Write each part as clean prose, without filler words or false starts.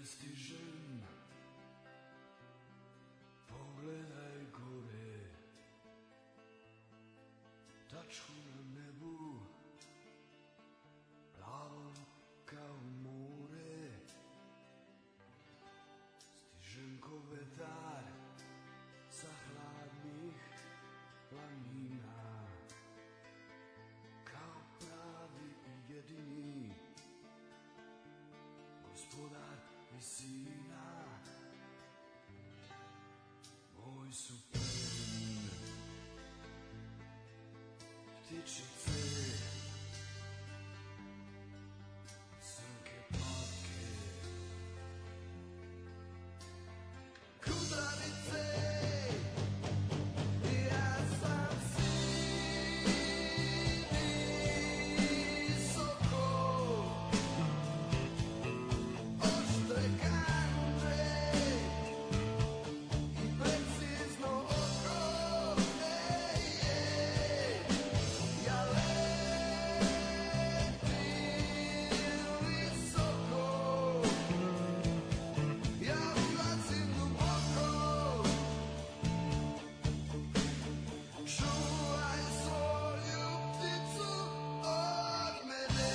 stižem, pogledaj gore, tačku na nebu, plavom kao more. Stižem ko vetar sa hladnih planina, kao pravi i jedini gospodar visina. Moj su plen ptičice, srnke patke, kudravice. Ja sam visoko, oštre kandže i precizno oko. Ja letim visoko, ja ulazim duboko. Čuvaj svoju pticu od mene.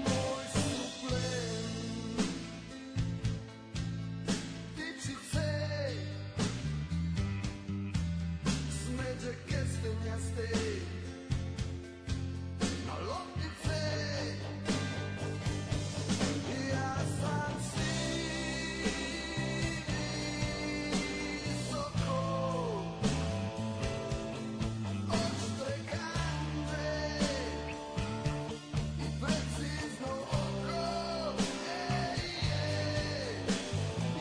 Moj su plen ptičice, smeđe kestenjaste na loptice. Ja sam visoko, oštre kandže i precizno oko.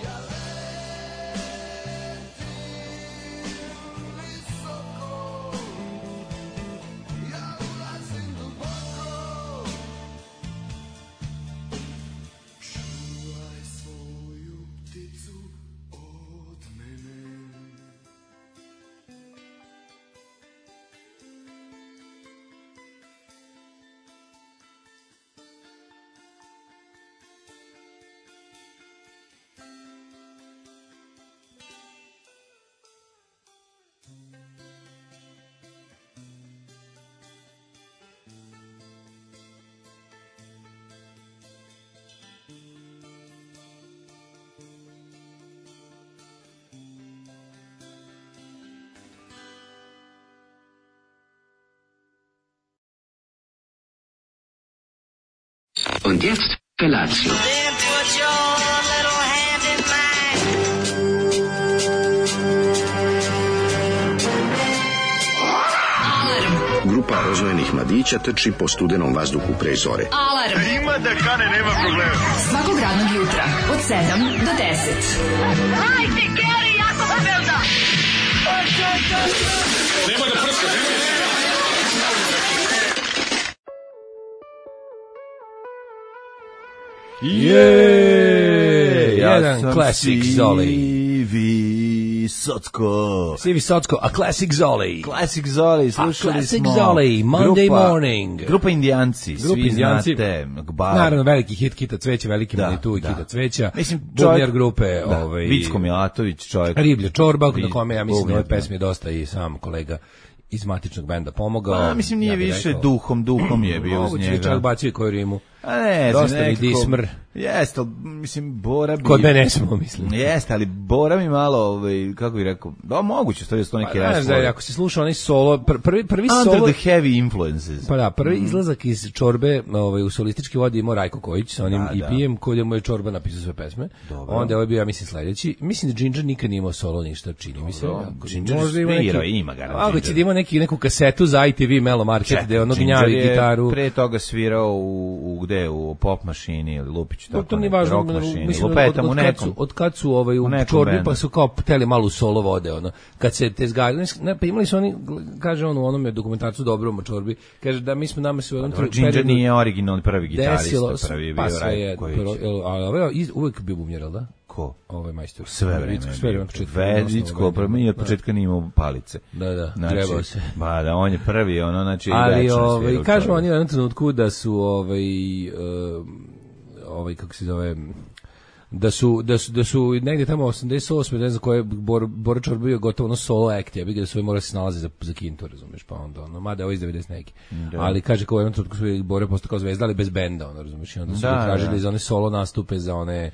Ja letim visoko, ja ulazim duboko. Čuvaj svoju pticu od mene. Und jetzt Felatio. Then put your little hand in mine. Grupa rozvojenih mladića trči po studenom vazduhu pre zore. Alarm. Ima da kane, nema problema. Svakog radnog jutra od 7 do 10. Hajde, Geri, jako se velda. Jedan classic Zoli. Sivi Socko, a classic Zoli. Classic Zoli, slušali classic smo. Zoli, Monday morning. Grupa Indijanci, svi znate. Naravno, veliki hit Kita Cveća, veliki Manitu i Kita Cveća. Mislim, Bubnjar grupe. Vicko Milatović, čovjek. Riblja čorba, na kome ja mislim da ove pesme dosta i sam kolega iz matičnog benda pomogao. Mislim, nije više duhom je bio uz njega. Moguće čak bacio koju rimu. A ne, Dosta mi nekako, dismr. Jeste, ali, mislim, Bora bi... Kod mene ne smo, mislim. Jeste, ali Bora mi malo, kako bih rekao, da, moguće, stvari da su to neki reslovi. Ako se sluša onaj solo, prvi Under solo... the heavy influences. Pa da, prvi izlazak iz Čorbe u solistički vodi imao Rajko Kojić sa onim EP-em koji mu je Čorba napisao sve pesme. Dobro. Onda je ovaj bio, ja mislim, sledeći. Mislim da Ginger nikad nije imao solo ništa, čini mi se. Ginger ima ga. Ako će da ima neku kasetu za ITV Melo Market, gde ono gnjavi gitaru. Pre toga svirao gde, u pop mašini ili Lupiću, tako to nije važno, rock mašini. mislim, Lupetam u nekom. od kad su u Čorbi, pa su kao hteli malo solo vode, ono. Kad se te zgajali, pa imali su oni, kaže on u onome dokumentarcu Dobrom o Čorbi, kaže da mi smo nama se u jednom periodu... Ginger nije originalni prvi gitarista, prvi je bio Rajko Kojić. Ali ovaj uvijek bio bumjer, da? Ko? Ovaj majstor. Sve vreme. Vedicko, prvo mi od početka nije imao palice. Da, trebao se. Ba da, on je prvi, ono, znači... Ali, kažu oni u jednom trenutku da su, kako se zove... Da su negdje tamo 88, ne znam koje Bora Čorba bio gotovo ono solo act, ja bih da su morali se snalazi za kintu, razumeš, pa onda ono, mada ovo iz 90 neki. Ali kaže kao u jednom trenutku su Bora postao kao zvezda, ali bez benda, ono, razumeš, i onda su tražili za one solo nastupe, za one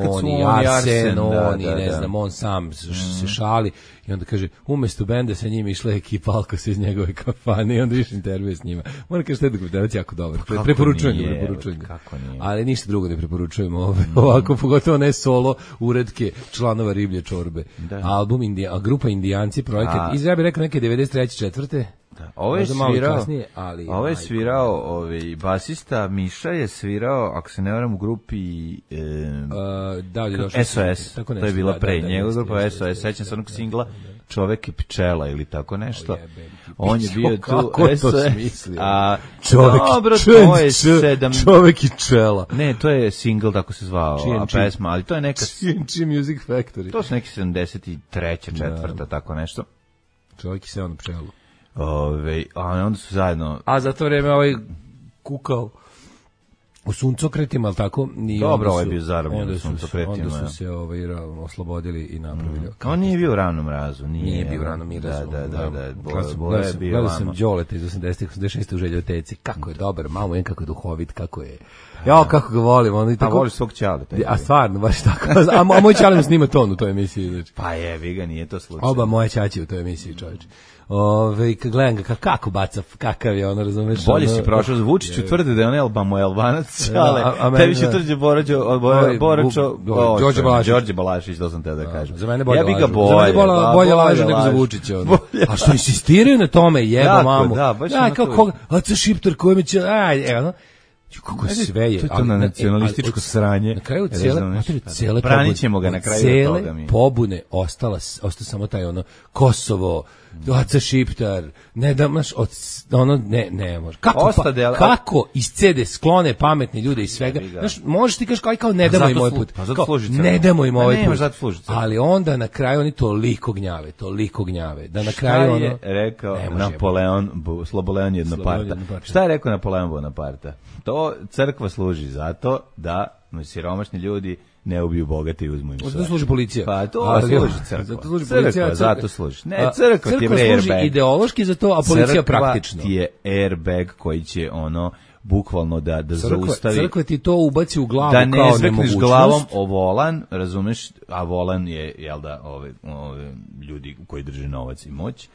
oni Arsen, oni, ne znam, on sam se šali i onda kaže, umesto benda sa njim išla ekipa Alkos iz njegove kafane i onda više intervjuje s njima. Moram kaže, što je dokumentarac jako dobar. Preporučujem ga. Ali ništa drugo ne preporučujem ovako, pogotovo ne solo uredke članova Riblje Čorbe. Album grupa Indijanci, projekat, ja bih rekao neke 93. 4. Ovo je svirao basista Miša je svirao, ako se ne varam, u grupi SOS, to je bila pre njega grupa SOS, sećam se onog singla Čovek i pčela ili tako nešto. On je bio tu kako to smislio? Čovek i pčela. Ne, to je single, tako se zvao, a pesma, ali to je neka CNC Music Factory. To su neki 73. 4. tako nešto. Čovek i se on pčelu. A onda su zajedno... A za to vreme kukao u suncokretima, ali tako? Dobro, ovo je bio zarobljen u suncokretima. Onda su se oslobodili i napravili. On nije bio u Ravnom razu. Nije bio u Ravnom razu. Da. Gledao sam Đoleta iz 80. 86. u Željoteci. Kako je dobar, malo kako je duhovit, kako je... Ja, kako ga volim. A voliš svog Ćale. A stvarno, baš tako. A moj Ćale mu snima ton u toj emisiji. Pa jebi ga, nije to slučaj. Oba moje ćaći u toj emisiji, čovječe. Kad gledam ga kako baca, kakav je ono, razumeš? Bolje si prošao, Vučiću tvrdi da je on Albanac, ali tebi će tvrđe Đorđe Balašić, to sam te da kažem. Za mene bolje laže nego za Vučića. A što insistiraju na tome, jeba mamu. Kako, Aca Šiptar, koji mi će, evo, kako sve je. To je to na nacionalističko sranje. Na kraju cele branit ćemo ga na kraju toga mi. Pobune ostao samo taj ono Kosovo, Aca Šiptar, ne da maš ne može. Kako iz CD sklone pametni ljude iz svega. Znaš, možeš ti kažeš kao ne damo im ovaj put. Ne damo im ovaj put. Ali onda na kraju oni toliko gnjave. Da na kraju ono... Šta je rekao Sloboleon Jednoparta? Šta je rekao Napoleon Bonaparta? To crkva služi zato da siromašni ljudi ne ubiju bogate i uzmu im sve. Zato služi policija. Pa to služi crkva. Zato služi policija, zato služi. Ne, crkva ti je airbag. Crkva služi ideološki za to, a policija praktično. Crkva ti je airbag koji će bukvalno da zaustavi. Crkva ti to ubaci u glavu kao nemogućnost. Da ne zvekneš glavom o volan, razumeš, a volan je, jel da, ove ljudi koji drže novac i moć.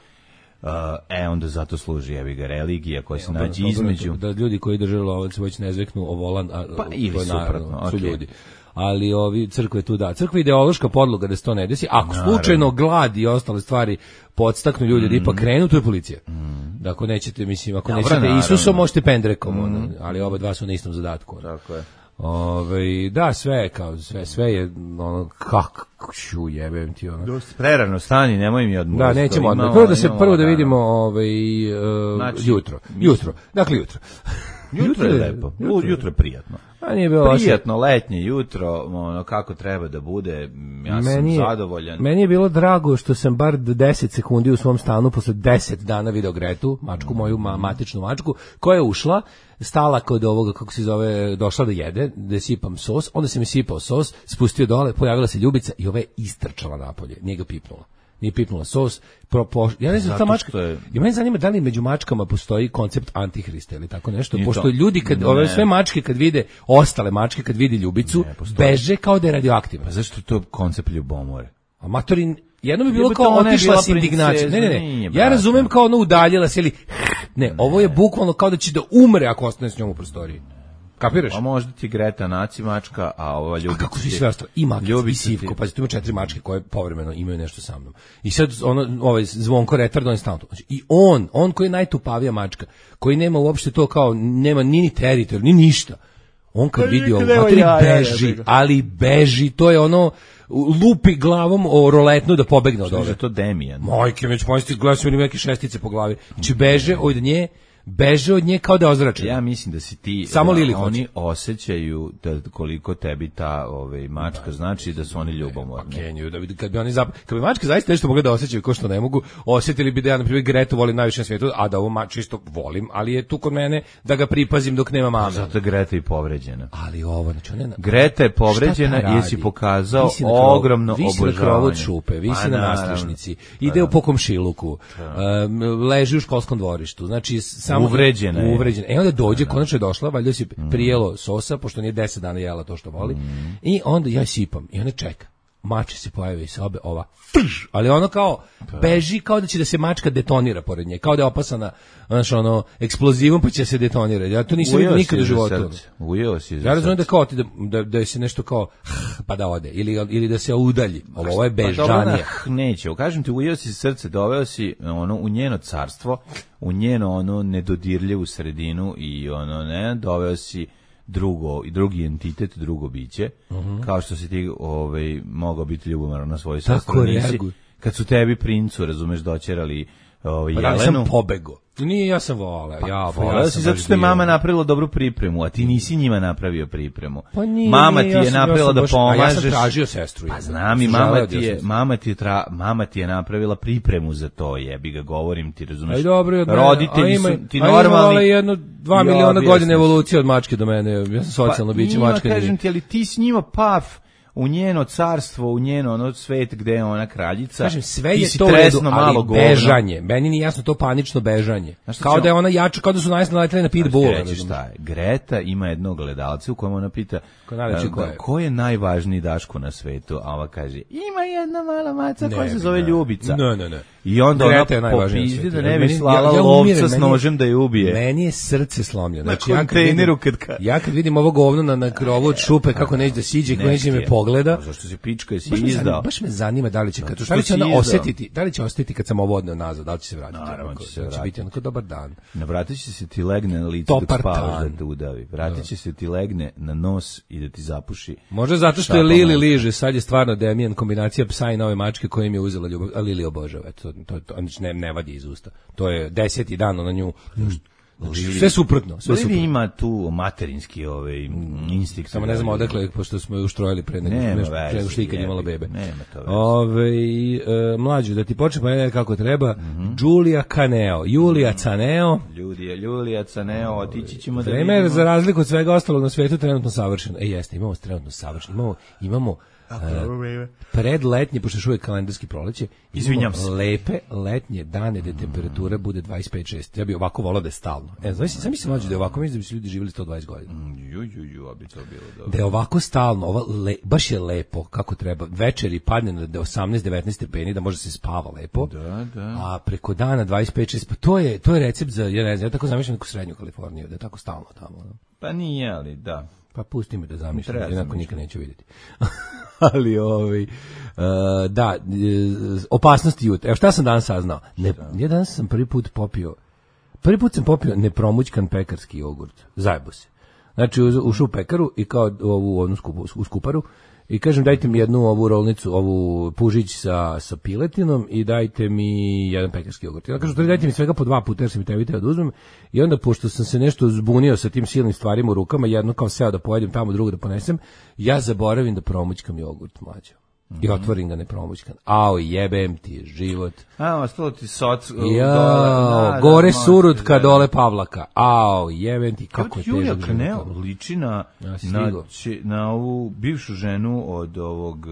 Onda zato služi jebiga religija koja se nađe između. Da ljudi koji drže novac već ne zveknu o volan, pa ili suprotno, su ljudi. Ali crkva je tu crkva je ideološka podloga da se to ne desi. Ako slučajno glad i ostale stvari podstaknu ljudi da ipak krenu, to je policija. Da ako nećete, mislim, ako nećete Isusom, možete pendrekom, ali oba dva su na istom zadatku. Tako je. Da, sve je ono kako jebem ti ono. Dosta prerano stani, nemoj mi odmah. Da, nećemo odmah. Prvo da vidimo jutro. Dakle jutro. Jutro je lepo. Jutro je prijatno. Prijatno letnje jutro, kako treba da bude. Ja sam zadovoljan. Meni je bilo drago što sam bar 10 sekundi u svom stanu posle 10 dana video Gretu, mačku moju, matičnu mačku, koja je ušla, stala kod ovoga, kako se zove, došla da jede, da sipam sos, onda se mi sipao sos, spustio dole, pojavila se Ljubica i ova je istrčala napolje, nije ga pipnula. nije pipnula sos. Ja ne znam, ta Zato mačka, što je- i mene zanima da li među mačkama postoji koncept antihrista ili tako nešto, Nije pošto to. ljudi, kad Ne. ove sve mačke kad vide, ostale mačke kad vide ljubicu, beže kao da je radioaktivna. Pa zašto je to koncept ljubomore? A matorin, jedno bi bilo Jebote, kao ona je otišla bila s indignacijom. princeza, Ne. nije, Ja brate. razumem kao ono udaljila se ili ne, ovo je bukvalno kao da će da umre ako ostane s njom u prostoriji. Kapiraš? A možda ti Greta naci mačka, a ova ljubica A kako su i ti- sve ostalo? I Makic, i ljubica ti- Sivko, pazi, tu ima 4 mačke koje povremeno imaju nešto sa mnom. I sad ovaj Zvonko retard, on je stalno tu. Znači, i on koji je najtupavija mačka, koji nema uopšte to kao, nema ni teritorij, ni ništa. On kad vidi ovo, nema matori jaja, beži, jebi ga. ali beži, to je ono, lupi glavom o roletnu da pobegne od Što je ove. to Demijan? Majke, već možete gledati su mi neke šestice po glavi. Znači, beže od nje kao da je ozračena. Ja mislim da si ti Samo Lili oni hoće. osjećaju da koliko tebi ta mačka znači da su oni ljubomorni. Kenju, da vidi kad bi oni kad bi mačke zaista nešto mogle da osjećaju ko što ne mogu, osjetili bi da ja na primjer Gretu volim najviše na svijetu, a da ovo čisto volim, ali je tu kod mene da ga pripazim dok nema mame. Zato je Greta i povređena. Ali ovo, znači ona Greta je povređena Šta ta i jesi radi? pokazao Visi na krovu- ogromno visi na krovu obožavanje. od šupe, visi Pa na naravno. nadstrešnici, ide po komšiluku, leži u školskom dvorištu, znači samo Uvređena je. E onda dođe, konačno je došla, valjda si prijelo sosa, pošto nije 10 dana jela to što voli, i onda ja sipam, i ona čeka. Mače se pojavi iz sobe, ova, ali ono kao, beži kao da će da se mačka detonira pored nje, kao da je opasana, znaš, ono, eksplozivom pa će se detonirati. Ja to nisam vidio nikad u životu. Ujeo si za Ja razumijem da srce. kao da se nešto kao pa da ode ili da se udalji. Ovo je Pa dobro, bežanje. neće, kažem ti, ujeo si srce, doveo si ono u njeno carstvo, u njeno ono nedodirljivu sredinu i ono ne, doveo si drugi entitet, drugo biće, kao što si ti mogao biti ljubomoran na svojoj Tako sestri, nisi. reaguj. Kad su tebi princu, razumeš, doćerali Pa da li Jelenu. sam pobego? Nije, ja sam voleo. Voleo si zato što je mama napravila dobru pripremu, a ti nisi njima napravio pripremu. Pa nije, mama nije, ti je napravila da a ja pomažeš. sam tražio sestru. Pa znam i mama ti je napravila pripremu za to, jebi ga, govorim ti, razumeš. Aj dobro, roditelji su ti normalni. normalni. Jedno 2 miliona godina evolucije od mačke do mene. Ja sam socijalno biće, mačka nije. Kažem ti, ali ti s njima u njeno carstvo, u njeno ono svet gde je ona kraljica. Kažem, sve ti je si to u redu, tresno malo ali govno. bežanje. Meni nije jasno to panično bežanje. Znaš Kao šta da je ona jača, kao da su naleteli na pitbulla. Reći šta je, Greta ima jednog gledalca u kojem ona pita najveći ko je? ko je najvažniji Daško na svetu, a ova kaže ima jedna mala maca Ne, koja se zove Ljubica. Ne. I onda Greta je ona najvažnija na popizdi svetu. da ne bi Meni- slala ja lovca umiram, s meni je- nožem da je ubije. Meni je srce slomljeno. Na Znači, kontejneru ja kad vidim ovo govno na krovu od šupe, kako neće da siđe, kako neće me pogleda, Zašto si pička i si baš me zanima, izdao? baš me zanima da li će, Zato da što li će si ona izdao. osjetiti, da li će osjetiti kad sam ovo odneo nazad, da li će se vratiti. Naravno će se Da će vratiti. biti onako dobar dan. Ne, vratit će se ti legne na lice dok Dobar spavaš dan. da te udavi. Vratit će se ti legne na nos i da ti zapuši. Možda zato što je Šapama. Lili liže, sad je stvarno Demijan kombinacija psa i nove mačke koja im je uzela ljubav, a Lili obožava. Eto, to znači ne vadi iz usta. To je 10. dan na nju. Sve suprotno, sve Livi suprotno. ima tu materinski instinkt. Samo ne znam odakle, pošto smo je uštrojili pre Nema nego veze, što ikad jebi imala ga, bebe. nema to veze. Mlađu, da ti počne pa ne kako treba, Giulia Caneo, Julia Caneo, Julija Caneo, otići ćemo da vreme je vidimo. za razliku od svega ostalog na svetu trenutno savršeno. Jeste, imamo trenutno savršeno. Imamo predletnje, pošto je još uvijek kalendarski proleće, Izvinjam se. lepe letnje dane gde temperatura bude 25-6. Ja bih ovako volao da je stalno. Sam mislim mlađe da je ovako, mislim da bi se ljudi živjeli 120 godina. A bi to bilo dobro. Da je ovako stalno, baš je lepo kako treba. Večeri padne na 18-19 stepeni, da može se spava lepo. Da. A preko dana 25-6, pa to je recept za, ja ne znam, ja tako zamišljam neku srednju Kaliforniju, da je tako stalno tamo. No? Pa nije, ali da. Pa pusti me da zamišljam, Treba jednako zamišljati. nikad neću vidjeti. Ali da, opasnosti jutra. Evo šta sam danas saznao? Ja danas sam prvi put popio nepromućkan pekarski jogurt. Zajebo se. Znači ušao u pekaru i kao ovu u skuparu i kažem dajte mi jednu ovu rolnicu, ovu pužić sa piletinom i dajte mi jedan pekarski jogurt. Ja kažem dajte mi svega po 2 puta jer sam mi tebi teo da uzmem i onda pošto sam se nešto zbunio sa tim silnim stvarima u rukama, jedno kao seo da pojedem tamo, drugo da ponesem, ja zaboravim da promućkam jogurt, mlađo. I otvorim ga nepromućkan. Ao, jebem ti život. Ostalo ti soc... Gore Surutka, dole Pavlaka. Ao, jebem ti, kako je težak Julija život. Knel liči na ovu bivšu ženu od ovog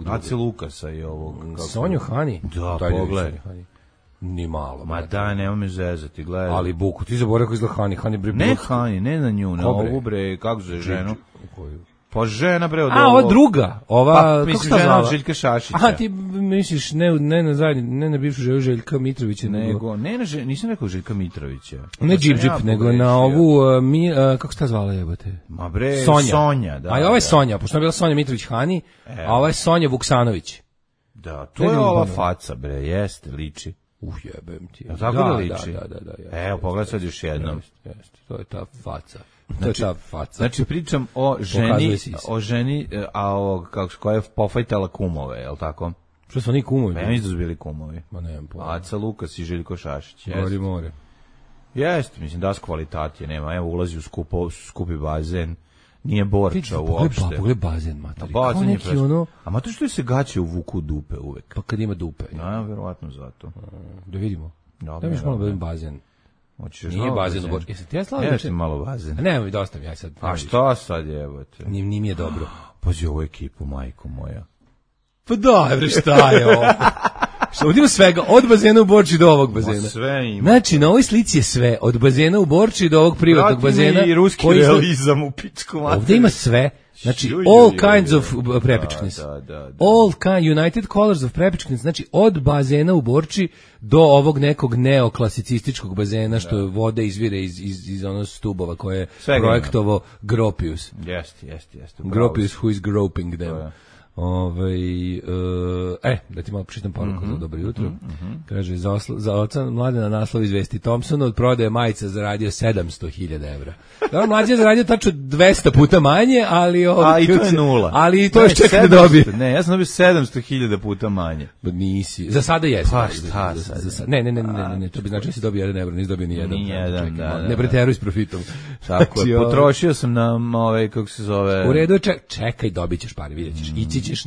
Ace Lukasa i ovog... Sonju Hani? Da, pogledaj. Ni malo. Ma da, nema me zezati, gledaj. Ali Buku, ti zaboravio kako izgleda Hani. Hani bre... Ne Hani, ne na nju, na ovu bre, kako zove ženu? Pa žena bre od ova druga, ova kako se zvala? Željka Šašića. Aha, ti misliš ne na bivšu ženu Željka Mitrovića, nego nisam rekao Željka Mitrovića. Ne Džip, nego na ovu kako se ta zvala jebote? Ma bre, Sonja, da. A ova je Sonja, pošto je bila Sonja Mitrović Hani, a ova je Sonja Vuksanović. Da, to je ova faca bre, jeste, liči. Jebem ti. Tako da liči. Da. Evo, pogledaj sad još jednom. Jeste, to je ta faca. Znači pričam o ženi, a ovog koja je pofajtala kumove, je l' tako? Što su oni kumovi? Ja mislim da su bili kumovi. Ma nemam pojma. Aca Lukas i Željko Šašić. Gori more. Jeste, mislim da s kvalitatije nema. Evo ulazi u skupi bazen. Nije Borča uopšte. Pogledaj bazen, materi. Kao neki ono... A mater što se gaće uvuku dupe uvek? Pa kad ima dupe. Da, verovatno zato. Da vidimo. Da mi još malo bazen. Nije bazen u Borči. Jesi ti ja slavio? Jeste malo bazen. Ne, mi dosta mi, aj sad. A šta sad jebote? Nije mi je dobro. Pazi ovu ekipu, majko moja. Pa da, bre, šta je ovo? Ovdje ima svega, od bazena u Borči do ovog bazena. Sve ima. Znači, na ovoj slici je sve, od bazena u Borči do ovog privatnog bazena. Vrati mi i ruski realizam u pičku materiju. Ovdje ima sve, znači, all kinds of prepičknis. All United Colors of prepičknis, znači, od bazena u Borči do ovog nekog neoklasicističkog bazena, što vode izvire iz onog stubova koje je projektovo Gropius. Jeste. Gropius who is groping them. Da ti malo pročitam poruku za dobro jutro. Kaže, za oca Mladena naslov izvesti Thompsonu od prodaje majica zaradio 700.000 evra. Da, mlađe je zaradio tačno 200 puta manje, ali... i to je nula. Ali to još čeka da dobije. Ne, ja sam dobio 700.000 puta manje. Nisi. Za sada jesi. Pa šta sad? Ne, to bi znači da si dobio 1 evro, nisi dobio ni jedan. Da. Ne preteruj s profitom. Tako je, potrošio sam na kako se zove... U redu, čekaj, dobit ćeš pare, vidjet ćeš. Ići ćeš,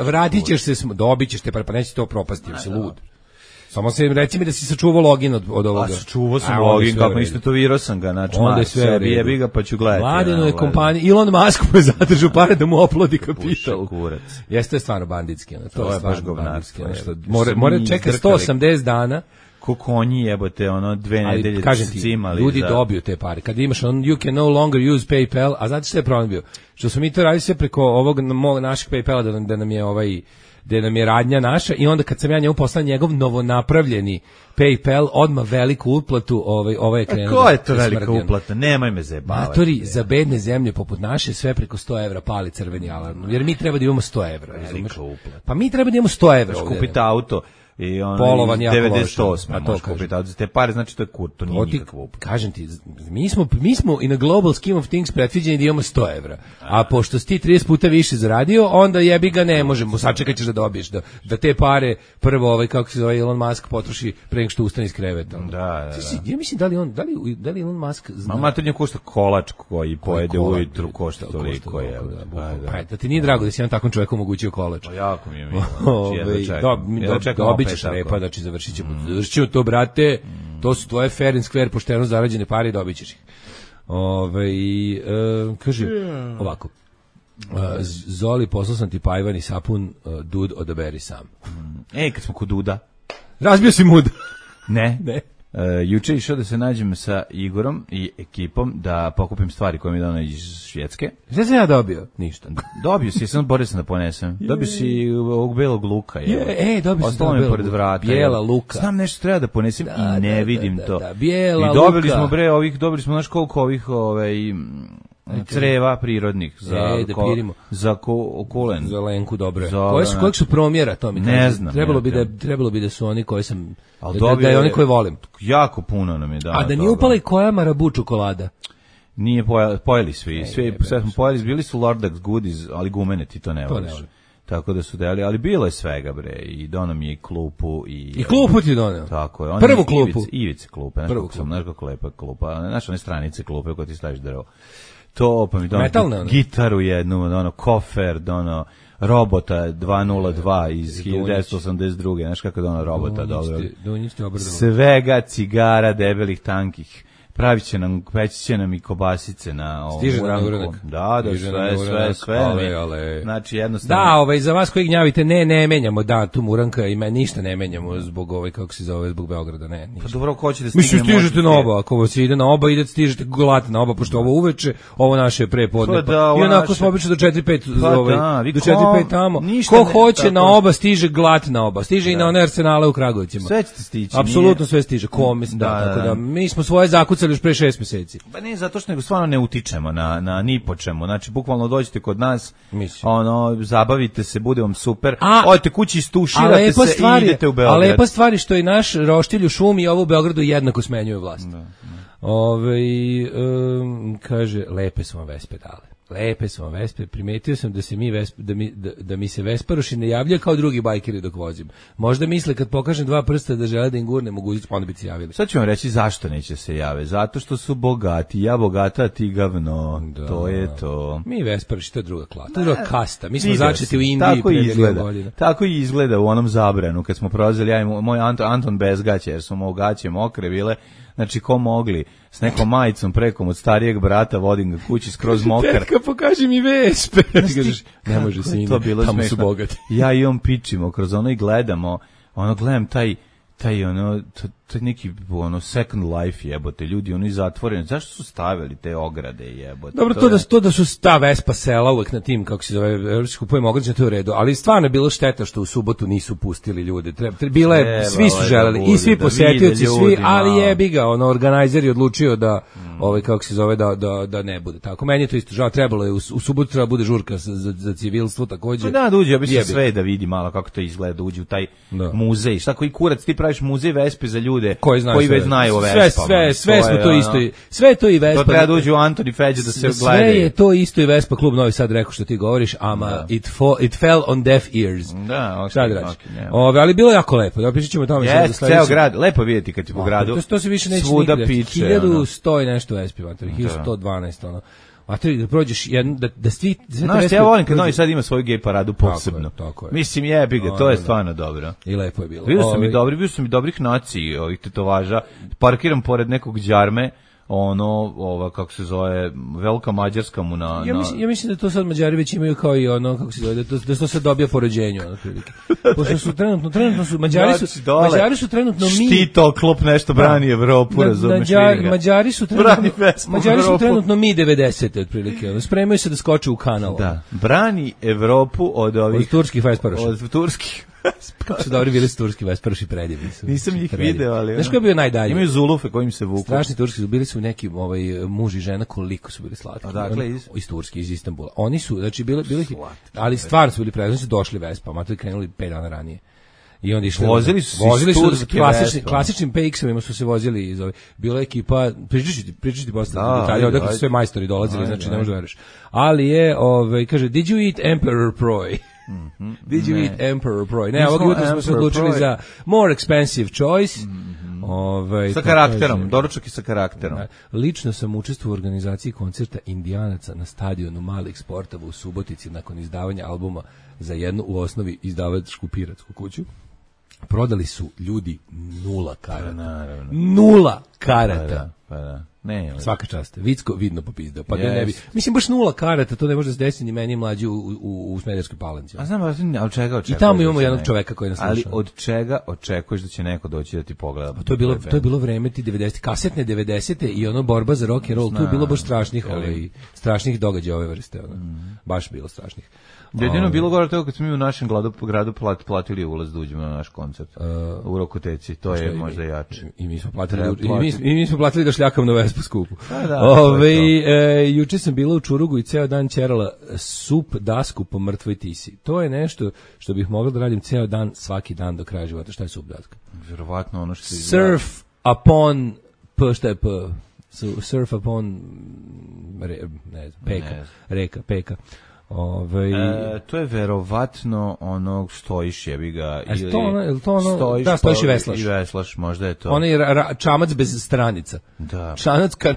vratit ćeš se, dobit ćeš te pare, pa neće to propasti, jer si lud. Samo se reci mi da si sačuvao login od ovoga. Sačuvao sam login, kako istetovirao sam ga, znači sebi jebi ga pa ću gledati. Mladeno je kompanija, Elon Musk mu je zadržao pare da mu oplodi kapital. Jeste stvarno banditski, to je baš govnarski. Mora čeka 180 dana. Ko konji jebote, 2 nedelje cimali. Ljudi dobiju te pare. Kad imaš you can no longer use PayPal, a znate što je problem bio? Što smo mi to radili sve preko ovog našeg PayPala da nam je radnja naša i onda kad sam ja njemu poslao njegov novonapravljeni PayPal, odmah veliku uplatu, je krenuo. A ko je to velika uplata? Nemoj me zajebavati. Matori, za bedne zemlje poput naše sve preko 100 evra pali crveni alarm. Jer mi treba da imamo 100 evra. Velika uplata. Pa mi treba da imamo 100 evra. Kupite auto i polovan 98. Možeš kupiti auto. Te pare, znači to je to nije nikakva uplata. Kažem ti, mi smo in a global scheme of things predviđeni da imamo 100 evra. A pošto si ti 30 puta više zaradio, onda jebi ga ne možemo. Sačekat ćeš da dobiješ. Da te pare prvo, kako se zove Elon Musk, potroši pre nego što ustane iz kreveta. Da. Ja mislim da li Elon Musk zna. Matornja košta kolač koji pojede ujutru, košta toliko je. Pa da ti nije drago da si jedan takvom čovjeku omogućio kolač. Pa jako mi je milo. Dobit ćeš repa, znači završit ćemo to, brate, to su tvoje fair and square pošteno zarađene pare i dobit ćeš ih. Kaže, ovako, Zoli, poslao sam ti pajvan i sapun, Dud, odaberi sam. Kad smo kod Duda. Razbio si mud. Ne. Juče išao da se nađem sa Igorom i ekipom da pokupim stvari koje mi je dano iz Švedske. Šta sam ja dobio? Ništa. Dobio si, sam borio sam da ponesem. Dobio si ovog belog luka. Dobio si ostalo mi pored vrata. Bijela luka. Znam nešto treba da ponesem i ne vidim to. Bijela luka. I dobili smo znaš koliko ovih creva prirodnih za kulen. Za lenku, dobro je. Kojeg su promjera, to mi ne znam. Trebalo bi da su oni koji sam, da je oni koji volim. Jako puno nam je dano. A da nije upala i koja Marabu čokolada? Nije pojeli sve smo pojeli, bili su Lordax goodies, ali gumene ti to ne voliš. Tako da su deli, ali bilo je svega bre, i donao mi je klupu i klupu ti doneo. Tako je. Prvu klupu. Ivice klupe, znaš kako lepa klupa, znaš one stranice klupe koje ti staviš drvo. to, pa mi Metalne, ono. gitaru jednu, ono, kofer, ono, robota 202 iz 1982. Znaš kako je ono robota, dobro. Dunjić ti obradovao. Svega, cigara, debelih, tankih. Peći će nam i kobasice na ovom Stiže na uranku. uranak. Da, Stiže na uranak. sve. Ale. Znači, jednostavno... Da, za vas koji gnjavite, ne menjamo, da, tu Muranka i ništa ne menjamo zbog kako se zove, zbog Beograda, ne, ništa. Pa dobro, ko će da stigne? Mislim, stižete na oba, ako vas ide na oba, stižete glate na oba, pošto ovo uveče, ovo naše je prepodne, Pa da, ovo i onako naše- smo obično do 4-5, Pa da, vi do ko- 4-5 tamo. ništa Ko ne- hoće tako. na oba, stiže glat na oba, stiže i na one Arsenale u Kragovicima. Sve ćete stići. Apsolutno sve stiže, mislim, Da, tako da. da, mi smo svoje zakucali još pre 6 meseci. Pa ne, zato što nego stvarno ne utičemo na ni po čemu. Znači, bukvalno dođete kod nas, Mislim. zabavite se, bude vam super. A- Odete kući, istuširate se i idete u A Beograd. lepa stvar je što i naš roštilj u šumi i ovo u Beogradu jednako smenjuje vlast. Kaže, lepe su vam vespe dale. Lepe su vam vespe. Primetio sam da se da mi se vesparoši ne javljaju kao drugi bajkeri dok vozim. Možda misle kad pokažem 2 prsta da žele da im gurne mogućnost, pa onda bi se javili. Sad ću vam reći zašto neće se jave. Zato što su bogati. Ja bogata, a ti gavno. Da. To je to. Mi vesparoši, to je druga klasa, to je druga kasta. Mi smo Video začeti sam. u Indiji Tako pre i milion izgleda. godina. Tako i izgleda u onom Zabranu kad smo prolazili ja i moj Anton bez gaće, jer su mu gaće mokre bile. Znači, ko mogli s nekom majicom prekom od starijeg brata, vodim ga kući skroz mokar. Tetka, pokaži mi vespe. Ti kažeš, ne može Kako je sine, to bilo tamo su smešno. bogati. Ja i on pičimo kroz ono i gledamo, gledam taj neki second life jebote, ljudi oni zatvoreni, zašto su stavili te ograde jebote? Dobro, to da su ta Vespa sela uvek na tim, kako se zove, evropski kupujemo ograđe, to je u redu, ali stvarno je bilo šteta što u subotu nisu pustili ljude. Svi su želeli, i svi posetioci, svi, ali jebi ga, organizer je odlučio da, kako se zove, da ne bude tako. Meni je to isto žao, trebalo je, u subotu treba bude žurka za civilstvo takođe. Pa da uđe, ja bi se sve da vidi malo kako to izgleda, da uđe u taj muzej. Šta koji kurac, ti praviš muzej Vespe za ljude koji već znaju o Vespama. Sve smo to isto, sve to i Vespa. To treba da uđe u Antoni Feđe da se gledaju. Sve je to isto i Vespa klub Novi Sad rekao što ti govoriš, ama it fell on deaf ears. Da, šta da radiš? Ali bilo jako lepo, da pričat ćemo o tome. Ceo grad, lepo vidjeti kad ti po gradu. To se više neće svuda nikada. piče. 1100 i nešto Vespi, 1112, ono. Da prođeš da svi... Znaš, ja volim kad Novi Sad ima svoju gej paradu posebno. Tako je. Mislim, jebi ga, to je stvarno dobro. I lepo je bilo. Bio sam i dobrih naciji, ovih tetovaža. Parkiram pored nekog đarme, kako se zove, velika mađarska mu na... Ja mislim da to sad Mađari već imaju kao i kako se zove, da to se dobija po rođenju, otprilike. Pošto su trenutno su, Mađari su trenutno mi... Štito, klop nešto brani Evropu, razumeš, vidi ga. Mađari su trenutno mi 90. otprilike, spremaju se da skoče u kanal. Da, brani Evropu od ovih... Od turskih vesparoša. Od turskih Kako su dobri bili turski vesparoši, predivni su. Nisam ih video, ali... Znaš ko je bio najdalje? Imaju zulufe kojim se vuku. Strašni turski su, bili su neki muž i žena, koliko su bili slatki. Odakle iz Turske, iz Istanbula. Oni su, znači, bili ali stvarno su bili predivni, su došli Vespama, to je krenuli 5 dana ranije. I onda išli. Vozili su klasičnim PX-ovima su se vozili iz ove. Bila ekipa, pričaš ti posle detalje, odakle su sve majstori dolazili, znači ne možeš da veruješ. Ali je, kaže, did you eat Emperor Proj? Did you eat Emperor Proj? Ne, ovog jutra smo se odlučili za more expensive choice. Sa karakterom, doručak i sa karakterom. Lično sam učestvovao u organizaciji koncerta Indijanaca na stadionu Malih Sportova u Subotici nakon izdavanja albuma za jednu u osnovi izdavačku piratsku kuću. Prodali su ljudi 0 karata. 0 karata. Pa da. Ne, svaka čast. Vicko vidno popizdao. Pa ne bi. Mislim baš 0 karata, to ne može se desiti ni meni mlađi u Smederevskoj Palanci. A znam, ali od čega očekuješ? I tamo imamo jednog čoveka koji nas sluša. Ali od čega očekuješ da će neko doći da ti pogleda? Pa to je bilo vreme ti 90 kasetne 90-te i ono borba za rock and roll. Tu je bilo baš strašnih događaja ove vrste, baš bilo strašnih. Jedino bilo gore toga kad smo mi u našem gradu platili ulaz da uđemo na naš koncert u Rokoteci, to je možda jače. I mi smo platili da šljakam na Vespu skupu. Juče sam bila u Čurugu i ceo dan ćerala sup dasku po mrtvoj tisi. To je nešto što bih mogla da radim ceo dan, svaki dan do kraja života. Šta je sup daska? Vjerovatno ono što surf upon šta je p? Surf upon peka. To je verovatno onog stojiš jebi ga ili stojiš i veslaš. I veslaš, možda je to. Onaj čamac bez stranica. Da.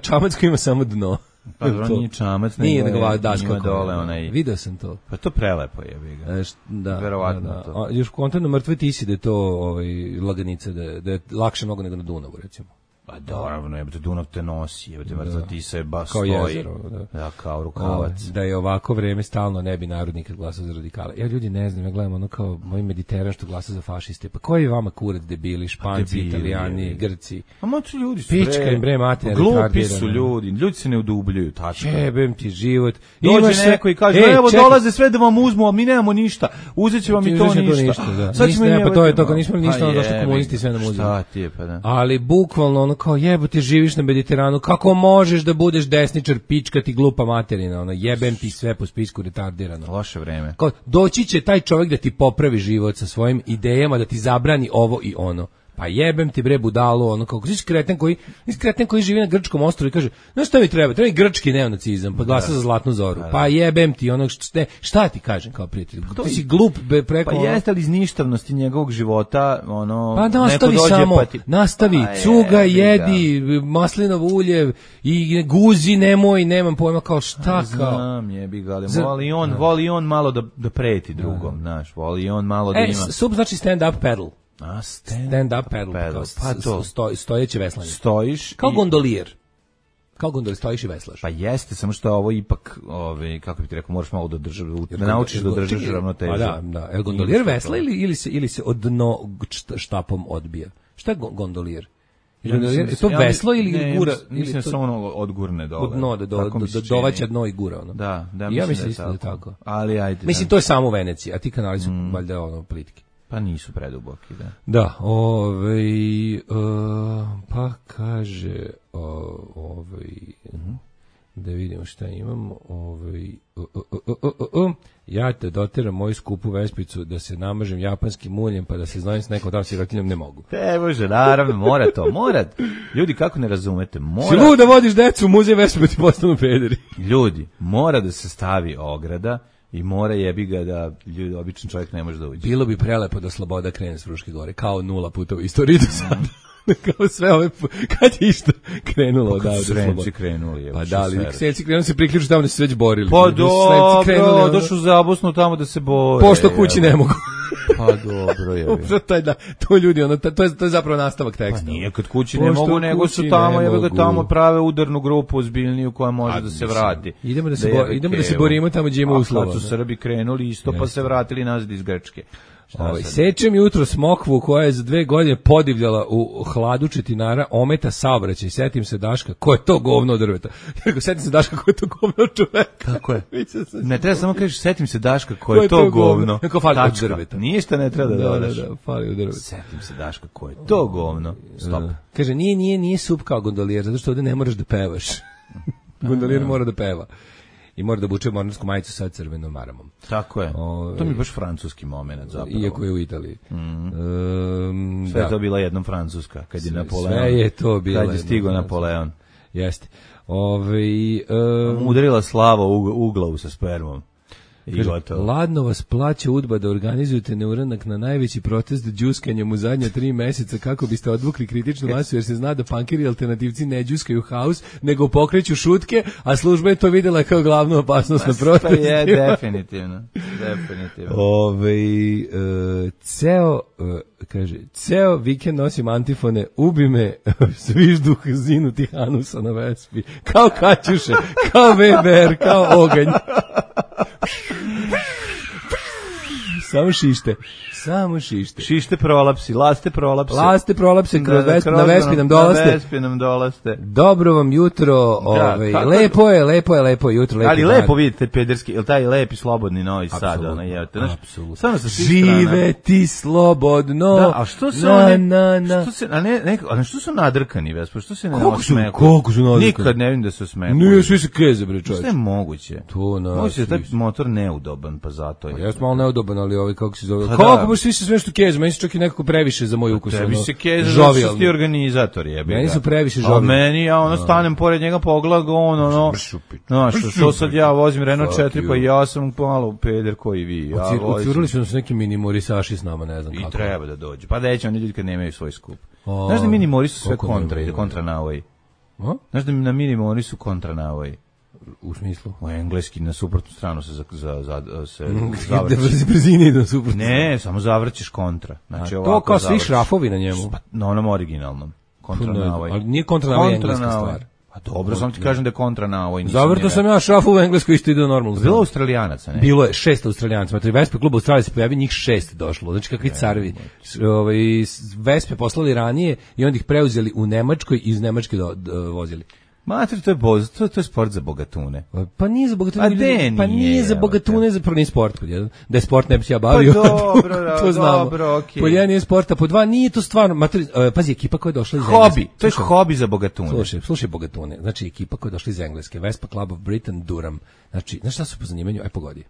Čamac koji ima samo dno. Pa dobro, nije čamac, nije nego nego je daska njima dole onaj. Video sam to. Pa to prelepo je, ga. Da, verovatno to. Još kontent na mrtve tisi da je to laganica, da je lakše mnogo nego na Dunavu, recimo. Pa naravno, jebote, Dunav te nosi, jebote, mrtva tisa je baš kao stoji. Jezero, da, kao rukavac. Da je ovako vreme stalno ne bi narod nikad glasao za radikale. Ja ljudi ne znam, ja gledam ono kao moj Mediteran što glasa za fašiste. Pa koji je vama kurac debili, Španci, Italijani, Grci? A moći ljudi su pička im bre materina. Glupi su ljudi se ne udubljuju, tačno. Jebem ti život. Dođe neko i kaže, evo dolaze sve da vam uzmu, a mi nemamo ništa. Uzet će vam i to ništa. Sad ćemo pa to je to, kad nismo ništa, onda došli komunisti sve nam uzeli. Šta ti je, pa da. Ali bukvalno ono kao jebote živiš na Mediteranu, kako možeš da budeš desničar, pička ti glupa materina, ono jebem ti sve po spisku retardirano. Loše vreme. Kao, doći će taj čovjek da ti popravi život sa svojim idejama, da ti zabrani ovo i ono. Pa jebem ti bre budalu, ono kako si kreten koji živi na grčkom ostrvu i kaže, znaš šta mi treba mi grčki neonacizam, pa glasa za Zlatnu zoru. Pa jebem ti ono šta ti kažem kao prijatelj. Ti si glup preko. Pa jeste li iz ništavnosti njegovog života, ono pa nastavi neko dođe samo, pa ti... nastavi, cuga, jedi, maslinovo ulje i guzi, nemam pojma kao šta kao. Znam, jebi ga, voli on malo da preti drugom, znaš, voli on malo da ima. Sub znači stand up paddle. Stand up paddle. Pa to stojeće veslanje. Stojiš kao gondolijer. Kao gondolijer stojiš i veslaš. Pa jeste, samo što ovo ipak, kako bih ti rekao, moraš malo da naučiš da držiš ravnotežu. Pa da. El gondolijer vesla ili se od dno štapom odbija? Šta je gondolijer? Je to veslo ili gura? Mislim da samo ono odgurne dole. Od dno, dovaća dno i gura. Ono. Da, ja mislim da je tako. Ali ajde. Mislim, to je samo u Veneciji, a ti kanali su valjda ono plitki. Pa nisu preduboki, da. Da, pa kaže, da vidimo šta imamo, ja te doteram moju skupu vespicu da se namažem japanskim muljem pa da se znojem s nekom tam sirotinjom, ne mogu. Te može, naravno, mora. Ljudi, kako ne razumete, mora. Si lud da vodiš decu u muzej vespicu ti postanu pederi. Ljudi, mora da se stavi ograda i mora jebi ga da običan čovjek ne može da uđe. Bilo bi prelepo da Sloboda krene s Fruške gore, kao 0 puta u istoriji do sada. Kao sve ove, kad je isto krenulo odavde Sloboda. Sremci krenuli. Pa da li, Sremci krenuli se priključu tamo da se već borili. Pa dobro, došli za Bosnu tamo da se bore. Pošto kući ne mogu. Pa dobro je. To ljudi, to je zapravo nastavak teksta. Pa nije kad kući ne mogu, nego su tamo, jebe ga tamo prave udarnu grupu ozbiljniju koja može da se vrati. Idemo da se borimo tamo gdje ima uslova. Kad su Srbi krenuli isto, pa se vratili nazad iz Grčke. Sečem jutro smokvu koja je za 2 godine podivljala u hladu Četinara, ometa saobraćaj. Setim se Daška, ko je to govno od drveta? Setim se Daška, ko je to govno od čoveka? Kako je? Ne treba samo kažeš, setim se Daška, ko je to govno. Neko fali od drveta. Ništa ne treba da dodaš. Da, fali od drveta. Setim se Daška, ko je to govno. Stop. Kaže, nije sup kao gondolijer, zato što ovdje ne moraš da pevaš. Gondolijer mora da peva. I mora da buče mornarsku majicu sa crvenom maramom. Tako je. To mi je baš francuski moment zapravo. Iako je u Italiji. Sve je to bila jednom francuska, kad je Napoleon. Sve je to bila. Kad je stigao Napoleon. Jeste. Udarila slava u glavu sa spermom. Ladno vas plaća UDBA da organizujete neuranak na najveći protest đuskanjem u zadnja 3 meseca kako biste odvukli kritičnu masu, jer se zna da punkiri alternativci ne đuskaju haus, nego pokreću šutke, a služba je to vidjela kao glavnu opasnost na protestima. Je, definitivno. Ceo vikend nosim antifone, ubi me svižduh zinutih anusa na Vespi, kao Kaćuše, kao VBR, kao oganj. Samo šište. Šište prolapsi, laste prolapse na Vespi nam dolaste. Dobro vam jutro, lepo je jutro. Ali lepo vidite pederski, ili taj lepi slobodni Novi Sad. Apsolutno. Živeti slobodno. Da, a što se što su nadrkani, Vespa, što se ne osmeku? Koliko su nadrkani? Nikad ne vidim da se osmeku. Nije, svi se keze, bre, čovječ. Što je moguće? Moguće da je taj motor neudoban, pa zato je. Jeste malo neudoban, ali kako se zove? Kako baš svi se sve što kezu? Meni su čak i nekako previše za moj ukus. Tebi se kezu, zato što ti organizatori jebe. Meni su previše žovijalni. A meni, ja stanem pored njega pogledam, znaš, što sad ja vozim Renault 4, pa ja sam malo peder koji vi. Otvorili su nas neki mini morisaši s nama, ne znam kako. I treba da dođu. Pa da će oni ljudi kad nemaju svoj skup. Znaš da mini mori su sve kontra navoji? Znaš da na mini mori su kontra navoji? U smislu? U engleski na suprotnu stranu se se Da zavrći. brzine idu suprotno. Ne, samo zavrćeš kontra. Znači, to ovako kao svi zavrćeš. šrafovi na njemu. Pa, na onom originalnom. Kontra na ovaj. Ali nije kontra na ovaj engleska stvar. Pa dobro, samo ti kažem da je kontra na ovoj. Zavrto sam ja šrafu u engleskoj isto ide normalno. Bilo Australijanaca, ne? Bilo je 6 Australijanaca. Znači, Vespe klub Australije se pojavi, njih 6 došlo. Znači, kakvi carevi. Vespe poslali ranije i onda ih preuzeli u Nemačkoj i iz Nemačke vozili. Mater, to je sport za bogatune. Pa nije za bogatune. A de Pa nije nije, za bogatune, za prvi sport. Da je sport ne bi se ja Pa bavio. dobro, to znamo. dobro, okej. Po jedan nije sporta, po dva nije to stvarno. Pazi, ekipa koja je došla iz Hobi, Engleske. to je hobi za bogatune. Slušaj bogatune. Znači, ekipa koja je došla iz Engleske, Vespa Club of Britain, Durham. Znači, znaš šta su po zanimanju? Aj pogodi.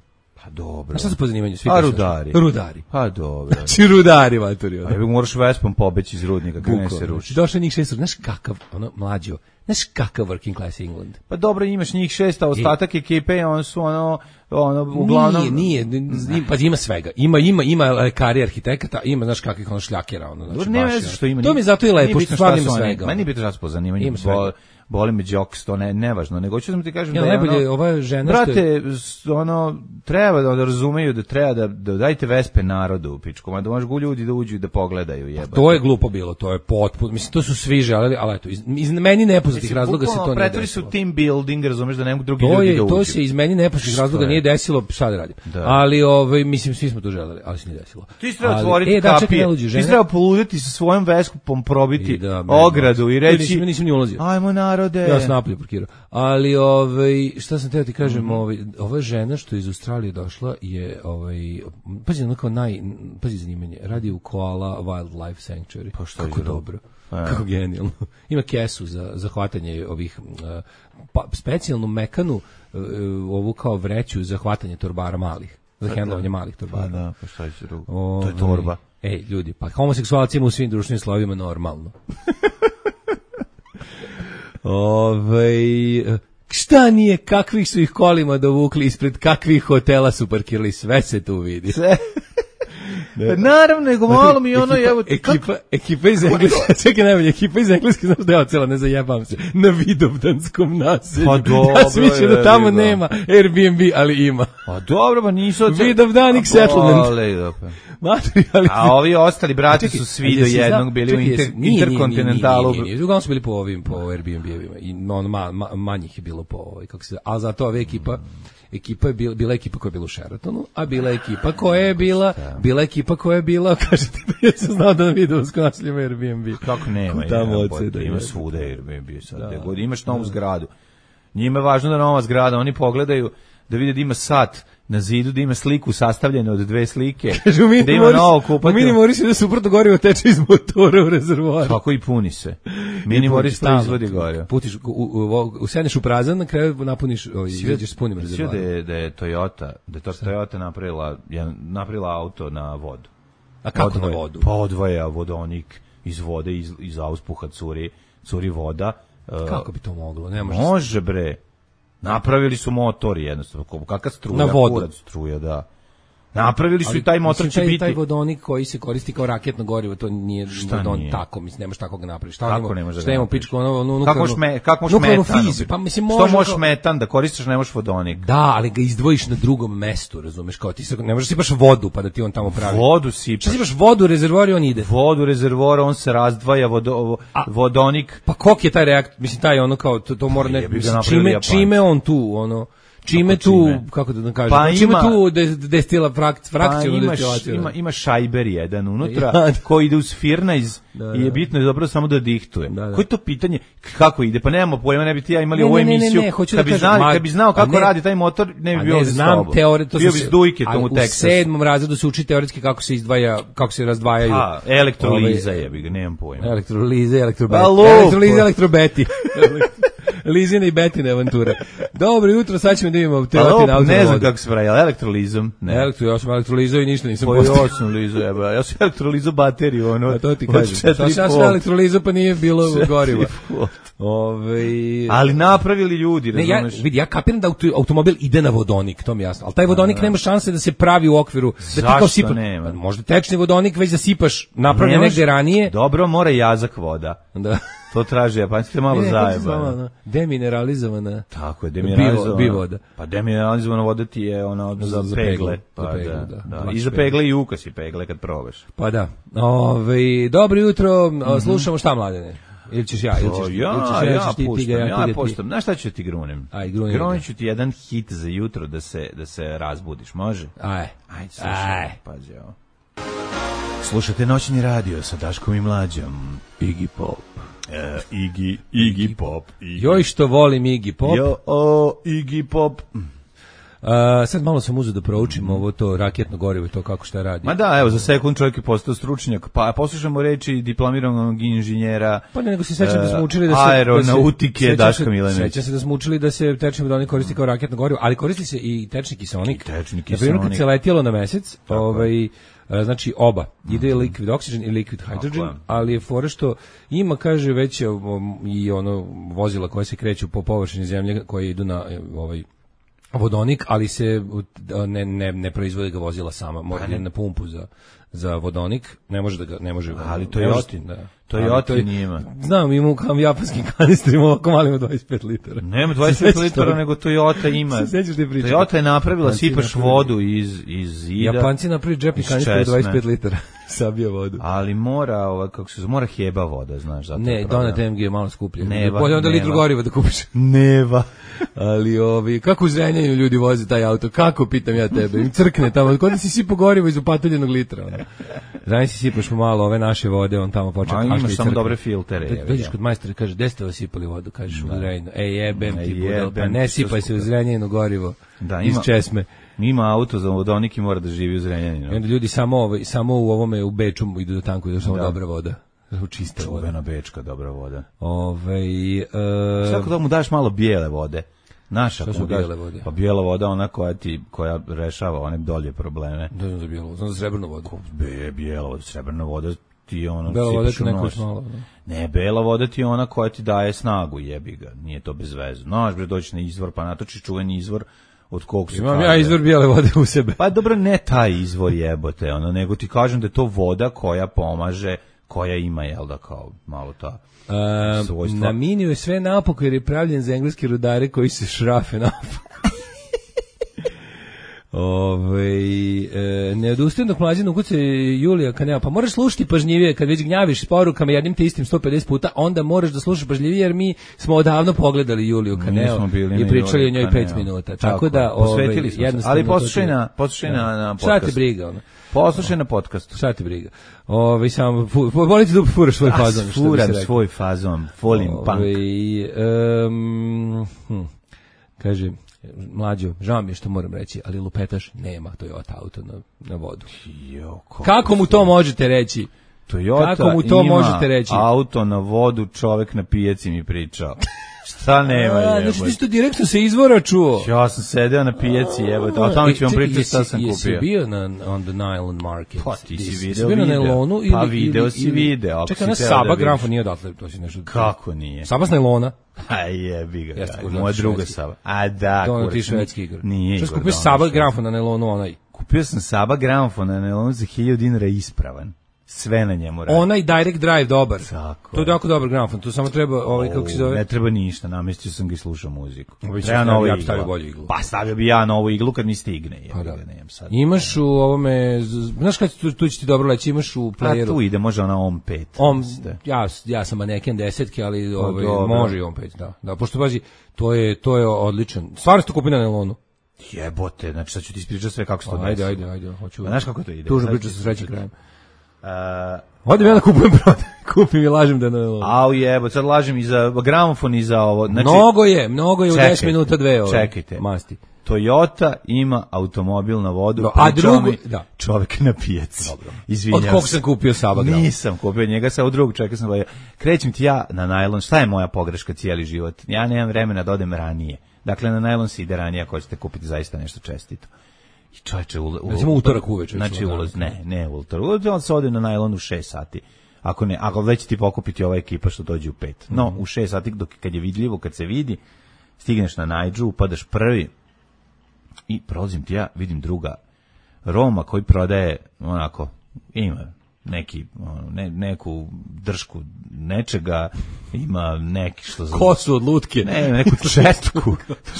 Pa dobro. Znaš šta su po zanimanju? Svi A kažu, rudari. Rudari. Pa dobro. Znači, rudari, maturi. A moraš Vespom pobeći iz rudnika, kad ne se ruši. Došlo njih 6, znaš kakav, mlađo, znaš kakav working class England. Pa dobro, imaš njih 6, a ostatak ekipe, on su uglavnom... Nije, pa ima svega. Ima lekari, arhitekata, ima, znaš kakvih šljakera, znači ne baš. veze što ima. To mi zato i lepo, što stvarno ima svega. Meni bitno šta su po zanimanju. Boli me džoks, to nevažno, nego hoću da ti kažem da je najbolje ova žena brate, treba da razumeju da treba da dajte Vespe narodu u pičku, da možgu ljudi da uđu i da pogledaju, jebate. To je glupo bilo, to je potpuno, mislim, to su svi želeli, ali eto, iz meni nepoznatih razloga se to nije pretvori desilo. su team building, razumeš, da ne mogu drugi ljudi da uđu. To se iz meni nepoznatih razloga nije desilo, šta da radim. Ali, mislim, svi smo to želeli, ali se nije desilo. Ti treba otvoriti kapije, ti treba poluditi sa svojom Vespom, probiti ogradu i reći, nisam ni ulazio. Ajmo narode. Ja sam napolje parkirao. Ali šta sam teo ti kažem, ova žena što iz Australije došla je pazi, pazi zanimanje, radi u Koala Wildlife Sanctuary. Pa što kako je dobro. Kako genijalno. Ima kesu za hvatanje ovih specijalnu mekanu ovu kao vreću za hvatanje torbara malih. Za hendlovanje malih torbara. Pa da, pa šta će drugo? To je torba. Ej, ljudi, pa homoseksualci ima u svim društvenim slovima normalno. Šta nije, kakvih su ih kolima dovukli, ispred kakvih hotela su parkirali, sve se tu vidi. Sve. Naravno, nego malo mi ekipa iz Engleske, čekaj najbolje, ekipa iz Engleske, znaš da je ocela, ne zajebam se, na Vidovdanskom naselju. Pa dobro, ja sam mislio da tamo nema Airbnb, ali ima. Pa dobro, pa nisu... Vidovdanik settlement. A ovi ostali brati su svi do jednog bili u Interkontinentalu. Nije, uglavnom su bili po Airbnb-evima i manjih je bilo po a zato ova ekipa je bila ekipa koja je bila u Sheratonu, a bila ekipa koja je bila, kažete da ja sam znao da na Vidovskom naselju ima Airbnb. Kako nema, ima svuda Airbnb sad, imaš novu zgradu. Njima je važno da nova zgrada, oni pogledaju da vide da ima sat na zidu, da ima sliku sastavljenu od 2 slike, da ima novo kupatilo. Mini Moris da suprotno gorivo teče iz motora u rezervoar. Tako i puni se. Mini Moris proizvodi gorivo. Putiš, usedneš u prazan, na kraju napuniš, izađeš s punim rezervoarom. Da je Toyota napravila auto na vodu. A kako na vodu? Pa odvaja vodonik iz vode, iz auspuha curi voda. Kako bi to moglo? Može bre. Napravili su motori jednostavno, kakva struja, na vodu. Kurac struja, da. Napravili su i taj motor će biti. Taj vodonik koji se koristi kao raketno gorivo, to nije vodonik tako, mislim, nemaš tako ga napraviš. Kako ne može da napraviš? Pičku, kako možeš metan? Pa mislim, što možeš metan da koristiš, ne možeš vodonik. Da, ali ga izdvojiš na drugom mestu, razumeš, kao ti ne možeš sipaš vodu pa da ti on tamo pravi. Vodu sipaš. Šta sipaš vodu u rezervoar i on ide? Vodu u rezervoar, on se razdvaja, vodonik. Pa kok je taj reaktor, mislim, taj ono kao, to mora ne, čime on tu, ono... Čime tu, kako da kažem, čime tu destila frakciju destilaciju? Ima šajber jedan unutra koji ide uz firnajz i je bitno je dobro samo da dihtuje. Koje je to pitanje? Kako ide? Pa nemamo pojma, ne bi ti ja imali ovu emisiju. Kad bi znao kako radi taj motor, ne bi bio ovdje s tobom. Bio bi s dujketom u Teksasu. U 7. razredu se uči teoretski kako se izdvaja, kako se razdvajaju. Elektroliza jebi ga, nemam pojma. Elektroliza, elektrobeti. Lizine i Betine avantura. Dobro jutro, sad ćemo da imamo teoretine auto. Ne znam kako se pravi, elektrolizom. Ja sam elektrolizao i ništa nisam postao. Ja sam elektrolizao bateriju. A to ti kažem. Ja sam elektrolizao pa nije bilo goriva. Ali napravili ljudi, razumeš? Ja kapiram da automobil ide na vodonik, to mi je jasno. Ali taj vodonik nema šanse da se pravi u okviru. Zašto nema? Možda tečni vodonik već da sipaš napravljen negde ranije. Dobro, mora jazak voda. Da. To traži japanski malo zajeba. Demineralizovana. Tako je, demineralizovana. Bivoda. Pa demineralizovana voda ti je ono za pegle. Pa za pegle, da. I za pegle i ukasi pegle kad probaš. Pa da. Dobro jutro, slušamo šta, Mladene? Ili ćeš ja? Ja puštam. Znaš šta ću ti grunem? Grunim ću ti jedan hit za jutro da se razbudiš, može? Ajde, slušaj, pazi ovo. Slušate noćni radio sa Daškom i Mlađom. Iggy Pop. Iggy Pop. Joj što volim Iggy Pop. Iggy Pop. Sad malo sam uzeo da proučim ovo to raketno gorivo i to kako šta radi. Ma da, evo, za sekund čovjek je postao stručnjak, pa poslušamo reči diplomiranog inženjera. Pa ne, nego se sećam da smo učili da se aeronautike Daška Milanovića. Sećam se da smo učili da se tečni vodonik koristi kao raketno gorivo, ali koristi se i tečni kiseonik. Na primjer, kad se letjelo na mesec, znači oba, ide liquid oxygen i liquid hydrogen, ali je fora što ima, kaže, već i ono vozila koje se kreću po površini zemlje, koje idu na vodonik, ali se ne proizvode ga vozila sama, mora na pumpu za vodonik, ne može. Ali to je Jotin, da. To je Jotin njima. Znam, imamo kao japanskim kanistrima, ovako malimo 25 litara. Nema 25 litara, nego Toyota ima. Toyota je napravila, sipaš vodu iz zida. Japanci napravili džepni kanister 25 litara, sabija vodu. Ali mora, mora heba voda, znaš. Ne, Donat MG je malo skuplje. Bolje onda litru goriva da kupiš. Neva. Ali kako u Zrenjaninu ljudi voze taj auto, kako, pitam ja tebe, im crkne tamo, kod da si sipo gorivo iz upatuljenog litra. Zranj si sipaš malo ove naše vode, on tamo počne kašlje i crkne. Imaš samo dobre filtere. Dođeš kod majstora i kaže, gde ste vas sipali vodu, kažeš u Zrenjaninu, jebem ti budal, pa ne sipaj se u Zrenjaninu gorivo iz Česme. Ima auto za vodonik i mora da živi u Zrenjaninu. I onda ljudi samo u ovome, u Beču idu do tanku i došla dobra voda. Čista voda. Čuvena bečka, dobra voda. Svako da mu daš malo bijele vode. Naša što su bijele vode? Pa bijela voda, ona koja rešava one dolje probleme. Da, za bijelu vodu, za srebrnu vodu. Bijela voda, srebrna voda ti je ono... Bela voda ti neko smalo, ne, bela voda ti je ona koja ti daje snagu, jebi ga, nije to bez veze. Znaš, bre, doći na izvor, pa natočiš čuveni izvor od kog se imam kaže, ja izvor bijele vode u sebe. Pa dobro, ne taj izvor jebote, nego ti kažem da je to voda koja pomaže, koja ima, jel da, kao malo ta svojstva. Na miniju je sve napoko jer je pravljen za engleske rudare koji se šrafe napoko. Ne odustajem dok Mlađan ukuca Julija Kaneo, pa moraš slušati pažljivije kad već gnjaviš s porukama jednim te istim 150 puta, onda moraš da slušaš pažljivije jer mi smo odavno pogledali Juliju Kaneo i pričali o njoj 5 minuta. Tako da, posvetili smo se, ali poslušaj na podcastu. Šta ti briga, ono? Poslušaj na podcastu. Šta ti briga? Samo volite da furaš svoj fazon. Furam svoj fazon, volim punk. Kaže, Mlađo, žao mi je što moram reći, ali lupetaš nema Toyota auto na vodu. Kako mu to možete reći? Toyota ima auto na vodu, čovek na pijaci mi pričao. Šta nema jebote? Znači ti to direktno se izvora čuo. Ja sam sedeo na pijaci jebote, a tamo ću vam pričati šta sam kupio. Jesi bio on the Nylon Market? Pa ti si video na nailonu pa video si video. Čekaj, na Saba gramfon nije odatle, to si nešto. Kako nije? Saba s nailona? Aj jebi ga, moja druga Saba. A da, kurac. Ti švedski igor. Nije igor. Šta kupio Saba gramfon na nailonu onaj? Kupio sam Saba gramfon na nailonu za 1000 dinara ispravan. Sve na njemu radi. Onaj direct drive dobar. Tako. To je jako dobar gramofon. Tu samo treba kako se zove. Ne treba ništa, namestio sam ga i slušao muziku. Treba novu iglu. Stavio bolju iglu. Pa stavio bi ja novu iglu kad mi stigne. Pa da. Imaš u ovome, znaš kad tu će ti dobro leći, imaš u playeru. A tu ide, može ona OM 5. Ja sam maneken 10-ke, ali može i OM 5, da. Da, pošto pazi, to je odličan. Stvarno ste kupili na nailonu. Jebote, znači sad ću ti ispričati sve kako se to desi. Ajde, hoću. Znaš kako to ide? Tužno priča sa srećim krajem. Odim ja da kupim i lažem da ne... Au jebote, sad lažem i za gramofon i za ovo. Znači, mnogo je u 10 minuta 2 ovo. Čekajte, masti. Toyota ima automobil na vodu, a drugo, čovjek na pijaci. Dobro. Izvinjavam se. Od kog sam kupio Saba gramofon? Nisam kupio njega, sa od drugog čovjeka sam gledao. Krećem ti ja na najlon, šta je moja pogreška cijeli život? Ja nemam vremena da odem ranije. Dakle, na najlon se ide ranije ako ćete kupiti zaista nešto čestito. I čovječe, recimo utorak uveče. Znači ulaz, ne utorak. On se ode na najlon u 6 sati. Ako već ti pokupiti ova ekipa što dođe u 5. No, u 6 sati, kad je vidljivo, kad se vidi, stigneš na Najdžu, upadaš prvi i prolazim ti ja, vidim druga Roma koji prodaje, onako, ima neku dršku nečega, ima neki što zove. Kosu od lutke. Ne, neku četku.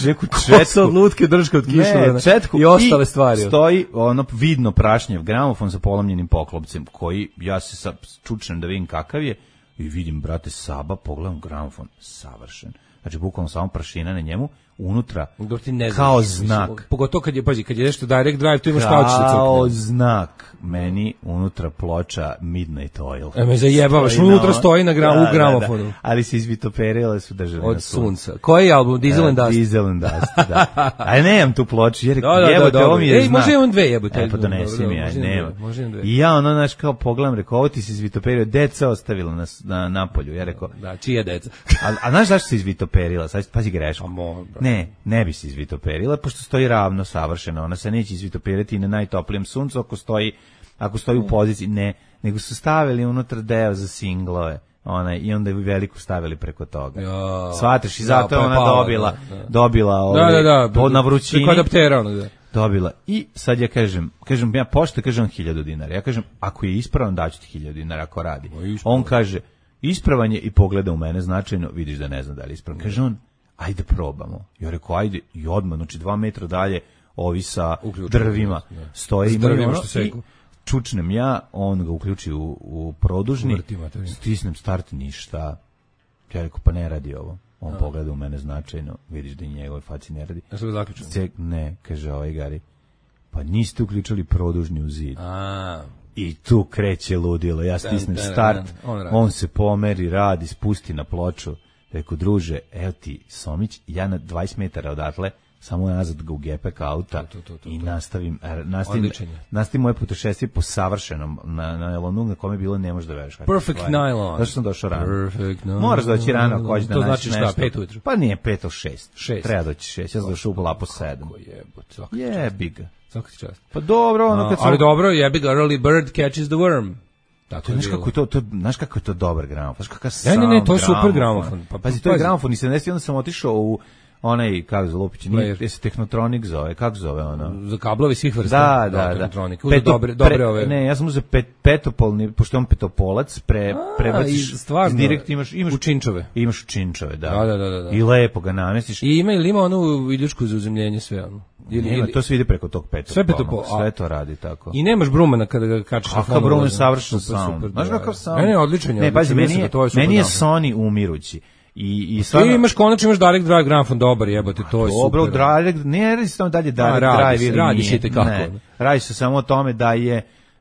Neku Kosu od lutke, drška od kišlana. Ne, četku i ostale stvari. Stoji ono vidno prašnjev gramofon sa polomljenim poklopcem, koji ja se sad čučnem da vidim kakav je i vidim, brate, Saba, pogledam gramofon, savršen. Znači, bukvalno samo prašina na njemu, unutra kao znak. Pogotovo kad je nešto direct drive, tu imaš paučice crkne. Kao znak meni unutra ploča Midnight Oil. Me zajebavaš, unutra stoji na u gramofonu. Da. Ali se izvitoperile su držali od na sunca. Koji je album? Diesel and Dust? Diesel and Dust, da. Ali nemam tu ploču, jer jebote, ovo mi je znak. Može imam dve jebote. Pa donesi mi, nema. I ja ono, znaš, kao pogledam, rekao, ovo ti se izvitoperio, deca ostavila na napolju. Ja rekao, da, čija deca? A znaš zašto se izvitoperila? Sad pazi grešku. Ne bi se izvitoperila, pošto stoji ravno, savršeno. Ona se neće izvitoperiti na najtoplijem suncu ako stoji u poziciji. Ne, nego su stavili unutra deo za singlove. I onda je veliku stavili preko toga. Shvataš, i zato je ona dobila na vrućini. Preko adaptera ono, da. Dobila. I sad ja kažem ja pošto kažem 1000 dinara. Ja kažem, ako je ispravan, daću ti 1000 dinara ako radi. On kaže, ispravan je i pogleda u mene značajno, vidiš da ne znam da li je ispravan. Kaže on, ajde probamo. Ja rekao, ajde, i odmah, znači 2 metra dalje, ovi sa drvima stoje, imaju ono, i čučnem ja, on ga uključi u produžni, stisnem start, ništa. Ja rekao, pa ne radi ovo. On pogleda u mene značajno, vidiš da i njegove faci ne radi. Ja sam ga zaključio. Ne, kaže ovaj Gari, pa niste uključili produžni u zid. I tu kreće ludilo, ja stisnem start, on se pomeri, radi, spusti na ploču. Rekao, druže, evo ti Somić, ja na 20 metara odatle, samo nazad ga u gepek auta i nastavim moje putešestvije po savršenom na nylonu, na kome je bilo ne možeš da veriš. Perfect nylon. Zašto sam došao rano? Moraš doći rano ako hoćeš da naći nešto. To znači šta, 5 ujutru? Pa nije 5 od 6. Treba doći 6, ja sam došao u lapo 7. Jebi ga. Svaka ti čast. Pa dobro, ono kad sam... Ali dobro, jebi ga, early bird catches the worm. Znaš kako je to dobar gramofon? Ne, to je super gramofon. Pazi, to je gramofon i 70, onda sam otišao u onaj, kako zove Lupić, nije se Technotronic zove, kako zove ono? Za kablovi svih vrsta. Da. Technotronic. Dobre ove. Ne, ja sam uzeo petopolni, pošto on petopolac, prebaciš, direkt imaš u činčove. Imaš u činčove, da. Da. I lepo ga namestiš. I ima onu iljušku za uzemljenje sve ono. Nema, to se vidi preko tog petopolnog. Sve to radi tako. I nemaš brumena kada ga kačiš na fonu. Brumen je savršen sound. Znaš kakav sound? Ne, odličan je. Ne, pazi, meni je Sony umirući. I stvarno, ti imaš direct drive gramofon dobar, jebote, to je super. Dobro, ne radi se tamo dalje direct drive ili radi se te kako. Radi se samo o tome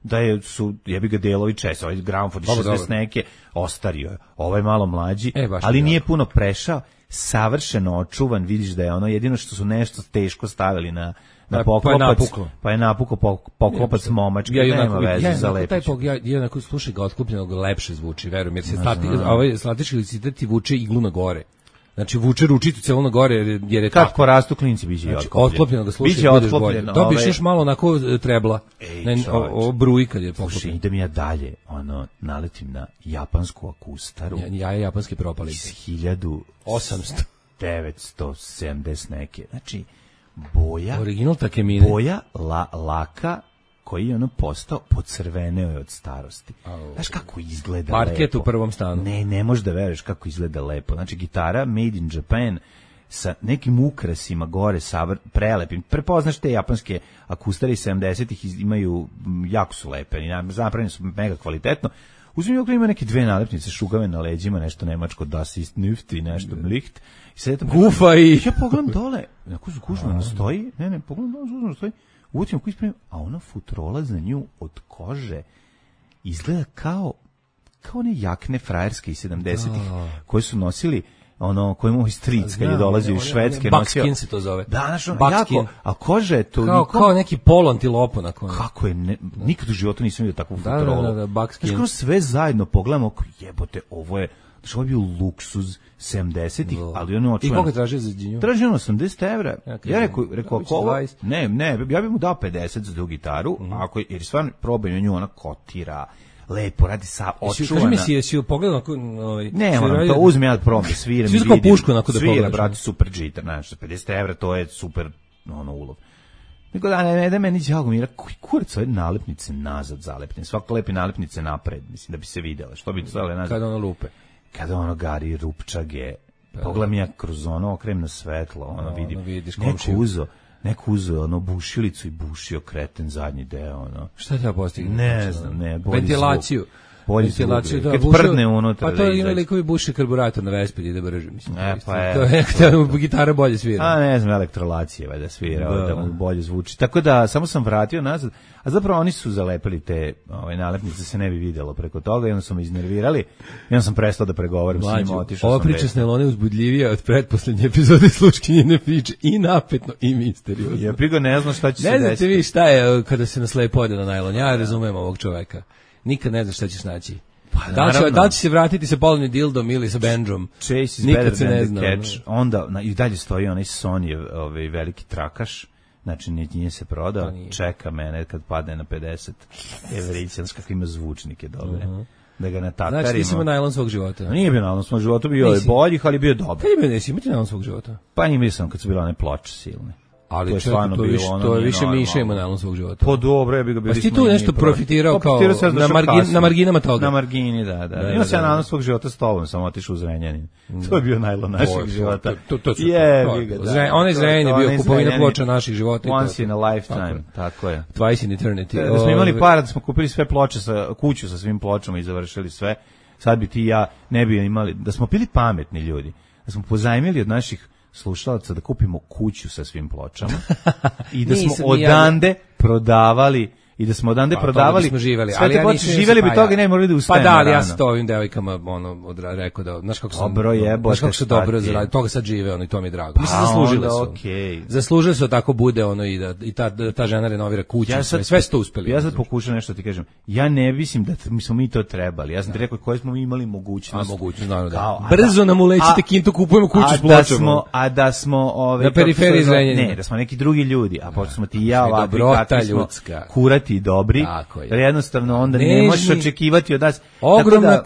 da su jebi ga delovi čest, ovaj gramofon 60 neke ostario je. Ovaj malo mlađi, ali nije puno prešao, savršeno očuvan, vidiš da je ono jedino što su nešto teško stavili na poklopac, pa je napukao poklopac momački, nema veze za lepić. Ja slušaj ga otklopljenog, lepše zvuči, verujem, jer se statički licitet vuče iglu na gore. Znači vuče ručicu celo na gore jer je kako porastu klinci biće otklopljeno ga slušaj, budeš bolje. Dobiš još malo onako trebla. O bruji kad je poklopljeno. Idem ja dalje, naletim na japansku akustaru. Ja je japanski propali. Iz 1970 neke. Znači boja, original Takemine. Boja laka koji je postao pocrveneo je od starosti. Znaš kako izgleda parket lepo. U prvom stanu. Ne možeš da veruješ kako izgleda lepo. Znači gitara made in Japan sa nekim ukrasima gore, prelepim. Prepoznaš te japanske akustare iz 70-ih, imaju, jako su lepe, napravljene su mega kvalitetno. Uzmi ovdje ima neke 2 nalepnice šugave na leđima, nešto nemačko, Das ist Nüft i nešto Licht. Gufa i... Ja pogledam dole, neko zgužno stoji, pogledam dole, zgužno stoji, uvotim ako ispravim, a ona futrola za nju od kože izgleda kao one jakne frajerske iz 70-ih koje su nosili koji moj stric kad je dolazio iz Švedske nosio. Buckskin se to zove. Da, jako, a koža je to kao neki polo antilopo na kojem. Kako je, nikad u životu nisam vidio takvu futrolu. Da, buckskin. Znači, sve zajedno pogledamo, jebote, ovo je bio luksuz 70-ih, ali ono očuvano. I koliko je tražio za džinju? Tražio 80 evra. Ja rekao, ako ovo, ne, ja bih mu dao 50 za tu gitaru, jer stvarno probaju nju, ona kotira, lepo, radi sa očuvana. Kaži mi jesi pogledao ne, moram to uzmi ja prom da sviram i vidim. Pušku da svira, brate, super džitar, znači 50 evra, to je super ulov. Nego da meni đago mira, koji kurac ove nalepnice nazad zalepljene, svako lepi nalepnice napred, mislim da bi se vidjela, što bi stavile nazad. Kada ono lupe. kada ono gari rupčage, pogledam ja kroz ono, okrenem na svetlo, ono vidim, vidiš neko uzo ono bušilicu i bušio kreten zadnji deo, ono. Šta treba postignuti? Ne znam, bolji ventilaciju. Zvuk. Ventilaciju, da, kad prdne unutra. Pa to ima likovi buši karburator na Vespidi da brže, mislim. To je gitara bolje svira. A ne znam, elektrolacije valjda svira, da mu bolje zvuči. Tako da, samo sam vratio nazad, a zapravo oni su zalepili te nalepnice, se ne bi vidjelo preko toga i onda su me iznervirali i onda sam prestao da pregovaram s njima, otišao sam. Ova priča s Nelone uzbudljivija od pretposlednje epizode Sluškinjine priče, i napetno i misteriozno. Ja prigo ne znam šta će se desiti. Ne znate vi šta je kada se nas lepo ode na najlon, ja razumem ovog čoveka. Nikad ne znaš šta ćeš naći. Pa, da li će se vratiti sa polovnim dildom ili sa bendžom? Chase is better than the catch. Onda i dalje stoji onaj Sony veliki trakaš. Znači, nije se prodao, čeka mene kad padne na 50 evrića, znaš kako ima zvučnike dobre, da ga natakarimo. Znači, nisi imao najlon svog života? Nije bio najlon svog života, bio je boljih, ali bio dobar. Kad je bio nisi imati najlon svog života? Pa imao sam kad su bile one ploče silne. Ali to je više Miša ima najlon svog života. Po dobro, ja bih ga bili. Pa ti tu nešto profitirao kao na marginama toga. Na margini, da. Imao sam najlon svog života s tobom, sam otišao u Zrenjanin. To je bio najlon našeg života. Onaj Zrenjanin je bio kupovina ploča naših života. Once in a lifetime, tako je. Twice in eternity. Da smo imali para, da smo kupili sve ploče, kuću sa svim pločama i završili sve, sad bi ti i ja ne bi imali, da smo bili pametni ljudi, da smo pozajmili od naših slušalaca da kupimo kuću sa svim pločama i da smo odande prodavali i da smo odande prodavali smo živeli, ali ja živeli bi toga i ne morali da ustajemo. Pa da, ali ja sam to ovim devojkama rekao da znaš kako sam znaš kako su dobro zaradili, toga sad žive, i to mi je drago. Mislim zaslužili su. Zaslužili su tako bude i ta žena renovira kuću, sve su to uspeli. Ja sad pokušam nešto ti kažem. Ja ne mislim da smo mi to trebali. Ja sam ti rekao koje smo imali mogućnost. Naravno da. Brzo nam ulećite kintu, kupujemo kuću s pločama. A da smo na periferiji Zrenjanina. Ne, da smo neki drugi ljudi, a pošto smo ti i ja ovakvi kakvi smo kurati i dobri, jer jednostavno onda ne možeš očekivati od nas. Ogromna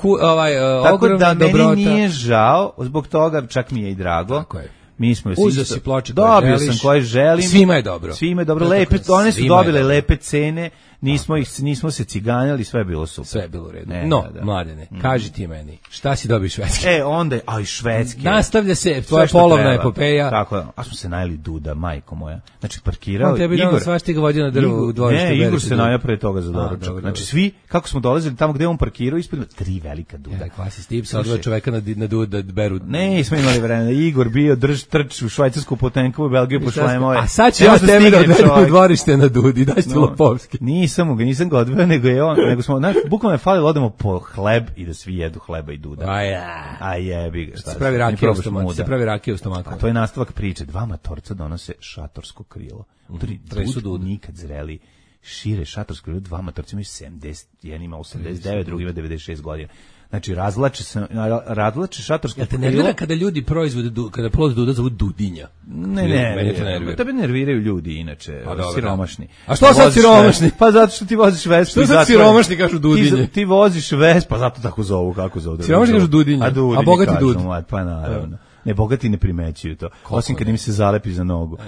dobrota. Meni nije žao, zbog toga čak mi je i drago. Tako je. Mi smo uzeo si ploče dobio sam koje želim. Svima je dobro. Svima je dobro. Lepe, one su dobile lepe cene. Nismo se ciganjali, sve je bilo super. Sve je bilo u redu. Mladene, kaži ti meni, šta si dobio Švedske? Onda, Švedske. Nastavlja se tvoja polovna epopeja. Tako je, a smo se najeli Duda, majko moja. Znači, parkirao Igor. Svašta ga vodio na drvu u dvorištu. Ne, Igor se najao pre toga za doručak. Znači, svi, kako smo dolazili tamo gde on parkirao, ispred 3 velika Duda. Da, kvasi stip, sa odvoja čoveka na Dud da beru. Ne, smo imali vremena. Igor bio trč u Švajcarsku Potenkovu, Belgiju po šlemove. A sad će ja tebe da odvedem u dvorište na Dudi, daj ti Lopovski. Nisam ga odveo, nego smo, bukvalno je falilo, odemo po hleb i da svi jedu hleba i Duda. A jebi ga. Se pravi rakija u stomaku. A to je nastavak priče. 2 matorca donose šatorsko krilo. Dud nikad zreli šire šatorsko krilo, 2 matorca imaju 70, jedan ima 89, drugi ima 96 godina. Znači, razlače šatorsko krilo. Ja te nervira kada ljudi proizvode, kada plod Duda zovu Dudinja. Ne. Tebe nerviraju ljudi, inače, siromašni. A što sad siromašni? Pa zato što ti voziš Vespu. Što sad siromašni kažu Dudinje? Ti voziš Vespu, pa zato tako zovu, kako zovu. Siromašni kažu Dudinje, a bogati Dud. Pa naravno. Ne, bogati ne primećuju to. Osim kad im se zalepi za nogu.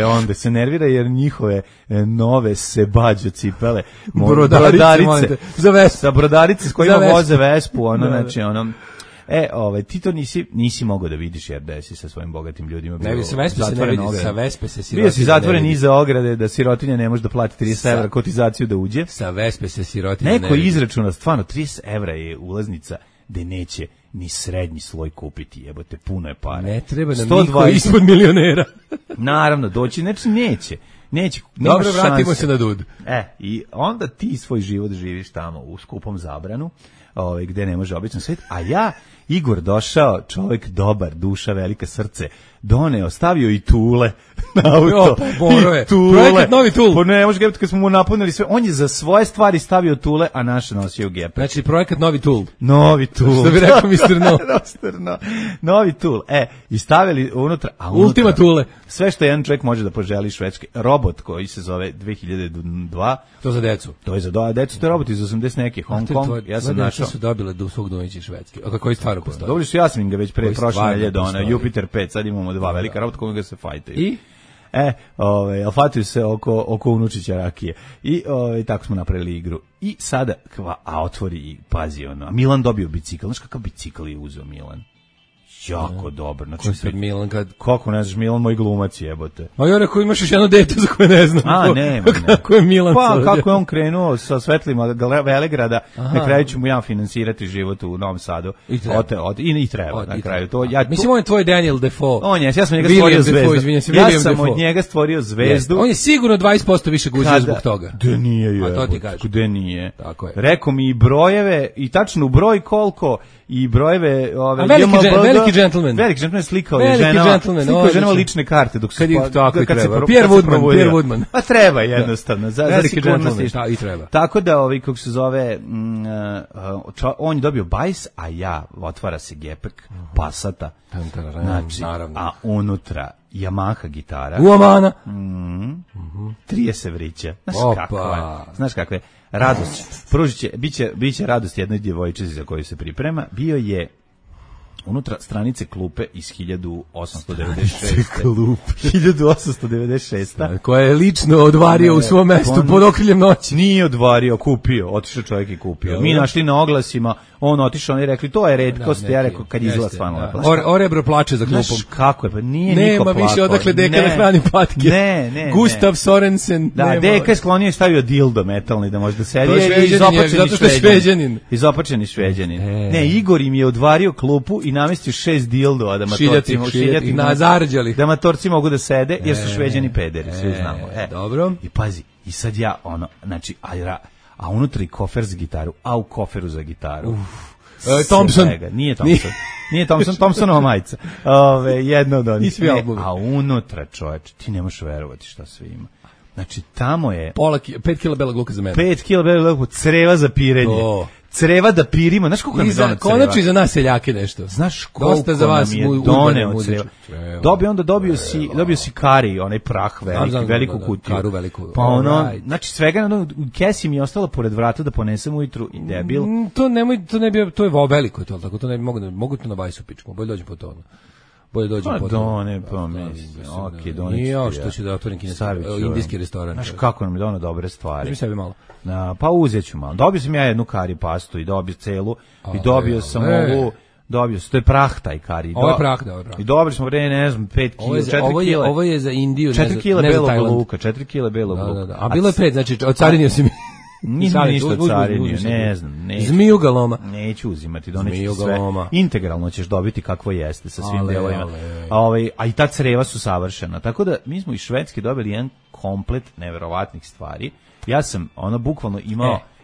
Onda se nervira jer njihove nove sebađo cipele, brodarice, za brodarice s kojima voze Vespu, znači ti to nisi mogao da vidiš jer da si sa svojim bogatim ljudima bio. Ne, sa Vespe se ne vidi, sa Vespe se sirotinja. Bio si zatvoren iza ograde da sirotinja ne može da plati 30 evra kotizaciju da uđe. Sa Vespe se sirotinja ne vidi. Neko izračuna, stvarno, 30 evra je ulaznica gde neće ni srednji sloj kupiti, jebote, puno je para. Ne treba nam niko ispod milionera. Naravno, doći, znači neće. Dobro, vratimo se na Dud. I onda ti svoj život živiš tamo u skupom Zabranu, gde ne može običan svet, a ja, Igor došao, čovjek dobar, duša, velika, srce, doneo, stavio i tule na auto. I tule. Projekat novi tul. Pa ne, može gepati kad smo mu napunili sve. On je za svoje stvari stavio tule, a naše nosio gepe. Znači, projekat novi tul. Novi tul. Što bi rekao Mr. No. Novi tul. I stavili unutra. Ultima tule. Sve što jedan čovjek može da poželi Švedske. Robot koji se zove 2002. To za decu. To je za decu, to je robot iz 80 neki. Hong Kong. Ja sam našao. Su dobile do svog domaći Švedske. A koji stvarno postoji? Dobili su, ja sam im ga već pre prošle nedelje doneo, Jupiter 5, sad imamo 2 velika robota koji ga se fajtaju. Alfatiju se oko unučića rakije. I tako smo napravili igru. I sada, otvori i pazi ono. A Milan dobio bicikl. Znaš kakav bicikl je uzeo Milan? Jako dobro. Znači, Ko sad Milan kad... Kako ne znaš, Milan moj glumac jebote. A ja rekao, imaš još jedno dete za koje ne znam. Nema. Kako je Milan Pa, sad? kako je on krenuo sa svetlima Velegrada, na kraju ću mu ja finansirati život u Novom Sadu. I treba. I treba na kraju. Mislim, on je tvoj Daniel Defoe. Ja sam njega stvorio zvezdu. Ja sam Defoe. od njega stvorio zvezdu. On je sigurno 20% više guzio zbog toga. Da nije, a to ti kažeš. Gde nije. Tako je. Rekao mi i brojeve, i tačno broj koliko, i brojeve... Veliki džentlmen. Veliki džentlmen slikao je ženama lične karte dok se Pierre Woodman. Pa treba jednostavno za sigurnost i treba. Tako da kako se zove on je dobio bajs, a ja otvara se gepek Passata. Znači, a unutra Yamaha gitara. Uamana. 30 vrića. Znaš kakve radost. Biće radost jednoj djevojčici za koju se priprema. Bio je unutra stranice klupe iz 1896. Koja je lično odvario u svom mestu pod okriljem noći. Nije odvario, kupio, otišao čovjek i kupio. Mi našli na oglasima, on otišao i rekli to je retkost, ja rekao kad izgleda stvarno lepo. Orebro plače za klupom. Znaš kako je, pa nije niko plakao. Nema više odakle deka da hrani patke. Ne. Gustav Sorensen. Da, deka je sklonio i stavio dildo metalni da može da sedi. Izopačeni Šveđanin. Ne, Igor im je odvario klupu i namestio 6 dildova da matorci mogu da sede, jer su Šveđani pederi, svi znamo. Dobro. I pazi, i sad ja znači, a unutra i kofer za gitaru, a u koferu za gitaru. Thompson. Nije Thompson, Thompsonova majica. Jedno od onih. A unutra, čoveče, ti nemaš verovati šta sve ima. Znači, tamo je... 5 kila belog luka za mene. 5 kila belog luka, creva za pirenje. Creva da pirimo, znaš koliko nam je doneo creva? Konačno i za nas seljake nešto. Znaš koliko nam je doneo creva? Dobio si kari, onaj prah veliku kutiju. Karu veliku. Pa znači svega, u kesi mi je ostalo pored vrata da ponesem ujutru i debil. To je veliko, to ne bi mogu to na bajsu pičku, bolje dođem po to. Bolje dođem po to. Nije što ću da otvorim indijski restoran. Znaš kako nam je doneo dobre stvari. Uzmi sebi malo. Pa uzet ću malo. Dobio sam ja jednu kari pastu i dobio celu i dobio sam ovu, to je prah taj kari. Ovo je prah, da. I dobili smo, ne znam, 5 kila, 4 kila. Ovo je za Indiju, 4 kila belog luka, 4 kila belog luka. A bilo je 5, znači ocarinio si mi. Nisam ništa carinio, ne znam. Zmiju galoma. Neću uzimati, doneću sve. Integralno ćeš dobiti kakvo jeste sa svim delovima. A i ta creva su savršena. Tako da mi smo iz Švedske dobili jedan komplet neverovatnih stvari. Ja sam bukvalno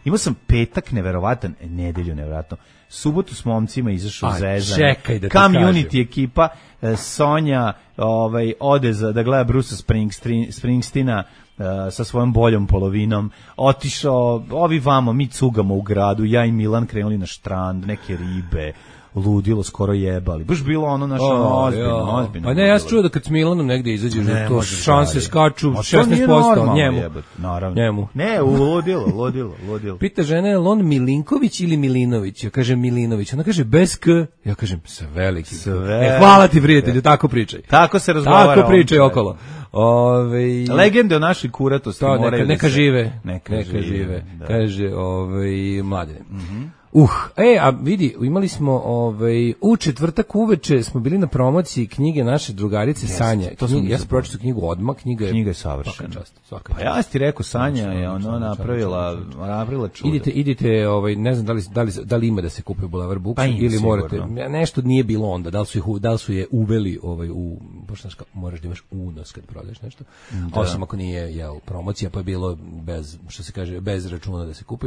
imao sam petak neverovatan, nedelju neverovatno. Subotu s momcima izašao zezanje. Čekaj da ti Community ekipa, Sonja ode da gleda Brusa Springsteena sa svojom boljom polovinom, otišao, mi cugamo u gradu, ja i Milan krenuli na štrand, neke ribe, ludilo, skoro jebali. Baš bilo ozbiljno. Pa ne, ja sam čuo da kad s Milanom negdje izađeš, to šanse skaču 16% njemu. Naravno. Ne, ludilo. Pita žena, je li on Milinković ili Milinović? Ja kažem Milinović. Ona kaže bez K. Ja kažem sa velikim. Hvala ti, prijatelju, tako pričaj. Tako se razgovara. Tako pričaj okolo. Legende o našoj kuratosti moraju neka žive. Kaže Mladine. A vidi, imali smo u četvrtak uveče smo bili na promociji knjige naše drugarice Sanje. Ja sam pročitao knjigu odmah, knjiga je savršena. Pa ja ti rekao, Sanja je napravila čudo. Idite, ne znam da li ima da se kupi u Boulevard Books ili morate, nešto nije bilo onda, da li su je uveli u poštanska, moraš da imaš unos kad prodaješ nešto, osim ako nije promocija, pa je bilo bez, što se kaže, bez računa da se kupi.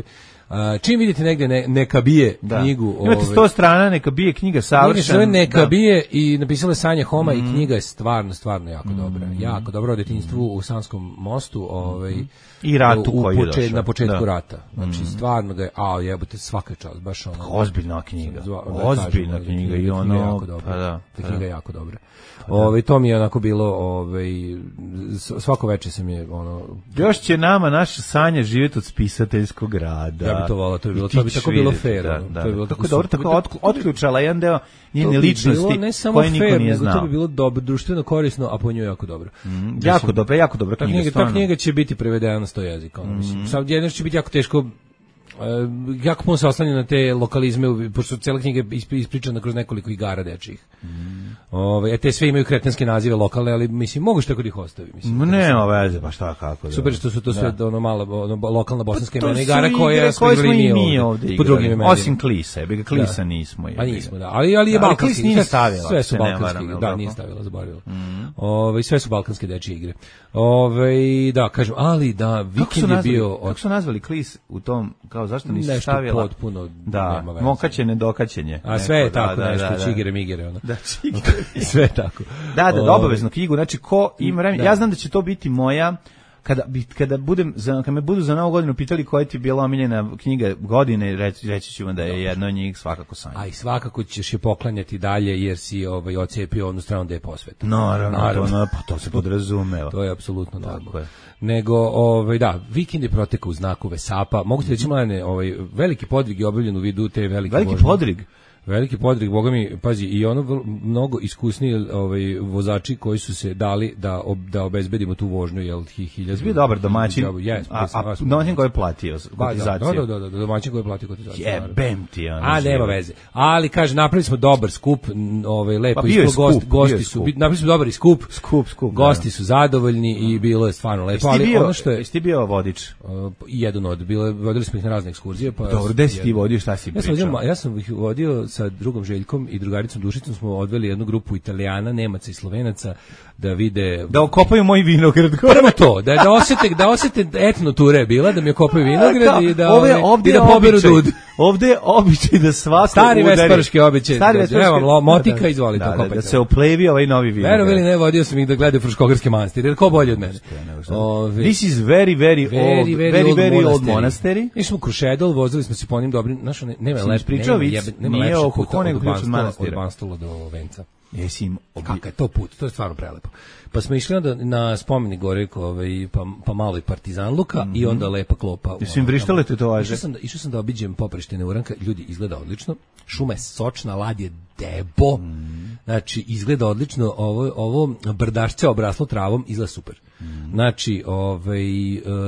Čim vidite negdje neka bije knjigu, imate 100 strana, neka bije knjiga savršena. Neka bije i napisala je Sanja Homa i knjiga je stvarno jako dobra. Jako dobro o detinjstvu u Sanskom mostu, i ratu koji je došao. Na početku rata. Znači stvarno ga je, jebote, svaka čast, baš ozbiljna knjiga. I knjiga je jako dobra. To mi je onako bilo, svako veče sam je još će nama naša Sanja živjeti od spisateljskog rada. Ja bi to volao, to bi tako bilo fair, Da, ono. da. To je bilo Tako tako dobro, super. tako otključala jedan deo To njene bi ličnosti bilo ne samo koje niko fair, nije nego znao. to bi bilo dobro, društveno korisno, a po njoj jako dobro. Jako dobro, jako dobra Ta knjiga, knjiga, ta stvarno. knjiga će biti prevedena na 100 jezika. Ono, mislim. Sad jedno će biti jako teško, jako puno se oslanja na te lokalizme, pošto cijela knjiga je ispričana kroz nekoliko igara dečijih. Te sve imaju kretenske nazive lokalne, ali mislim, mogu što tako da ih ostavi. Mislim, Nema veze, pa šta kako. Da. super što su to sve ono mala lokalna bosanska To imena su igara igre koja smo koje igrali i mi mi ovde po igrali. drugim imenima. Osim Klisa, jebi ga Klisa nismo. Pa nismo, da. Ali je Da, balkanski. Klis nije stavila, Sve ako su se ne balkanski. varam, jel Da, tako? nije stavila, zaboravila. Sve su balkanske dečije igre. Da, kažem, ali da, Vikend je bio kako su nazvali Klis u tom, kao zašto nisu nešto stavila? potpuno Da, nema veze. mokaćenje, dokaćenje. A sve je Neko, tako da, nešto, da, da. čigere migere, ono. Da, čigere. Sve je tako. Da, obavezno knjigu, znači ko ima vremena, ja znam da će to biti moja, kada me budu za Novu godinu pitali koja ti je bila omiljena knjiga godine, reći ću vam da je jedna od njih svakako Sanja. A i svakako ćeš je poklanjati dalje jer si ocepio onu stranu da je posveta. Naravno, pa to se podrazumeva. To je apsolutno normalno. Tako je. Nego, da, Vikend je protekao u znaku Vesapa. Mogu ti reći, mladene, veliki podvig je obavljen u vidu te velike vožnje. Veliki podvig, boga mi, pazi, i mnogo iskusniji vozači koji su se dali da obezbedimo tu vožnju, jel, 1000. Bio dobar domaćin, a domaćin koji je platio kotizaciju. Da, domaćin koji je platio kotizaciju. Jebem ti, ono. A, nema veze. Ali, kaže, napravili smo dobar skup, lepo pa bio ispalo, je gosti su, napravili smo dobar i skup, gosti su zadovoljni i bilo je stvarno lepo. Ali ono što je... Jesi ti bio vodič? Jedan od, vodili smo ih na razne ekskurzije. Dobro, gde si ti vodio, šta si pričao? Ja sam ih vodio sa drugom Željkom i drugaricom Dušicom, smo odveli jednu grupu Italijana, Nemaca i Slovenaca da vide... Da okopaju moj vinograd. Prvo to, da osete etno ture je bila, da mi okopaju vinograd i da poberu dud. Ovde je običaj da svako stari vesparski običaj. Evo, motika, izvolite, okopajte. Da se oplevi ovaj novi vinograd. Verovali ne, vodio sam ih da gledaju Fruškogorski manastir, jer ko bolje od mene. This is very old monastery. Mi smo u Krušedol, vozili smo se po onim dobrim, znaš, nema lepšeg puta od Banstola do Venca. Kakav je to put, to je stvarno prelepo. Pa smo išli onda na spomenik gore, pa malo i Partizanluka i onda lepa klopa. Jesi im vrištale tetovaže? Išao sam da obiđem Poprištine Uranka, ljudi, izgleda odlično, šuma je sočna, lad je debo, znači izgleda odlično, ovo brdašce obraslo travom, izgleda super. Znači,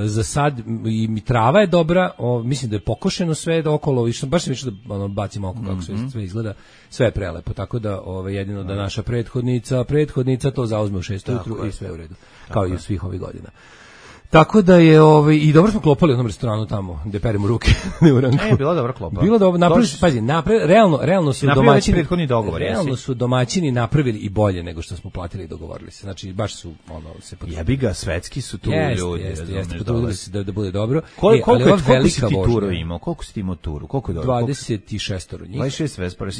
za sad i trava je dobra, mislim da je pokošeno sve okolo, baš sam išao da bacim oko kako sve izgleda, sve je prelepo, tako da jedino da naša prethodnica to zauzme u 6 ujutru i sve u redu, kao i u svih ovih godina. Tako da je i dobro smo klopali u onom restoranu tamo gde peremo ruke u Uranku. Bila dobra klopa. Bilo dobro, realno su domaćini prethodni dogovor. Realno su domaćini napravili i bolje nego što smo platili i dogovorili se. Znači baš su se potrudili. Jebi ga, svetski su tu ljudi. Jeste, potrudili se da bude dobro. Koliko si ti turu imao? Koliko si ti imao turu? Koliko je dobro? 26 njih. 26 Vespara.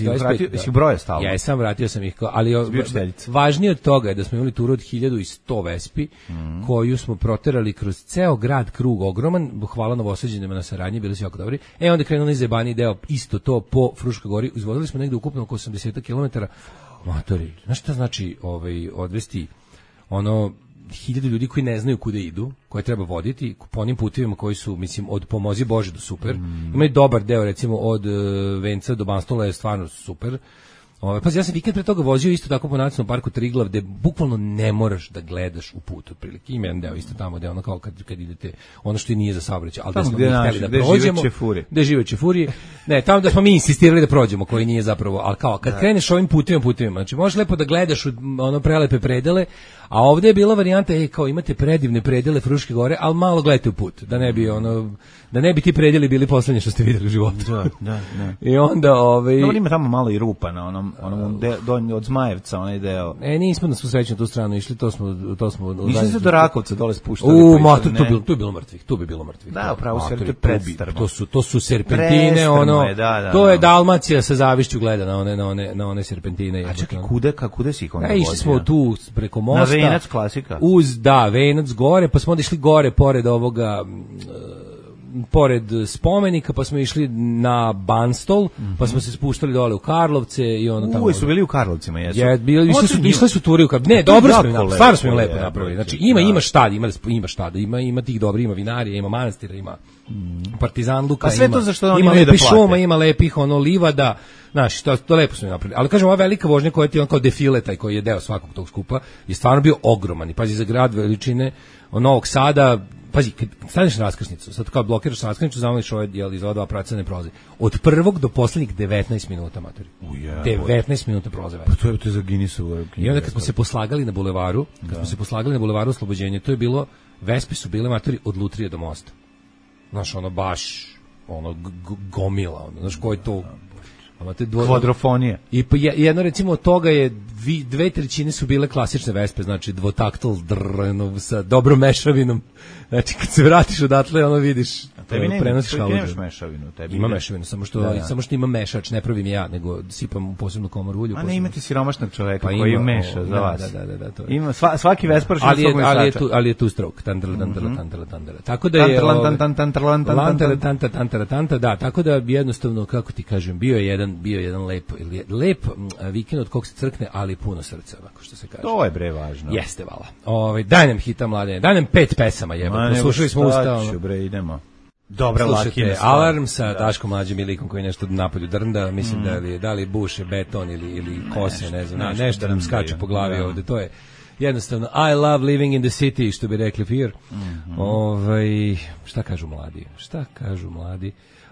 Si broja stalno? Ja sam vratio sam ih, ali važnije od toga je da smo imali turu od 1100 Vespi, koju smo proterali kroz ceo grad, krug ogroman, hvala Novosađanima na saradnji, bili su jako dobri. Onda krenuli izjebani deo, isto to po Fruškoj gori, izvozili smo negde ukupno oko 80 km. Matori, znaš šta znači odvesti 1000 ljudi koji ne znaju kuda idu, koje treba voditi po onim putevima koji su, mislim, od pomozi Bože do super. Ima i dobar deo, recimo, od Venca do Banstola je stvarno super. Ja sam vikend pre toga vozio isto tako po nacionalnom parku Triglav, gde bukvalno ne moraš da gledaš u put otprilike. Ima jedan deo isto tamo gde kao kad idete, ono što i nije za saobraćaj, ali da smo mi hteli da prođemo, gde žive čefurije. Ne, tamo da smo mi insistirali da prođemo, koji nije zapravo, ali kao kad kreneš ovim putevima, znači možeš lepo da gledaš prelepe predele, a ovde je bila varijanta, kao imate predivne predele Fruške gore, ali malo gledajte u put, da ne bi ti predeli bili poslednje što ste videli u životu. Da. I onda ima tamo malo i rupa na onom od Zmajevca, onaj deo. Nismo na svu sreću na tu stranu išli, to smo Nisam se do Rakovca dole spuštali. Tu je bilo mrtvih. Da, upravo sve, to je predstrmo. To su serpentine, to je Dalmacija sa zavišću gleda na one serpentine. A čekaj, kude si ih onda vozio? Išli smo tu preko mosta. Na Venac, klasika. Venac gore, pa smo onda išli gore, pored ovoga... pored spomenika, pa smo išli na Banstol, pa smo se spuštali dole u Karlovce i ono tamo. Su bili u Karlovcima, jesu. Išli su turi u Karlovce. Ne, dobro smo im napravili, stvarno smo im lepo napravili. Znači ima šta, ima tih dobri, ima vinarija, ima manastira, ima Partizan Luka, sve to za što oni ima imaju da lepih plate. šuma, ima lepih livada, znaš, to lepo smo im napravili. Ali kažem, ova velika vožnja koja ti on kao defile, taj koji je deo svakog tog skupa, je stvarno bio ogroman. I pazi, za grad veličine Novog Sada, pazi, kad staneš na raskrsnicu, sad kao blokiraš raskrsnicu, zamoliš iz ova dva pravca ne prolazi. Od prvog do poslednjih 19 minuta, matori. 19 minuta prolaze. Pa to je za Guinnessovu. I onda kad smo se poslagali na bulevaru, Oslobođenja, to je bilo, Vespe su bile, matori, od Lutrije do mosta. Znaš, ono baš, gomila, znaš, ko je to... Kvadrofonija. I jedno recimo od toga je 2/3 su bile klasične Vespe, znači dvotaktal sa dobrom mešavinom. Znači kad se vratiš odatle, ono vidiš, prenosiš haludžu. Nemaš mešavinu, tebi. Ima mešavinu, samo što ima mešač, ne pravim ja, nego sipam u posebnu komoru ulju. A ne imate siromašnog čoveka pa koji meša za vas. Da, to je. Ima svaki Vespar što ali je tu strok, tandala. Tako da je da, tako da jednostavno, kako ti kažem, bio je jedan lep vikend od kog se crkne, ali puno srca, ovako što se kaže. To je bre važno. Jeste, vala. Daj nam hita, Mladene, daj nam 5 pesama, jebote. Slušali smo ustavno. Bre, idemo. Dobra, slušajte Alarm sa Daškom Mlađim i likom koji nešto napolju drnda, mislim da li buše beton ili kose, ne znam, nešto nam skače po glavi ovde, to je jednostavno I love living in the city, što bi rekli Fear. Šta kažu mladi?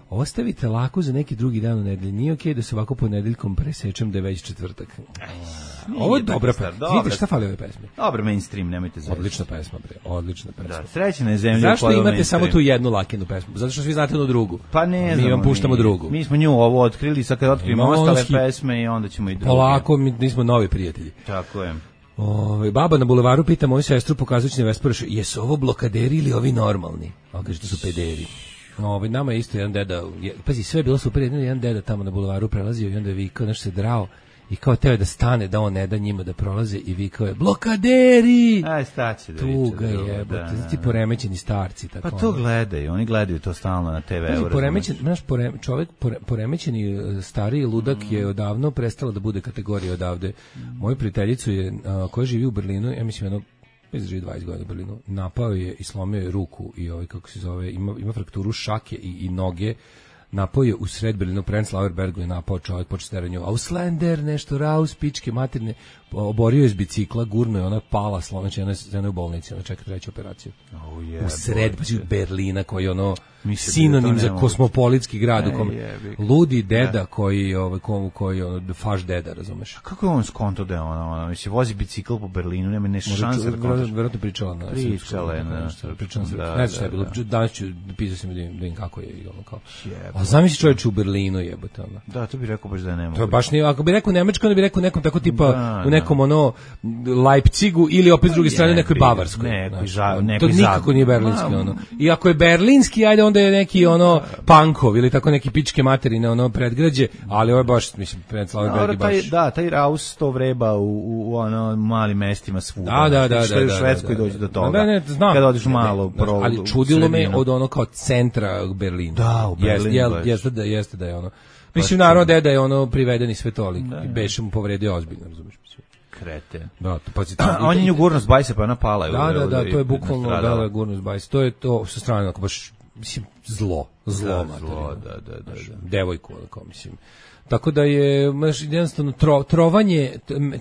Ostavite lako za neki drugi dan u nedelji. Nije okej da se ovako ponedeljkom presečem da je već četvrtak. Ovo je dobra pesma. Vidite šta fali ove pesme? Dobro, mainstream, nemojte zavisati. Odlična pesma, bre. Odlična pesma. Da, srećna je zemlja. Zašto imate samo tu jednu Lakinu pesmu? Zato što svi znate jednu drugu. Pa ne znam. Mi vam puštamo drugu. Mi smo nju ovo otkrili, sad kad otkrimo ostale pesme i onda ćemo i druge. Polako, mi smo novi prijatelji. Tako je. Baba na bulevaru pita moju sestru, pokazujući na Vesparoš, jesu ovo blokaderi ili ovi normalni? A kaže, to su pederi. Nama je isto jedan deda, pazi, sve je bilo super, jedan deda tamo na bulevaru prelazio i onda je vikao, nešto se drao i kao teo da stane, da on ne da njima da prolaze i vikao je, blokaderi! Aj, staće da tuga je, ti poremećeni starci. Tako pa to gledaju, oni gledaju to stalno na TV-u. Čovjek poremećeni stariji ludak je odavno prestala da bude kategorija odavde. Moju prijateljicu je, koja živi u Berlinu, ja mislim, bez živi 20 godina u Berlinu, napao je i slomio je ruku i kako se zove, ima frakturu šake i noge, napao je u sred Berlinu, u Prenzlauerbergu je napao čovjek, počeo steranju Auslander, nešto raus, pičke materne, oborio je iz bicikla, gurno je, ona pala, slomeća, ona je u bolnici, ona čeka treću operaciju. U sred Berlina, koji je ono sinonim za kosmopolitski grad, ludi deda koji faš deda, razumeš? A kako je on skonto da je ona, mislim, vozi bicikl po Berlinu, nema ne šanse da kontaš? Vjerojatno pričala na srpskom. Ne znam šta je bilo, danas ću pisao sam da im kako je i ono kao. A zamisli čovječ u Berlinu jebote ono. Da, to bi rekao baš da je nemoguće. To baš nije, ako bi rekao Nemačko, onda bi rekao nekom tako tipa u nekom Leipzigu ili opet s druge strane nekoj Bavarskoj. To nikako nije berlinski ono. I ako je berlinski, ajde onda je neki Pankov ili tako neki pičke materine predgrađe, ali ovo je baš, mislim, Prenzlauerberg je baš. Da, taj Raus to vreba u malim mestima svuda. Da. Što u Švedskoj dođe do toga. Ne, znam. Kada odiš malo ali čudilo me od kao centra Berlina. Da, u Berlinu. Jeste da je ono. Mislim, naravno da je priveden i svetolik. I beše mu povredio ozbiljno, razumiješ? Krete. Da, on je nju gurno s bajse, pa ona pala. Da, to je bukvalno gurno s bajse. To je to sa strane, ako baš, mislim, zlo. Da. Devojku, ako mislim. Tako da je, jednostavno,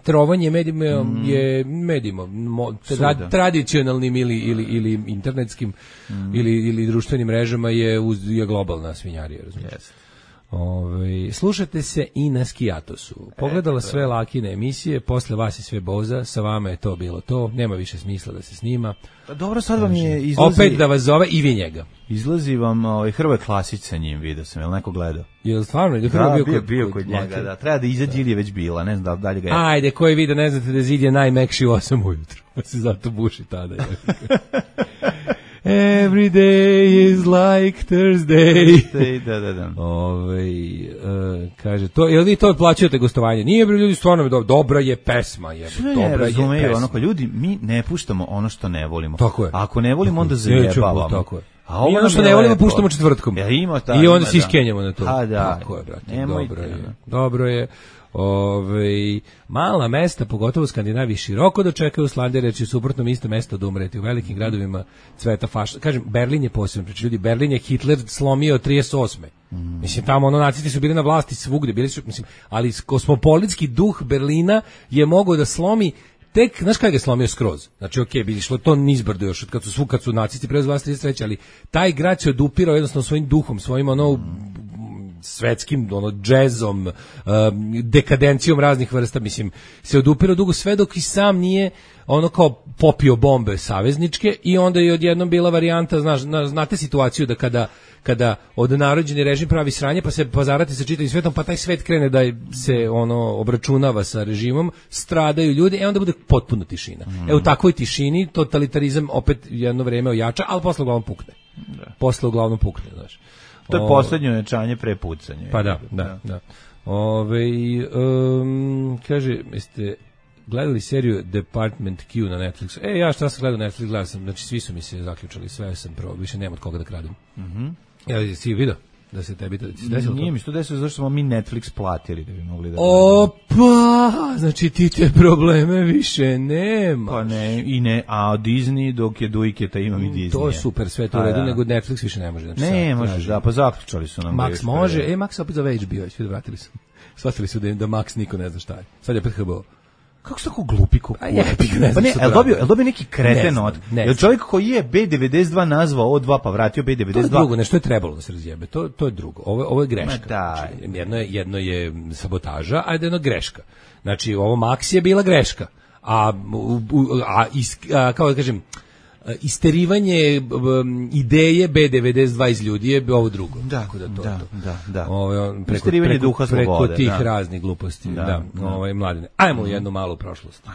trovanje medijima je medijima, tradicionalnim ili internetskim ili društvenim mrežama je globalna svinjarija, razumiješ? Slušate se i na Skijatosu. Pogledala sve Lakine emisije, posle vas je sve Boza, sa vama je to bilo to, nema više smisla da se snima. Dobro, sad vam je izlazi... Opet da vas zove i vi njega. Izlazi vam Hrvoje Klasić sa njim, vidio sam, je li neko gledao? Je li stvarno? Bio kod njega, da. Treba da izađi ili je već bila, ne znam da dalje ga je. Ajde, koji vide, ne znate da Zid je najmekši u 8 ujutru, pa se zato buši tada. Every day is like Thursday. Da. Kaže, jel vi to plaćate gostovanje? Nije, ljudi, stvarno dobra je pesma. Ne razumeju, ljudi, mi ne puštamo ono što ne volimo. Tako je. Ako ne volimo, onda zajebavamo. Tako je. A ovo mi ono nam što je ne volimo lepo. puštamo četvrtkom. Ja, ima, da, I onda ima, se iskenjamo na to. A, da. Tako je, brate. Nemojte, dobro je. da. Dobro je. Mala mesta, pogotovo u Skandinaviji, široko dočekaju slandere, jer će suprotno isto mesto da umreti. U velikim gradovima cveta fašizam. Kažem, Berlin je posebno, znači ljudi, Berlin je Hitler slomio 38. Mislim, tamo nacisti su bili na vlasti svugde, bili su, mislim, ali kosmopolitski duh Berlina je mogao da slomi tek, znaš kada ga je slomio skroz? Znači, okej, bi išlo to nizbrdo još, kad su nacisti preuzeli vlast 33, ali taj grad se odupirao jednostavno svojim duhom, svojim svetskim džezom, dekadencijom raznih vrsta, mislim, se odupirao dugo sve dok i sam nije kao popio bombe savezničke i onda je odjednom bila varijanta, znate situaciju da kada odnarođeni režim pravi sranje pa se pozarati sa čitavim svetom, pa taj svet krene da se obračunava sa režimom, stradaju ljudi, onda bude potpuno tišina. U takvoj tišini totalitarizam opet jedno vreme ojača, ali posle uglavnom pukne. Posle uglavnom pukne, znaš. To je poslednje ojačanje pre pucanja. Pa da. Kaže, jeste gledali seriju Department Q na Netflixu? Ja šta sam gledao Netflix, gledao sam, znači svi su mi se zaključali, sve sam probao, više nema od koga da kradem. Si vidio da se tebi desilo? Nije mi što desilo, zašto smo mi Netflix platili da bi mogli da... Opa, znači ti te probleme više nema. Pa ne, a Disney dok je Dujketa imam i Disney. To je super, sve to u redu, nego Netflix više ne može. Znači, ne možeš, da, pa zaključali su nam. Max može, Max opet zove HBO, svi vratili su. Shvatili su da Max niko ne zna šta je. Sad je opet HBO. Kako su tako glupi Pa ne, je dobio neki kreten od... Je čovjek koji je B92 nazvao O2 pa vratio B92? To je drugo, nešto je trebalo da se razjebe. To je drugo. Ovo je greška. Znači, jedno je sabotaža, a jedno je greška. Znači, ovo Max je bila greška. Kao da kažem, isterivanje ideje B92 iz ljudi je ovo drugo. Da. Isterivanje duha slobode. Preko tih raznih gluposti. Mladine. Ajmo u jednu malu prošlost.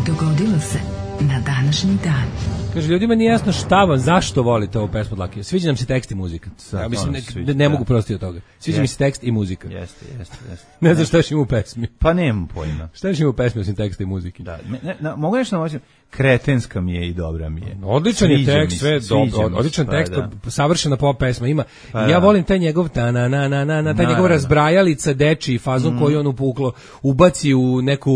Dogodilo se na današnji dan. Kaže, ljudima nije jasno šta vam, zašto volite ovu pesmu od Lakija. Sviđa nam se tekst i muzika. Ja mislim, ne mogu prostiti od toga. Sviđa mi se tekst i muzika. Jeste. Ne znam šta još ima u pesmi. Pa nemam pojma. Šta još ima u pesmi osim teksta i muzike? Da, mogu nešto namoćim. Kretenska mi je i dobra mi je. Odličan je tekst, sve dobro. Odličan tekst, savršena pop pesma ima. Ja volim taj njegov taj njegov razbrajalica dečiji fazon koji on ubaci u neku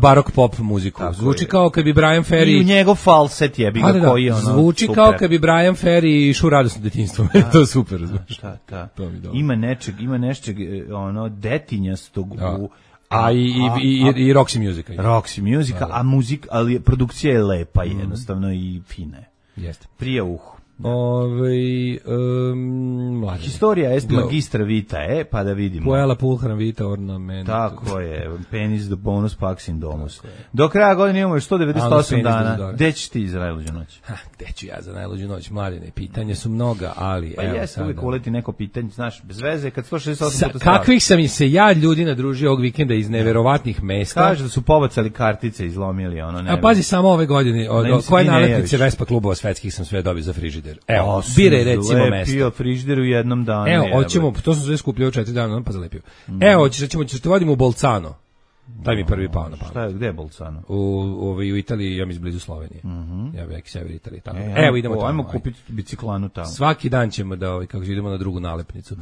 barok pop muziku. Zvuči kao kad bi Brian Ferry i njegov falset jebi ga koji je zvuči kao kad bi Brian Ferry išao radosno detinjstvo. To je super, znaš. Da. Ima nečeg detinjastog u i Roxy Musica. Roxy Musica, ali produkcija je lepa jednostavno i fina je. Jeste. Prije uhu. Historia est magistra vitae, pa da vidimo. Puella pulchra vita ornament. Tako je, penis do bonus pax in domus. Do kraja godine imamo još 198 dana. Gde ćeš ti za najluđu noć? Gde ću ja za najluđu noć, Mladine? Pitanja su mnoga, ali... Pa jeste uvijek uleti neko pitanje, znaš, bez veze, kad 168 puta kakvih sam se ja ljudi nadružio ovog vikenda iz neverovatnih mesta. Kaže da su pobacali kartice, izlomili A pazi samo ove godine, koje naletnice Vespa klubova svetskih sam sve dobio za frižider. Evo, biraj recimo mesto. Lepio frižider u jednom danu. Evo, hoćemo, to sam sve skupljao 4 dana, pa zalepio. Evo, ćemo te vodimo u Bolcano. Taj mi prvi pao na pamet. Šta je, gde je Bolcano? U Italiji, ja mislim blizu Slovenije. Ja vek sever Italije tamo. Evo idemo tamo. Ajmo kupiti biciklanu tamo. Svaki dan ćemo da kako idemo na drugu nalepnicu.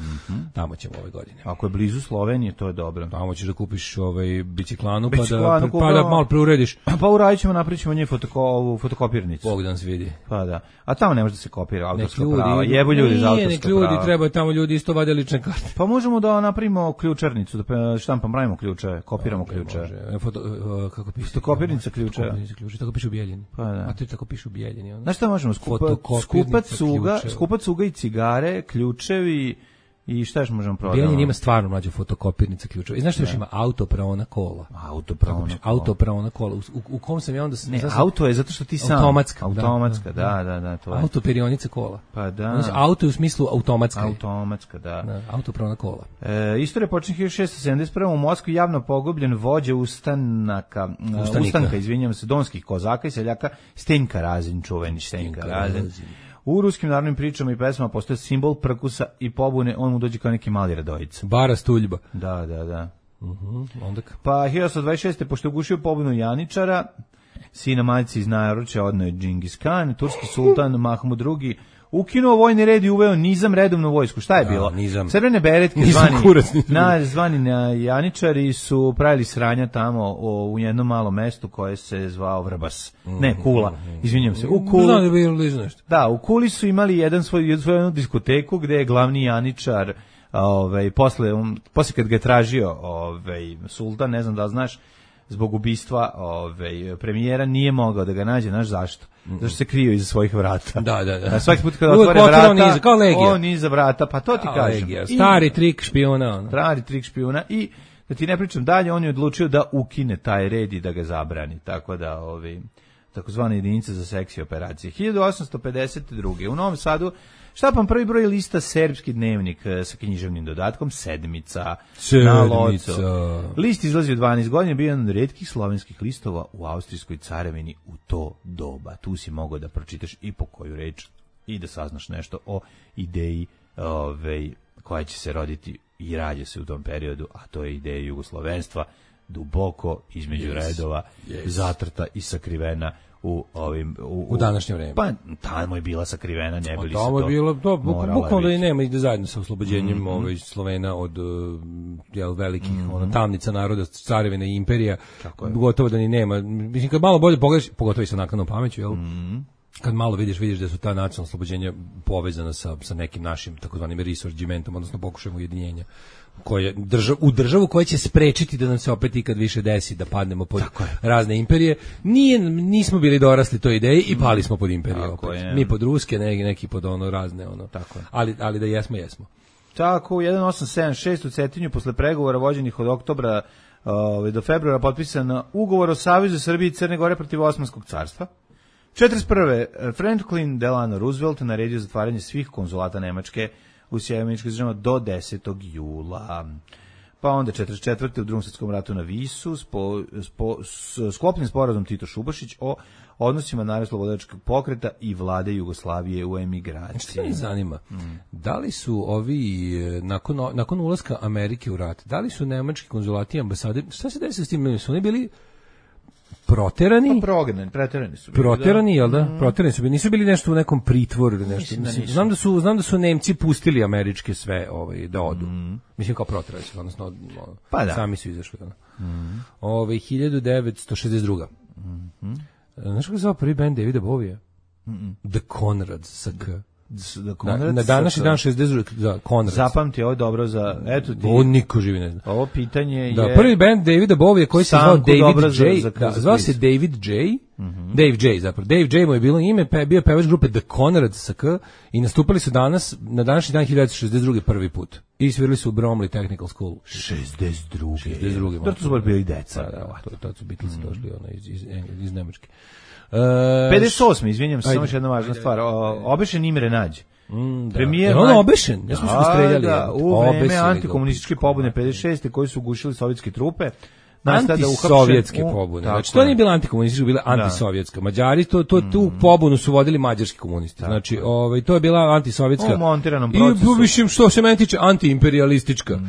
Tamo ćemo ove godine. Ako je blizu Slovenije, to je dobro. Tamo ćeš da kupiš biciklanu pa da malo preurediš. Pa uradićemo, napravićemo nje fotokopirnicu. Bog da nas vidi. Pa da. A tamo ne može da se kopira autorska prava. Jebu ljudi za autorska prava. Ljudi treba tamo ljudi isto vade lične karte. Pa možemo da napravimo ključarnicu, da štampamo, pravimo ključe, kopiramo ključe. Kako piše? Fotokopirnica ključa. Tako piše u Bijeljini. Pa da. A to tako piše u Bijeljini. Znaš šta možemo? Skupac cuga i cigare, ključevi i šta još možemo prodati? Bijeljin ima stvarno mlađu fotokopirnica ključeva. I znaš što još ima? Autopraona kola. Autopraona kola. U kom sam ja onda... Ne, auto je zato što ti sam... Automatska, da. To je. Autoperionica kola. Pa da. Auto je u smislu automatska. Automatska, da. Autopraona kola. Istorija počne 1671. U Moskvi javno pogubljen vođa ustanka, izvinjavam se, donskih kozaka i seljaka Stenjka Razin, čuveni Stenjka Razin. U ruskim narodnim pričama i pesmama postoje simbol prkusa i pobune, on mu dođe kao neki mali Radojica. Bara Stuljba. Da. Onda Pa 1826. pošto je ugušio pobunu Janičara, sina majci iz Najaruća odneo je Džingis Khan, turski sultan Mahmud II ukinuo vojni red i uveo nizam, redovnu vojsku. Šta je bilo? Nizam. Crvene beretke zvani na Janičari su pravili sranja tamo u jednom malom mestu koje se zvao Vrbas. Ne, Kula. Izvinjam se. U Kuli. Znam da je bilo nešto. Da, u Kuli su imali svoju diskoteku gde je glavni Janičar posle kad ga je tražio sultan, ne znam da li znaš, zbog ubistva premijera nije mogao da ga nađe, znaš zašto? Zašto se krio iza svojih vrata. Da. Svaki put kada otvore vrata, kao Legija. on iza vrata, pa to ti kažem. Legija. Stari trik špijuna. Stari trik špijuna i da ti ne pričam dalje, on je odlučio da ukine taj red i da ga zabrani, tako da takozvane jedinice za seksi operacije. 1852. U Novom Sadu štapan prvi broj lista Serbski dnevnik sa književnim dodatkom Sedmica. Na Locu. List izlazi u 12 godina, bio jedan od retkih slovenskih listova u Austrijskoj carevini u to doba. Tu si mogao da pročitaš i po koju reč i da saznaš nešto o ideji koja će se roditi i rađe se u tom periodu, a to je ideja jugoslovenstva, duboko između redova, zatrta i sakrivena u današnje vreme. Pa tamo je bila sakrivena, ne bili se to. Tamo je bilo to bukvalno da i nema ide zajedno sa oslobođenjem Slovena od velikih tamnica naroda, carevina i imperija. Gotovo da ni nema. Mislim kad malo bolje pogledaš, pogotovo i sa naknadnom pameću, kad malo vidiš da su ta nacionalna oslobođenja povezana sa nekim našim takozvanim resorgimentom, odnosno pokušajem ujedinjenja u državu koja će sprečiti da nam se opet ikad više desi da padnemo pod razne imperije. Nismo bili dorasli toj ideji i pali smo pod imperije opet. Mi pod ruske, neki pod razne ali da jesmo. Tako, u 1876 u Cetinju posle pregovora vođenih od oktobra do februara potpisan ugovor o Savezu Srbije i Crne Gore protiv Osmanskog carstva. 41. Franklin Delano Roosevelt naredio zatvaranje svih konzulata Nemačke u Sjeverne države do 10. jula. Pa onda 44. u Drugom svjetskom ratu na Visu sklopljen sporazum Tito-Šubašić o odnosima narodno-slobodačkog pokreta i vlade Jugoslavije u emigraciji. Što me zanima, da li su ovi, nakon ulaska Amerike u rat, da li su nemački konzulati i ambasade, šta se desi s tim, su oni bili proterani? Pa preterani su. Proterani, jel da? Proterani su bili, nisu bili nešto u nekom pritvoru ili nešto. Znam da su Nemci pustili američke sve da odu. Mislim kao proterani su, odnosno sami su izašli. 1962. Znaš kako se zove prvi band Davida Bovija? The Conrads sa K. Na današnji dan 60 za Conrads. Zapamti ovo dobro za eto ti. Ovo niko živi ne zna. Ovo pitanje je prvi band Davida Bovija koji se zvao David J. Zvao se David J. Dave J. zapravo. Dave J. mu je bilo ime, bio pevač grupe The Conrads sa K i nastupali su na današnji dan 1962. prvi put. I svirali su u Bromley Technical School. 62. To su bili deca. To su Beatlesi došli iz Nemačke. 58. Izvinjam se, samo još jedna važna stvar. Obešen Imre Nađ. Premijer on obešen? Ja smo se streljali. U vreme antikomunističke pobune 56. koji su ugušili sovjetske trupe. Antisovjetske pobune. Znači, to nije bila antikomunistička, bila antisovjetska. Mađari, tu pobunu su vodili mađarski komunisti. Znači, to je bila antisovjetska. U montiranom procesu. I, mislim, što se meni tiče, antiimperialistička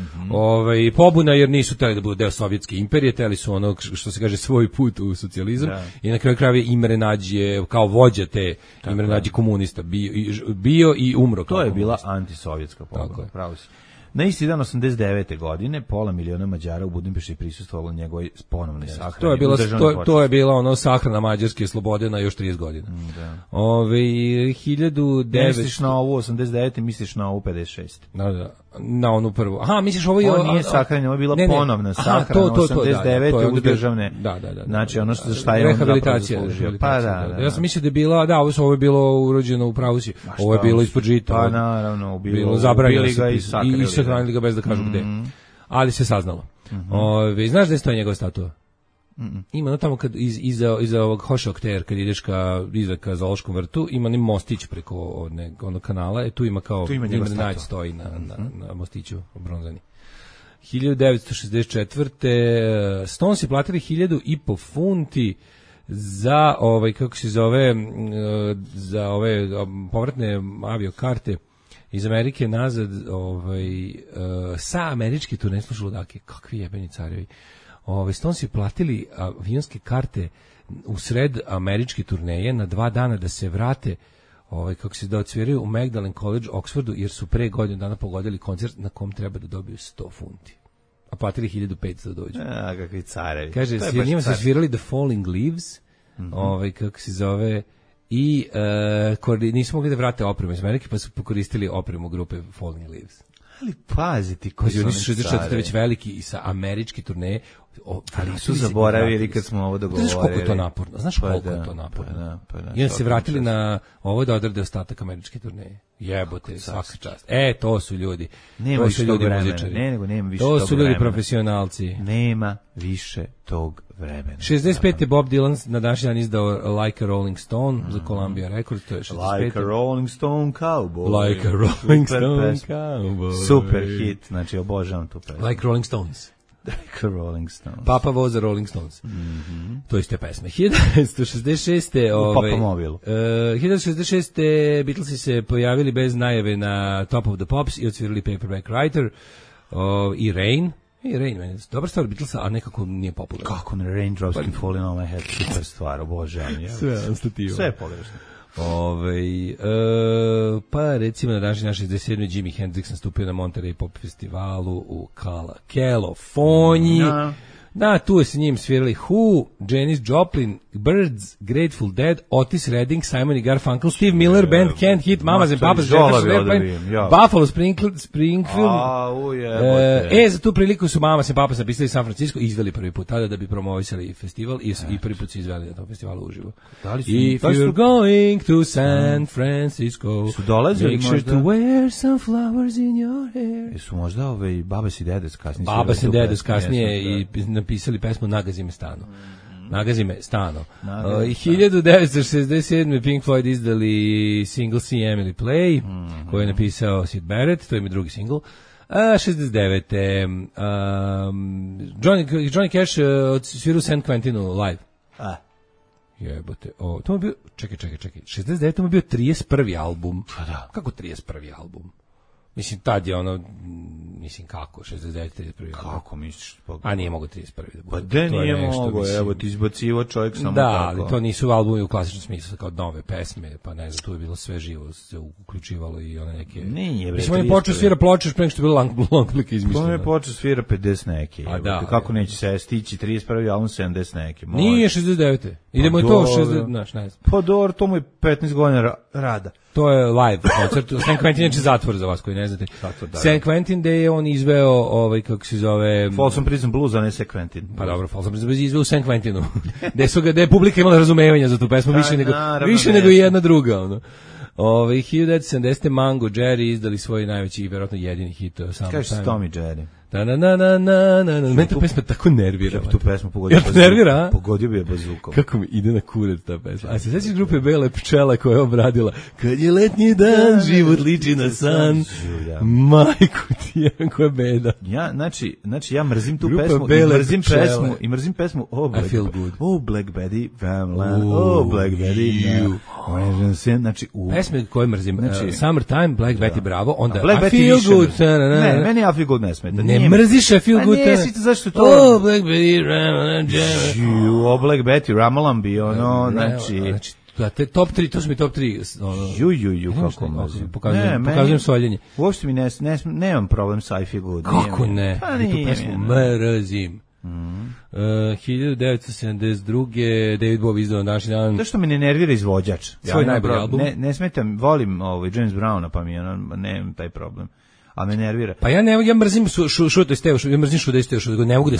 pobuna, jer nisu teli da budu deo sovjetske imperije, teli su ono, što se kaže, svoj put u socijalizam. I na kraju krajeva Imre Nađ je, kao vođa te Imre Nađ komunista, bio i umro. To je bila antisovjetska pobuna, pravo si. Na isti dan 89. godine pola miliona Mađara u Budimpešti prisustvovalo njegovoj ponovnoj sahrani. To je bila ono sahrana mađarske slobode na još 30 godina. 1900 misliš na ovu 89. misliš na ovu 56. Na onu prvu. Aha, misliš ovo je... Ovo nije sahrana, ovo je bila ponovna sahrana 89. u državne... Da. Znači ono za šta je on zapravo zaslužio. Pa da. Ja sam mislio da je bila, ovo je bilo urođeno u pravusi. Ovo je bilo ispod žita. Pa naravno, bilo zabranjeno i sahranili ga bez da kažu gde. Ali se saznalo. Znaš da je stoji njegova statua? Ima tamo kad iza ovog Hošokter, kad ideš ka Zoološkom vrtu, ima ni mostić preko onog kanala, tu ima kao Imre Nađ stoji na mostiću bronzani. 1964. Stones je platili 1.500 funti za kako se zove, za ove povratne aviokarte iz Amerike nazad, sa američke turneje, slušalo dakle, kakvi jebeni carevi. Stonesi platili avionske karte u sred američke turneje na 2 dana da se vrate, kako se da odsviraju u Magdalen College, Oxfordu, jer su pre godinu dana pogodili koncert na kom treba da dobiju 100 funti. A platili 1500 da dođu. Kakvi carevi. Kaže, njima su svirali The Falling Leaves, kako se zove, i nisu mogli da vrate opremu iz Amerike, pa su pokoristili opremu grupe Falling Leaves. Ali pazi ti koji su oni 64 već veliki i sa američki turneje, ali su zaboravili kad smo ovo dogovorili. Znaš koliko je to naporno? Znaš koliko je to naporno? I onda se vratili na ovo da odrade ostatak američke turneje. Jebote, svaka čast. To su ljudi. Nema više tog vremena. Nema više to su ljudi profesionalci. Nema više tog vremena. 65. je Bob Dylan na današnji dan izdao Like a Rolling Stone za Columbia Records, to je 65. Like a Rolling Stone Cowboy. Like a Rolling Stone Cowboy. Super hit, znači obožavam tu pesmu. Like Rolling Stones. Like a Rolling Stones. Papa voza Rolling Stones. To iste pesme. 1966. U Papa mobilu. 1966. Beatlesi se pojavili bez najave na Top of the Pops i odsvirali Paperback Writer i Rain. Rain, meni je dobra stvar Beatlesa, a nekako nije popularna. Kako ne, Raindrops can fall in on my head, super stvar, obožavam. Sve je pogrešno. Pa recimo na današnji naš 67. Jimi Hendrix nastupio na Monterey Pop festivalu u Kaliforniji. Da, tu je s njim svirali Who, Janis Joplin, Birds, Grateful Dead, Otis Redding, Simon i Garfunkel, Steve Miller, Band Can't Hit, Mamas and Papas, Jefferson Airplane, Buffalo Springfield. Za tu priliku su Mamas and Papas napisali San Francisco i izveli prvi put tada da bi promovisali festival i prvi put su izveli na tom festivalu uživo. If you're going to San Francisco, make sure to wear some flowers in your hair. Su možda Babas i Dedes kasnije? Babas i Dedes kasnije i napisali pesmu Nagazi me stano. Nagazi me stano. 1967. Pink Floyd izdali single See Emily Play, koji je napisao Syd Barrett, to je mi drugi single. 69. Johnny Cash odsvirao San Quentinu live. Jebote. To mu je bio, čekaj. 69. to mu je bio 31. album. Kako 31. album? Mislim, tad je kako, 69. 31. Kako misliš? A nije mogo 31. da bude. Pa da nije mogo, evo ti izbacivo čovjek samo da, tako. ali to nisu albumi u klasičnom smislu, kao nove pesme, pa ne znam, tu je bilo sve živo, se uključivalo i one neke... Nije, mislim, on je počeo svira ploče, pre nego što je bilo long plike izmišljeno. On je počeo svira 50 neke, kako neće se stići 31. album 70 neke. Nije 69. Idemo i to 60, znaš, ne znam. Pa dobro, to mu je 15 godina rada. To je live koncert. San Quentin je zatvor za vas koji ne znate. San Quentin gde je on izveo kako se zove Folsom Prison Blues, a ne San Quentin. Pa dobro, Folsom Prison Blues izveo u San Quentinu. Gde je publika imala razumevanja za tu pesmu više nego i jedna druga, ono. 1970. Mango Jerry izdali svoj najveći i verovatno jedini hit Summertime. Kažeš Tommy Jerry. Mene ta pesma tako nervira. Tu pesmu pogodio bi je bazukom. Kako mi ide na kurac ta pesma. A se sećaš grupe Bele pčele koja je obradila Kad je letnji dan, život liči na san. Majku ti je, koja beda. Znači ja mrzim tu pesmu i mrzim pesmu Oh Black Betty Black Betty. Znači pesme koje mrzim Summertime, Black Betty Bravo, onda I Feel Good. Ne, meni I Feel Good ne smeta. Ne mrziš I Feel Good. Ne, zašto to? Oh, Black Betty, Ramalan, oh, Black Betty, Ramalan bi, znači... Te top 3, to su mi top 3. Kako mrzim. Pokazujem soljenje. Uopšte mi nemam problem sa I Feel Good. Kako ne? Pa nije. Tu pesmu mrzim. 1972. David Bowie izdao na današnji dan. To što me ne nervira izvođač. Svoj najbolji album. Ne smetam, volim James Browna, pa mi nemam taj problem. A me nervira. Pa ja mrzim Šuto i Stevo, ja mrzim Šuto i Stevo, ne mogu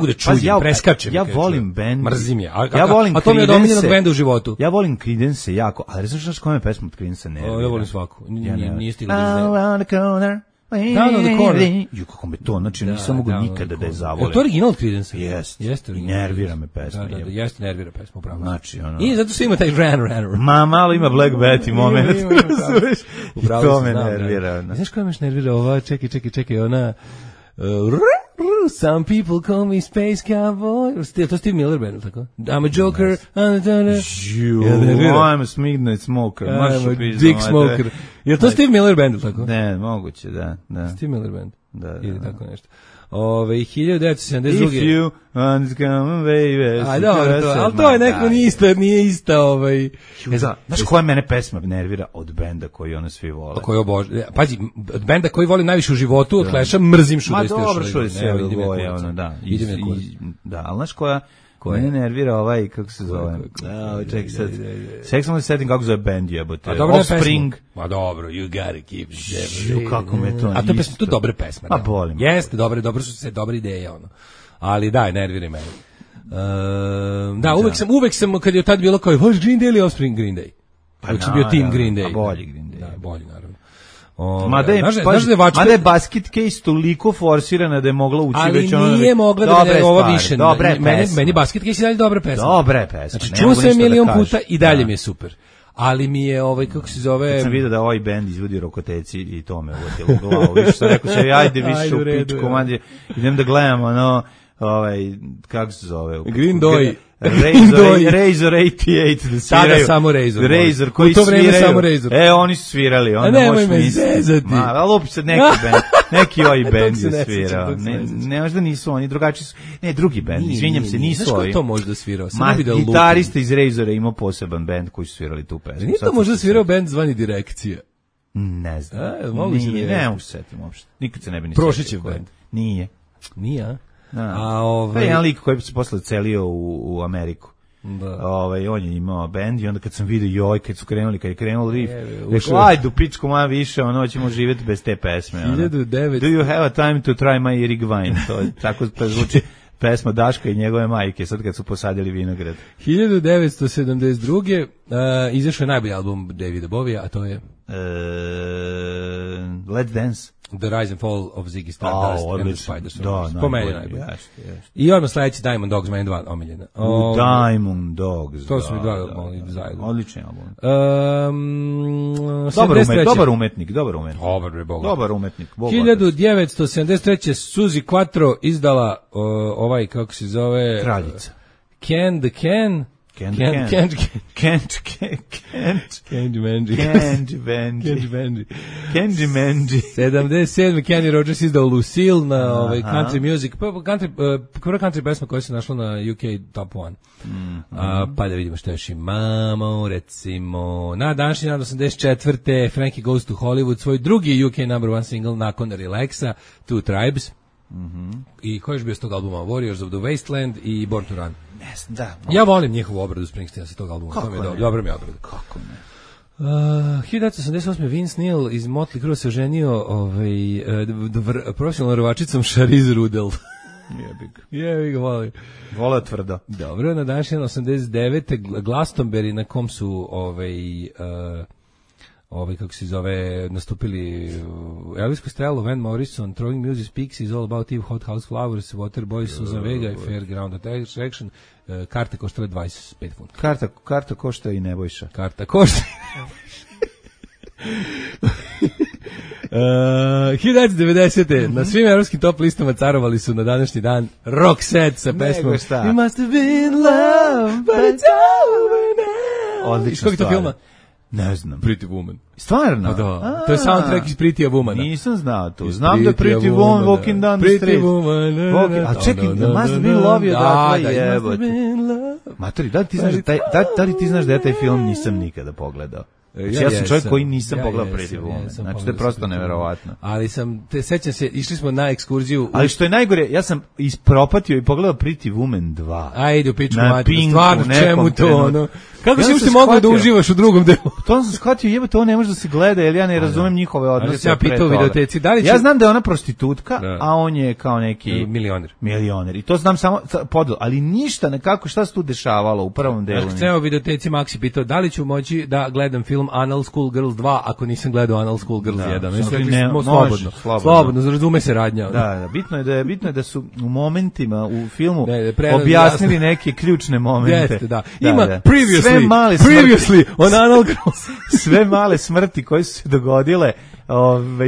da čujem, preskačem. Ja volim band. Mrzim je. Ja volim a to mi je od omiljenog benda u životu. Ja volim Creedence jako, ali znaš koja me pesma od Creedence nervira? Ja volim svaku. Nije stigla da Around the corner. Down on the corner. Kako me to, znači nisam mogu nikada da je zavolim. Je to original Creedence? Jeste. Nervira me pesma. Da, jeste nervira pesma, upravo. Znači, I zato se ima taj ran. Malo ima Black Betty moment. To me nervira. Znaš koja me nervira ova, čekaj, ona... Some people call me Space Cowboy. To Steve Miller Band, tako? I'm a Joker. I'm a midnight smoker. I'm a dick smoker. Je to Steve Miller Band, tako? Ne, moguće, da. Steve Miller Band. Da. Ili tako nešto. 1972. If you want to come baby. A dobro, ali to je neko nije ista Znaš koja mene pesma nervira od benda koji ono svi vole? Koji obožavam. Pazi, od benda koji volim najviše u životu, od Clash-a, mrzim Should I Still Ma dobro, Should I Should I Still Boy, ono, da. Da, ali znaš koja mene nervira kako se zove? Čekaj sad. Čekaj samo da setim kako zove band jebote. Offspring. Ma dobro, You Gotta Keep It. Kako me to a to pesma, to dobre pesme. Ma bolim. Jeste, dobro su se dobre ideje, ono. Ali daj, nervira mene. Da, uvek sam, kad je tad bilo kao, hoš Green Day ili Offspring? Green Day. Uvek sam bio team Green Day. A bolji Green Day. Da, bolji, naravno. Mada je Basket Case toliko forsirana da je mogla ući već ono... Ali nije mogla da je ovo više. Meni Basket Case je dalje dobra pesma. Dobre pesma. Znači, čuo sam je milion puta i dalje mi je super. Ali mi je, kako se zove... Kad sam vidio da ovaj band izvodi Rokoteci i to me uvotilo u glavu. Više sam rekao se, ajde više u pičku, idem da gledam, ono... kako se zove? Green Day. Razor 88 da sviraju. Tada samo Razor. Razor koji sviraju. Oni su svirali. Nemoj me zezati. Ali opet sad neki ovaj band je svirao. Ne, možda nisu oni, drugačiji su. Ne, drugi band, izvinjam se, nisu ovi. Znaš ko to možda svirao? Gitarista iz Razora imao poseban band koji su svirali tu pesmu. Nije to možda svirao band zvani Direkcija? Ne znam. Ne mogu se setim uopšte. Nikad se ne bi ni setio. Prošićev band? Nije, a? To je jedan lik koji se posle celio u Ameriku. Da. On je imao bend i onda kad sam vidio kad su krenuli, kad je krenuo riff, rekao, ajde u pičku moja više, ćemo živjeti bez te pesme. 1009. Do you have a time to try my Erik Vine? To je tako zvuči pesma Daška i njegove majke, sad kad su posadili vinograd. 1972. Izašao je najbolji album Davida Bovija, a to je... Let's Dance. The Rise and Fall of Ziggy Stardust and the Spiders. Da, po meni najbolji. I odmah sledeći Diamond Dogs, meni dva omiljena. Diamond Dogs, to su mi dva zajedno. Odlični album. Dobar umetnik. Dobar umetnik. 1973. Suzy Quattro izdala kako se zove... Kraljica. Candy Manji. 77. Kenny Rogers izdao Lucille na country music. Prva country pesma koja se našla na UK Top 1. Pa da vidimo što još imamo. Recimo, na današnji dan 84. Frankie Goes to Hollywood, svoj drugi UK number one single nakon Relaxa, Two Tribes. I koji je bio s tog albuma? Warriors of the Wasteland i Born to Run. Da, ja volim njihovu obradu Springsteena sa tog albuma. Kako ne? Dobro mi je obrada. Kako ne? 1988. Vince Neil iz Motley Crue se oženio profesionalnom rvačicom Charlize Rudel. Jebi ga, volim. Voleo tvrdo. Dobro, na današnji 89. Glastonbury na kom su kako se zove, nastupili Elvis Costello, Van Morrison, Throwing Music Speaks Is All About Eve, Hot House Flowers, Waterboys, Susan Vega i Fairground Attraction. Karte koštale 25 funta. Karta košta i Nebojša. Karta košta. 1990. Na svim evropskim top listama carovali su na današnji dan Roxette sa pesmom You must have been love, but it's over now. Odlična stvar. Iz kog je to filma? Ne znam. Pretty Woman. Stvarno? Da. To je soundtrack iz Pretty Woman. Nisam znao to. Znam da je Pretty Woman walking down the street. Pretty Woman. A čekaj, must have been love je dakle jebote. Matori, da li ti znaš da ja taj film nisam nikada pogledao? Znači, ja sam čovjek koji nisam pogledao Pretty Woman. Znači, to je prosto neverovatno. Ali sećam se, išli smo na ekskurziju. Ali što je najgore, ja sam ispropatio i pogledao Pretty Woman 2. Ajde, u pičku mati, stvarno, čemu to, ono? Kako si ušte mogao da uživaš u drugom delu? To sam shvatio, jebote, ovo ne može da se gleda, jer ja ne razumem njihove odnose. Ja pitao videoteci, da li će... Ja znam da je ona prostitutka, a on je kao neki... Milioner. I to znam samo podel, ali ništa, nekako, šta se tu dešavalo u prvom delu. Ceo videoteci Maxi pitao, da li ću moći da gledam film film Anal School Girls 2 ako nisam gledao Anal School Girls 1. Mislim ne, da može, slobodno, razume se radnja. Da, bitno je da su u momentima u filmu Ne, objasnili neke ključne momente. Jeste, da. Ima Sve male previously on Anal Girls. sve male smrti koje su se dogodile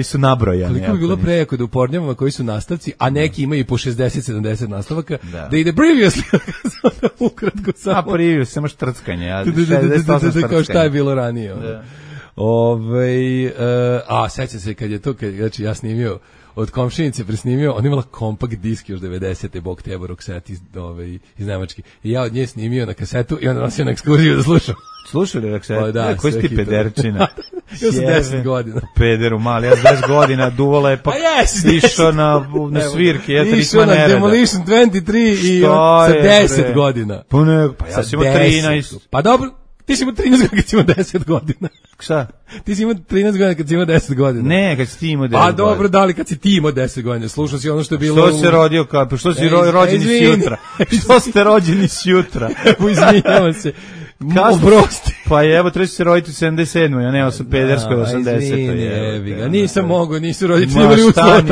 su nabrojane. Koliko bi bilo prejako da u pornjavama koji su nastavci, a neki imaju i po 60-70 nastavaka, da ide previously, ukratko samo. A previously, samo štrckanje. Kao šta je bilo ranije. Sećam se kad je to, znači ja snimio od komšinice presnimio, on imala kompakt disk još 90. Bog teba Roxette iz Nemačke. I ja od nje snimio na kasetu i onda nosio na ekskurziju da slušam. Slušali Roxette? Da, koji si ti pederčina? Ja sam 10 godina. Pederu mali, ja sam 10 godina duvala je pa išao na svirke. Išao na Demolition 23 i sa 10 godina. Pa ja sam imao 13. Pa dobro. Ti si imao 13 godina kad si imao 10 godina. Šta? Ti si imao 13 godina kad si imao 10 godina. Ne, kad si ti imao 10 godina. Pa dobro, da li kad si ti imao 10 godina. Slušao si ono što je bilo... Što se rodio kao? Što si rođeni s jutra? Što ste rođeni s jutra? Izvinjavam se. Oprosti. Pa evo, treba se roditi u 77. Ja nema sam pederskoj 80. Nisam mogao, nisu roditelji imali uslova.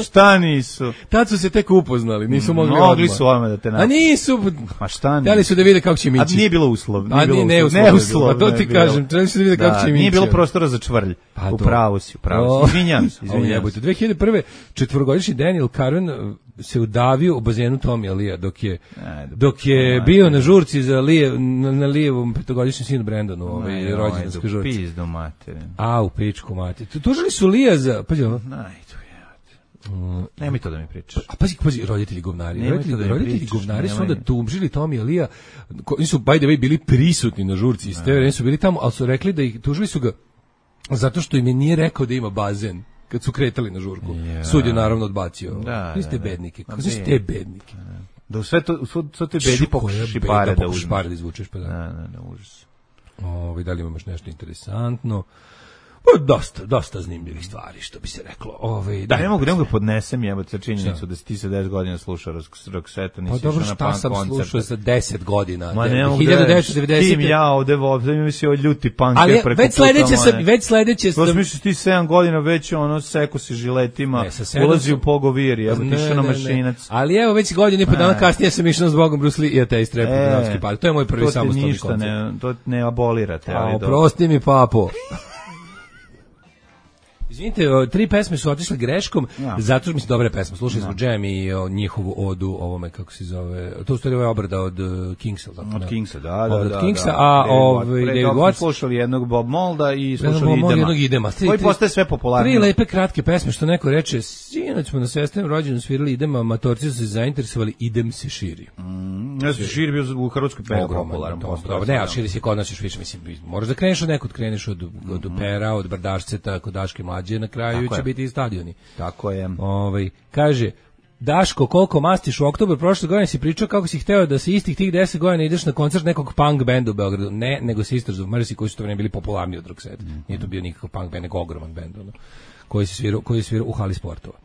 Šta nisu? Tad su se tek upoznali, nisu mogli odmah. Mogli su odmah da te naći. A nisu. Ma šta nisu? Htjeli su da vide kako će mići. A nije bilo uslov. Ne uslov. Pa to ti kažem, trebali su da vide kako će mići. Nije bilo prostora za čvrlj. Upravo si. Izvinjam se. 2001. četvorogodišnji Daniel Carvin se udavio u bazenu Tommy Lee dok je bio na žurci za na Lijevom petogodišnjem sinu Brandonu, rođendanskoj žurci. Pizdu materinu. U pičku materinu. Tužili su Lija za... Pazi ovo. Nemoj to da mi pričaš. A pazi, roditelji govnari. Roditelji govnari su onda tužili Tommy Lee. Oni su, by the way, bili prisutni na žurci. Iz te vreme su bili tamo, ali su rekli da ih tužili su ga zato što im je nije rekao da ima bazen kad su kretali na žurku. Sud je naravno odbacio. Niste bednike. Kako su te bednike? Da sve te bedi pokušaš pare da uzmeš. Pare da izvučeš, pa da. Da, užas. Da li imaš nešto interesantno? Dosta zanimljivih stvari, što bi se reklo. Ne mogu da podnesem jebote činjenicu da si ti sa 10 godina slušao Roxette, nisi išao na punk koncert. Pa dobro, šta sam slušao sa 10 godina? Ma ne mogu 1990. Tim ja ovde mi si ovaj ljuti punk preko već sledeće sam... Misliš ti 7 godina već seko si žiletima, ulazi u pogovir, išao na mašinac. Ali evo, već godinu i po dana kasnije sam išao s Bogom Bruce Lee i Ateist Rap u Dunavski park. To je moj prvi samostalni koncert. To ne abolirate. Prosti mi, papo. Izvinite, 3 pesme su otišle greškom, zato što mislim dobre pesme. Slušali smo Jam i njihovu odu ovome, kako se zove, to u stvari je obrada od Kingsa. Od Kingsa, da. Od Kingsa, a David Watts. Slušali jednog Bob Molda i slušali Idema. Koji postaje sve popularniji. 3 lepe kratke pesme, što neko reče, sinoć smo na sestrenom rođenju svirali Idema, matorci su se zainteresovali, Idem se širi. Širi bio u Hrvatskoj popularan. Ne, a širi se kod nas još više, mislim, moraš da kreneš od nekog, kreneš od Pera, od Brdašceta, kod Daške mlađe, na kraju će biti i stadioni. Tako je. Kaže, Daško, koliko mastiš u oktobru prošle godine si pričao kako si hteo da se istih tih 10 godina ideš na koncert nekog punk benda u Beogradu. Ne, nego Sisters of Mercy koji su to vreme bili popularni od Roxette. Nije to bio nikakav punk band, nego ogroman bend, koji je svirao u hali sportova.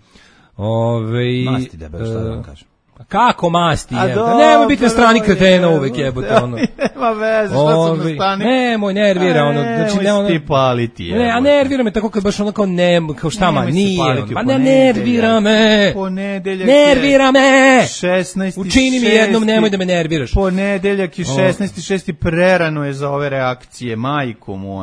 Masti debel, šta da vam kažem. Kako masti, nemoj biti na strani kretena uvek, jebote, Nema veze, šta sam na strani? Nemoj, nervira, Nemoj ti paliti, jebote. Ne, a nervira me tako kad baš kao kao šta ma, nije, pa ne nervira me. Ponedeljak nervira me. 16. Učini mi jednom, nemoj da me nerviraš. Ponedeljak je 16.6. prerano je za ove reakcije, majku mu,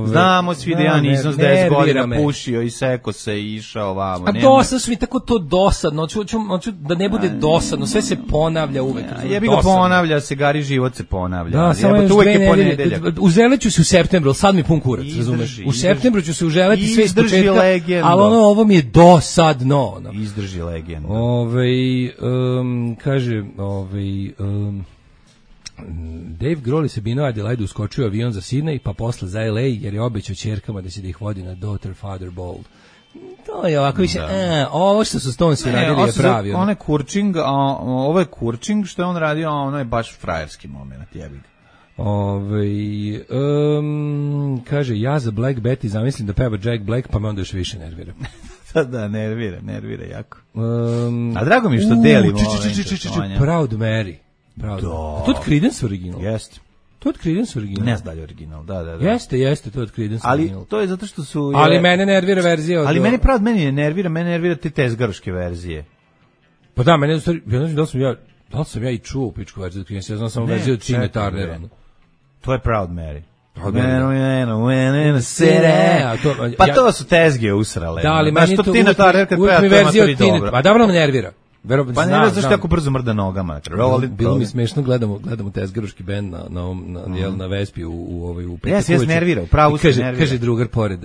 Znamo svi da ja nisam s 10 godina pušio i seko se i išao vamo. A dosadno su mi tako to dosadno, hoću da ne bude dosadno, sve se ponavlja uvek. Jebi ga ponavlja se, gari život se ponavlja. Da, samo je uvek je ponedeljak. Uzeleću se u septembru, sad mi pun kurac, razumeš? U septembru ću se uželeti sve iz početka, ali ovo mi je dosadno. Izdrži legendu. Kaže, Dave Grohl se binuo Adelaide uskočio avion za Sydney, pa posle za LA, jer je obećao ćerkama da će da ih vodi na Daughter Father Ball. To je ovako više, ovo što su Stonesi radili je pravi. On je kurčing, a ovo je kurčing, što je on radio, a ono je baš frajerski moment, jebi ga. Kaže, ja za Black Betty zamislim da peva Jack Black, pa me onda još više nervira. Da, nervira jako. A drago mi je što delimo ove interesovanja. Proud Mary. A to je Creedence original? Jeste. To je od Creedence original. Ne znam da li je original, da. Jeste, to je od Creedence Ali original. to je zato što su... Ali mene nervira verzija od... Ali mene nervira te tezgaroške verzije. Pa da, mene u stvari, da li sam ja i čuo pičku verziju od Creedence, ja znam samo verziju od Tina Turnera. To je Proud Mary. Pa to su tezge usrale. Da, ali meni to uvijek mi verzija od Tina. Pa dobro me nervira. Pa ne znaš tako brzo mrda nogama. Bilo mi smešno, gledamo tezgaruški bend na Vespi u Jes, nervira, pravo se nervira. Kaže drugar pored,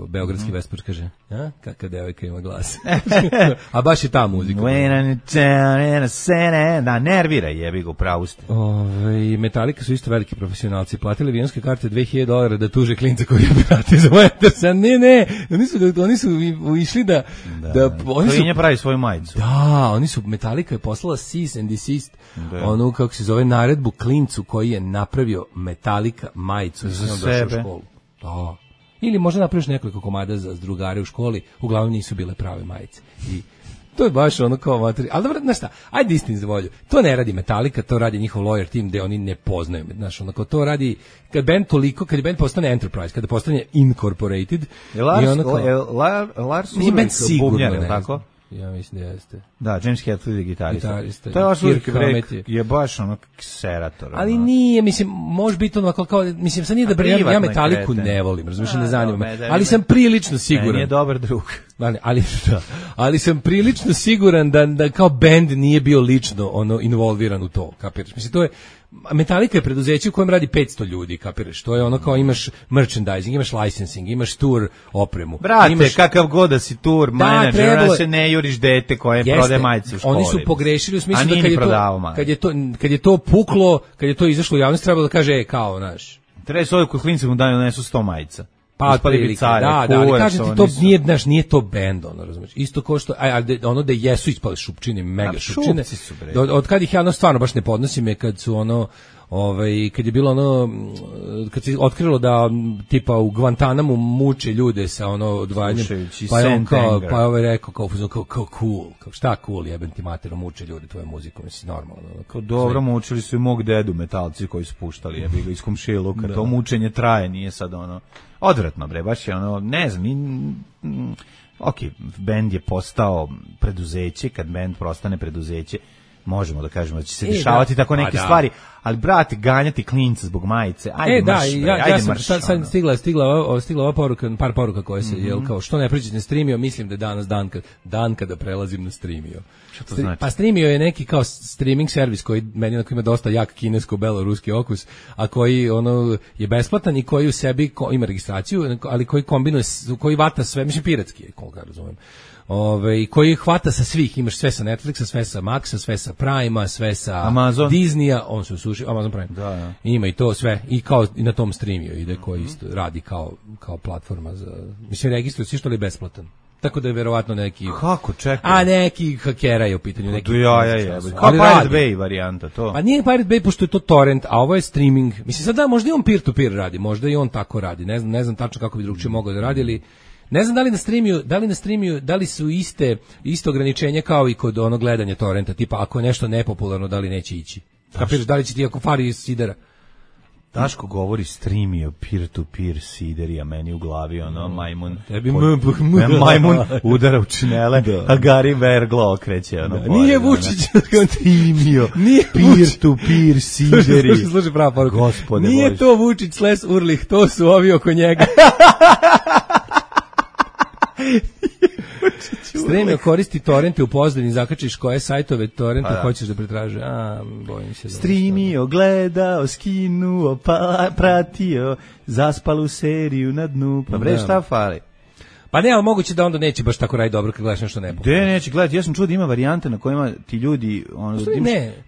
beogradski Vespar, kaže, kakav devojka ima glas. A baš je ta muzika. Da, nervira, jebi ga, pravo ste. Metallica su isto veliki profesionalci. Platili avionske karte $2000 da tuže klinca koji je brati za Wendersa. Ne, oni su išli da... Klinja pravi svoju majicu. Da, oni su, Metallica je poslala cease and desist, onu, kako se zove, naredbu klincu koji je napravio Metallica majicu za sebe. Da. Ili možda napraviš nekoliko komada za drugare u školi, uglavnom nisu bile prave majice. I to je baš ono kao materija. Ali dobro, znaš šta, ajde istini za volju. To ne radi Metallica, to radi njihov lawyer team gde oni ne poznaju. Znaš, onako, to radi, kad je band postane Enterprise, kada postane Incorporated. Lars Ulrich bubnjar, je tako? Ja mislim da jeste. Da, James Hetfield je gitarista. To je Lars Ulrich je baš ono kserator. Ali nije, mislim, može biti ono kao, mislim, sad nije da ja Metalliku ne volim, razumiješ, ne zanima me, ali sam prilično siguran. Nije dobar drug. Ali sam prilično siguran da kao bend nije bio lično involviran u to, kapiraš? Mislim, to je, Metallica je preduzeće u kojem radi 500 ljudi, kapiraš? To je ono kao imaš merchandising, imaš licensing, imaš tour opremu. Brate, kakav god da si tour manager, da se ne juriš dete koje prodaje majice u školi. Oni su pogrešili u smislu da kad je to puklo, kad je to izašlo u javnost, trebalo da kaže, kao, znaš. Treba s ovoj kod klinca mu daju nesu 100 majica. Pa otprilike, ali kažem ti, to nije to bend, ono, razumiješ, isto ko što, ono da jesu ispali šupčine, mega šupčine, od kad ih ja stvarno baš ne podnosim je kad su kad je bilo kad se otkrilo da tipa u Guantanamu muče ljude sa odvajanjem, pa je on kao, rekao kao cool, kao šta cool, jebem ti matero, muče ljude tvoju muziku, mislim, normalno. Kao dobro, mučili su i mog dedu metalci koji su puštali, jebi ga iz komšiluka, to mučenje traje, nije sad odvratno, bre, baš je ne znam, bend je postao preduzeće, kad bend prostane preduzeće, možemo da kažemo da će se dešavati tako neke stvari, ali brate, ganjati klinca zbog majice, ajde marš, ajde marš. Sad stigla ova poruka, par poruka koje se, kao što ne pređete na Streamio, mislim da je danas dan kada prelazim na Streamio. Što to znači? Pa Streamio je neki kao streaming servis koji meni ima dosta jak kinesko-beloruski okus, a koji je besplatan i koji u sebi ima registraciju, ali koji kombinuje, koji vata sve, mislim piratski je, koliko ja razumijem. Koji hvata sa svih, imaš sve sa Netflixa, sve sa Maxa, sve sa Prima, sve sa Amazon. Disneya, on se usušio, Amazon Prime. Da. Ima i to sve, i kao i na tom Streamio ide, koji isto radi kao platforma za, mislim, registruje se što li besplatan. Tako da je verovatno neki... Kako, čekaj? A neki hakera je u pitanju. Neki kao Pirate Bay varijanta, to. Pa nije Pirate Bay, pošto je to torrent, a ovo je streaming. Mislim, sad da, možda i on peer-to-peer radi, možda i on tako radi. Ne znam tačno kako bi drugčije mogao da radi, ali ne znam da li su iste ograničenja kao i kod onog gledanja torrenta, tipa ako je nešto nepopularno, da li neće ići. Kapiraš, da li će ti ako fari iz sidera? Daško govori Streamio, peer-to-peer siderija, meni u glavi, majmun. Tebi majmun udara u činele, a Gari Verglo okreće. Nije Vučić. Streamio, peer-to-peer sideri. Slušaj prava poruka. Gospode Bože. Nije to Vučić / Urlih, to su ovi oko njega. Streamio koristi torrente u Pozdani, zakačiš koje sajtove torrenta hoćeš da pretraže. Bojim se. Streamio, gledao, skinuo, pratio, zaspalu seriju na dnu. Pa bre, šta fali? Pa ne, ali moguće da onda neće baš tako raditi dobro kad gledaš nešto nepopularno. Gde neće gledati? Ja sam čuo da ima varijante na kojima ti ljudi,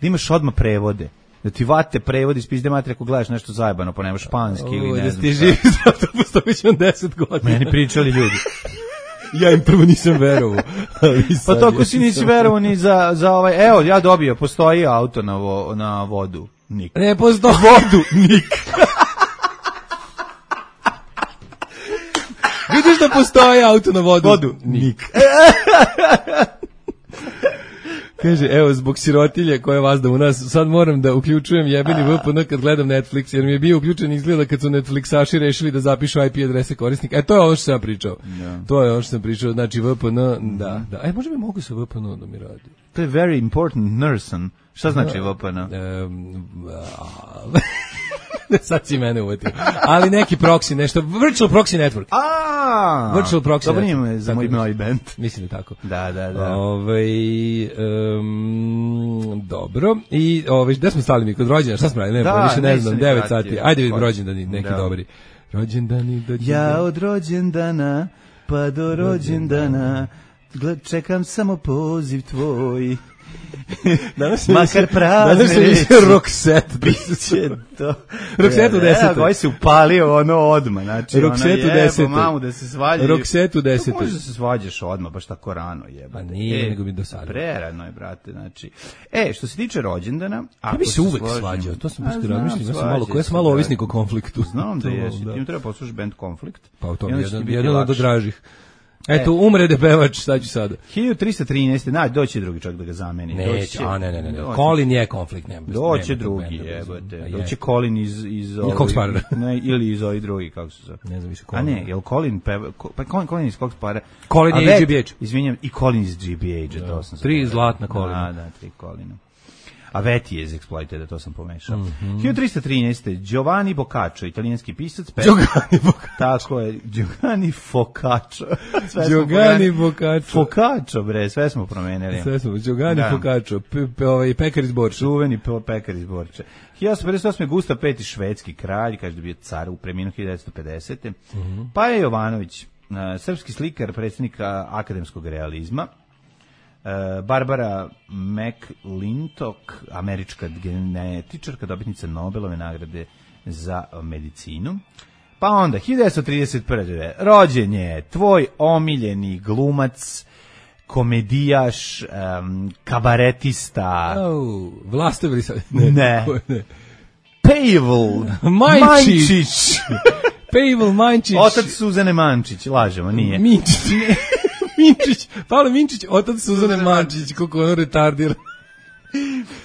da imaš odmah prevode. Da ti vate prevodi iz pizde materije ako gledaš nešto zajebano, pa nemaš španski ili ne znam. Da ti živi zato postojiš on 10 godina. Meni pričali ljudi. Ja im prvo nisam verovao. Pa to ako si nisi verovao ni za ovaj, evo, ja dobio, postoji auto na vodu. Nik. Ne postoji. Vodu, nik. Vidiš da postoji auto na vodu? Vodu, nik. Kaže, evo, zbog sirotilje koja vas da u nas, sad moram da uključujem jebeni VPN kad gledam Netflix, jer mi je bio uključen izgleda kad su Netflixaši rešili da zapišu IP adrese korisnika. To je ono što sam pričao. To je ono što sam pričao, znači VPN, da. Možda bi mogu sa VPN da mi radi. To je very important nurse. Šta znači VPN? Sad si mene uvatio. Ali neki proxy, nešto, virtual proxy network. Virtual proxy dobro network. Dobro za moj band. Mislim da tako. Da. Dobro. I gde smo stali mi? Kod rođena, šta smo radili? Više ne znam, 9 sati. Ajde vidimo rođendani, neki dobri. Rođendani. Ja od rođendana pa do rođendana čekam samo poziv tvoj. Makar prazne. Danas se više Roxette. Biće to. Roxette u 10. Koji se upalio ono odmah. Znači, Roxette u 10. Mamu da se svađa. Roxette u 10. Možeš da se svađaš odmah, baš tako rano jebate. Pa nije, nego mi dosadno. Prerano je, brate. Znači, što se tiče rođendana... Ja bi se uvek svađao, to sam baš razmišljam. Ja sam malo ovisnik o konfliktu. Znam da jesi. Ti im treba poslušati band Konflikt. Pa u tom jedan od dražih. Eto, umrede pevač, šta ću sada? 1313. Doće drugi čak da ga zameni. Ne. Colin je konflikt. Doće drugi, jebate. Doće Colin iz ili iz ovih drugi, kako se zove. Ne znam više Colin. A ne, je li Colin peva... Pa Colin iz kog spara? Colin je iz GBH. Izvinjam, i Colin iz GBH, to sam... 3 zlatna Colina. Da, 3 Colina. A Veti je iz Exploited, to sam pomešao. 1313. Giovanni Boccaccio, italijanski pisac. Giovanni Boccaccio. Tako je, Giovanni Boccaccio. Giovanni Boccaccio. Boccaccio, bre, sve smo promenili. Giovanni Boccaccio, pekar iz Borča. Čuveni pekar iz Borča. 1858. Gustav V. švedski kralj, kaže da bio car u preminu 1950. Pa je Jovanović, srpski slikar, predsjednik akademskog realizma. Barbara McClintock, američka genetičarka, dobitnica Nobelove nagrade za medicinu. Pa onda, 1931. rođen je tvoj omiljeni glumac, komedijaš, kabaretista. Vlastavili sad. Ne. Pavel Mančić. Pavel Mančić. Otac Suzane Mančić, lažemo, nije. Minčić, Pavle Minčić, otac Suzane Mančić, kako ono retardira.